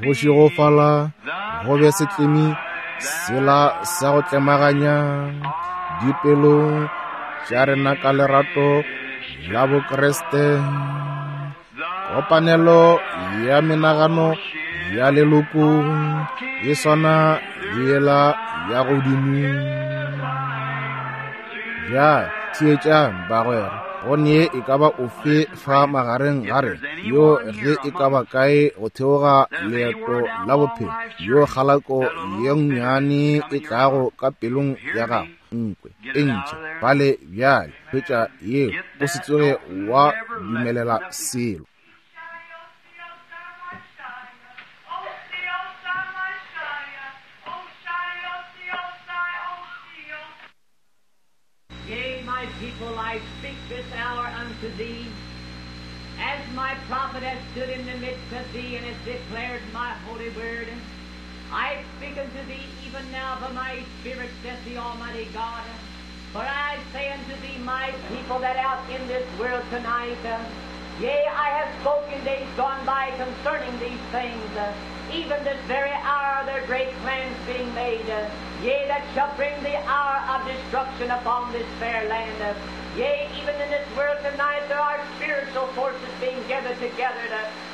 Go šegofala go be setlemi sela sa go tlemaganya dipelo tša rena ka lerato la Bokriste. Kopanelo ya menagano ya leloko e swana le yela ya godimo. Bjale theetšang, bagwera, go ne e ka ba ofe fa magareng ga rena yo ge e ka ba kae go theoga leeto la bophelo, yo kgalako ye nnyane e tlago ka pelong ya gago, nkwe e ntšhe bale bjale, hwetša yeo, o se tsoge wa dumelela selo. Yea, my people, I speak this hour unto thee, as my prophet hath stood in the midst of thee and hath declared my holy word. I speak unto thee even now by my Spirit, saith the Almighty God. For I say unto thee, my people that out in this world tonight, yea, I have spoken days gone by concerning these things, even this very hour there are great plans being made, yea, that shall bring the hour of destruction upon this fair land. Yea, even in this world tonight there are spiritual forces being gathered together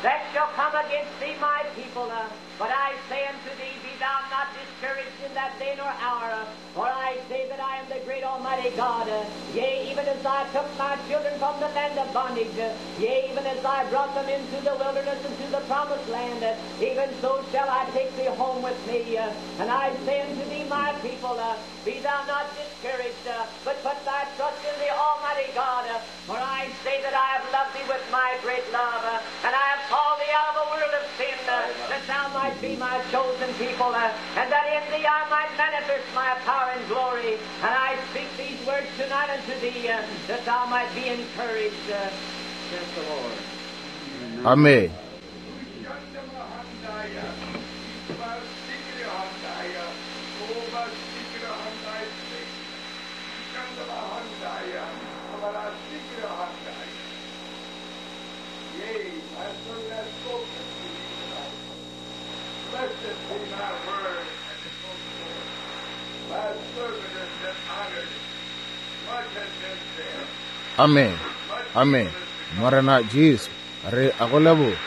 that shall come against thee, my people. But I say unto thee, be thou not discouraged in that day nor hour, for I say that I am the great Almighty God. Yea, even as I took my children from the land of bondage, yea, even as I brought them into the wilderness and to the promised land, even so shall I take thee home with me. And I say unto thee, my people, be thou not discouraged, but put thy trust in the Almighty God. For I say that I have loved thee with my great love, and I have called thee out of a world of sin, that thou might be my chosen people, and that in thee I might manifest my power and glory. And I speak these words tonight unto thee, that thou might be encouraged, saith the Lord. Amen. Amen. Amen. Morena Jesu, re a go leboga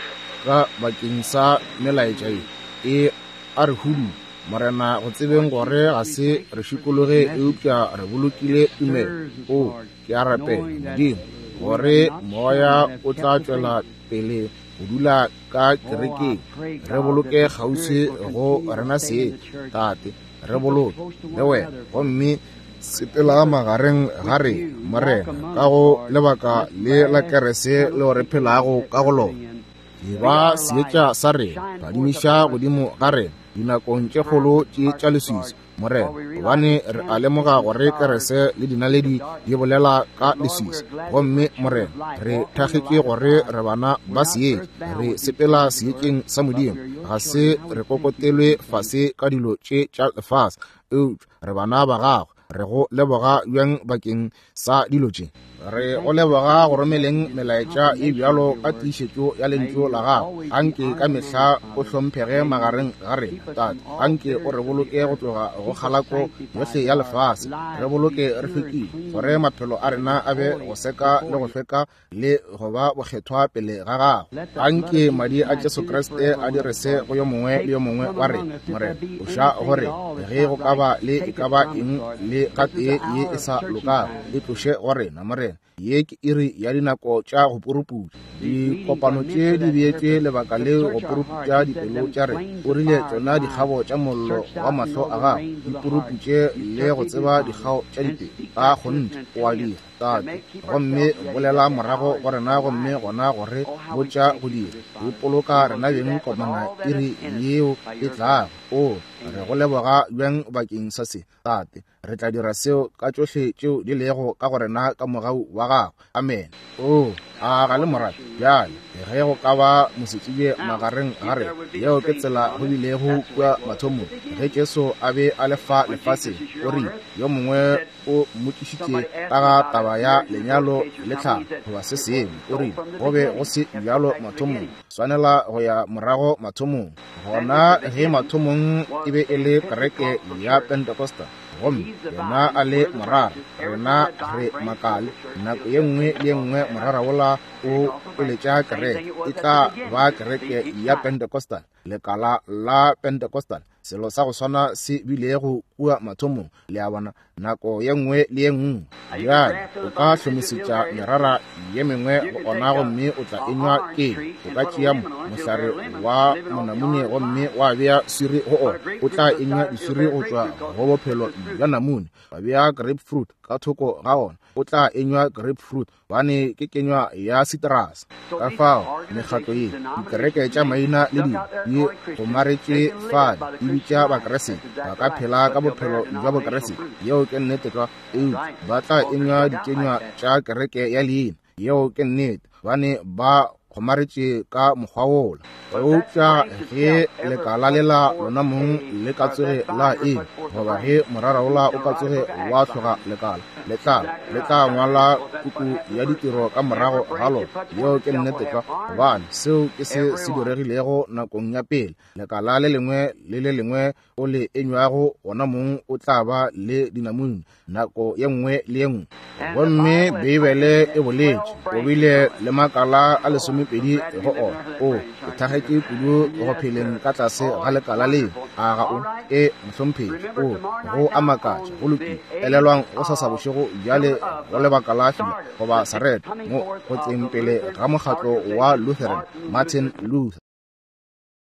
ka bakeng sa melaetša ye e a re hudu Morena, go tsebeng gore ga se re šikologe eupša re bolokile tumelo. O, ke a rapela, Modimo, gore Moya o tla tšwela pele go dula ka kerekeng. Re boloke kgauswi go rena seng, Tate. Re boloke le Wena, gomme sepela magareng ga rena, Morena, ka go lebaka le la kerese leo re phelago ka go lona. E ba seetša sa rena, phadimiša godimo ga rena dinakong tše kgolo tše tša leswiswi, Morena, gobane re a lemoga gore kerese le dinaledi di bolela ka leswiswi. Gomme, Morena, re thakgetše gore re bana ba seetša, re sepela seetšeng sa Modimo, ga se re kokotelwe fase ka dilo tše tša lefase, eupša re bana ba Gago. Re go leboga bjang bakeng sa dilo tše. Re go leboga go romeleng melaetša e bjalo ka tiišetšo ya Lentšu la Gago. Anke ka mehla o hlomphege magareng ga rena, Tate. Anke o re boloke go tloga go kgalako yohle ya lefase. Re boloke re hlwekile, gore maphelo a rena a be go seka le go hlweka le go ba bokgethwa pele ga Gago. Anke Madi a Jesu Kriste a dire se go yo mongwe le yo mongwe wa rena, Morena. Tloša go rena ge go ka ba le e ka ba eng le gatee ye e sa lokago. E tloše go rena, Morena. Ye ke iri ya dinako tša go puruputša. Dikopano tše di beetšwe lebaka leo go puruputša dipelo tša rena. O rile tšona dikgabo tša mollo wa mahlo a gago di puruputše le go tseba dikgao tša dipelo. Ka kgonthe o a dira. Tate, gomme bolela morago go rena gomme gona go re botša go dira. Ipoloka rena beng komana iri yeo e tlago. O, re go leboga bjang bakeng sa se, Tate. Re tla dira seo ka tšohle tšeo di lego ka go rena ka mogau wa Gago. Amene. O, a ga le mo rate? Bjale, ge go ka ba mosetsebje magareng ga rena, yeo ke tsela go bilego kua mathomong. Ge Jesu a be a le fa lefaseng, O rile, Yo mongwe o mmotšišitše ka ga taba ya lenyalo le tlhalo goba se sengwe. O rile, Go be go se bjalo mathomong. Swanela go ya morago mathomong. Gona ge mathomong e be e le kereke ya Pentecostal, gomme yena a le morara, rena re makale. Nako ye nngwe le ye nngwe morara wola o eletša kereke, e tla ba kereke ya Pentecostal, lekala la Pentecostal. Selo sa go swana se bilego kua mathomong, le a bona, nako ye nngwe le ye nngwe. Bjale, o ka hlomisetša merara ye mengwe go ona gomme o tla enywa ke. O ka tšea mohlare wa monamune gomme wa bea swiri go ona, o tla enywa diswiri go tšwa go bophelo bja namune. Wa bea grapefruit ka thoko ga ona, o tla enywa grapefruit. Gobane ke kenywa ya sitrase. Ka fao mekgatlo ye, dikereke tša maina le dilo, di gomaretše fale, di bitša Bakriste, ba ka phela ka bophelo bja Bokriste, yeo ke nnete tlwa, eupša ba tla enywa dikenywa tša kereke ya leina, yeo ke nnete, gobane ba gomaretše ka mokgwa wola. Eupša ge lekala lela lona mong le ka tsoge la eng, goba ge morara wola o ka tsoge wa hloga lekala, le tla, le tla ngwala puku ya ditiro ka morago ga lona. Yeo ke nnete tlwa, gobane seo ke se se diregilego nakong ya pele. Lekala le lengwe le le lengwe o le enywago wona mong o tla ba le dinamune nako ye nngwe le ye nngwe. Gomme Beibele e boletše, o bile le makala a lesomepedi go ona. O, ke thagetše kudu go pheleng ka tlase ga lekala leo. A ga o? E, mohlomphegi. O, go a makatša. Go lokile. Elelwang go sasa bošego bjale go lebaka la fila goba sareto mo go tleng pele ga mokgatlo wa Lutheran, Martin Luther.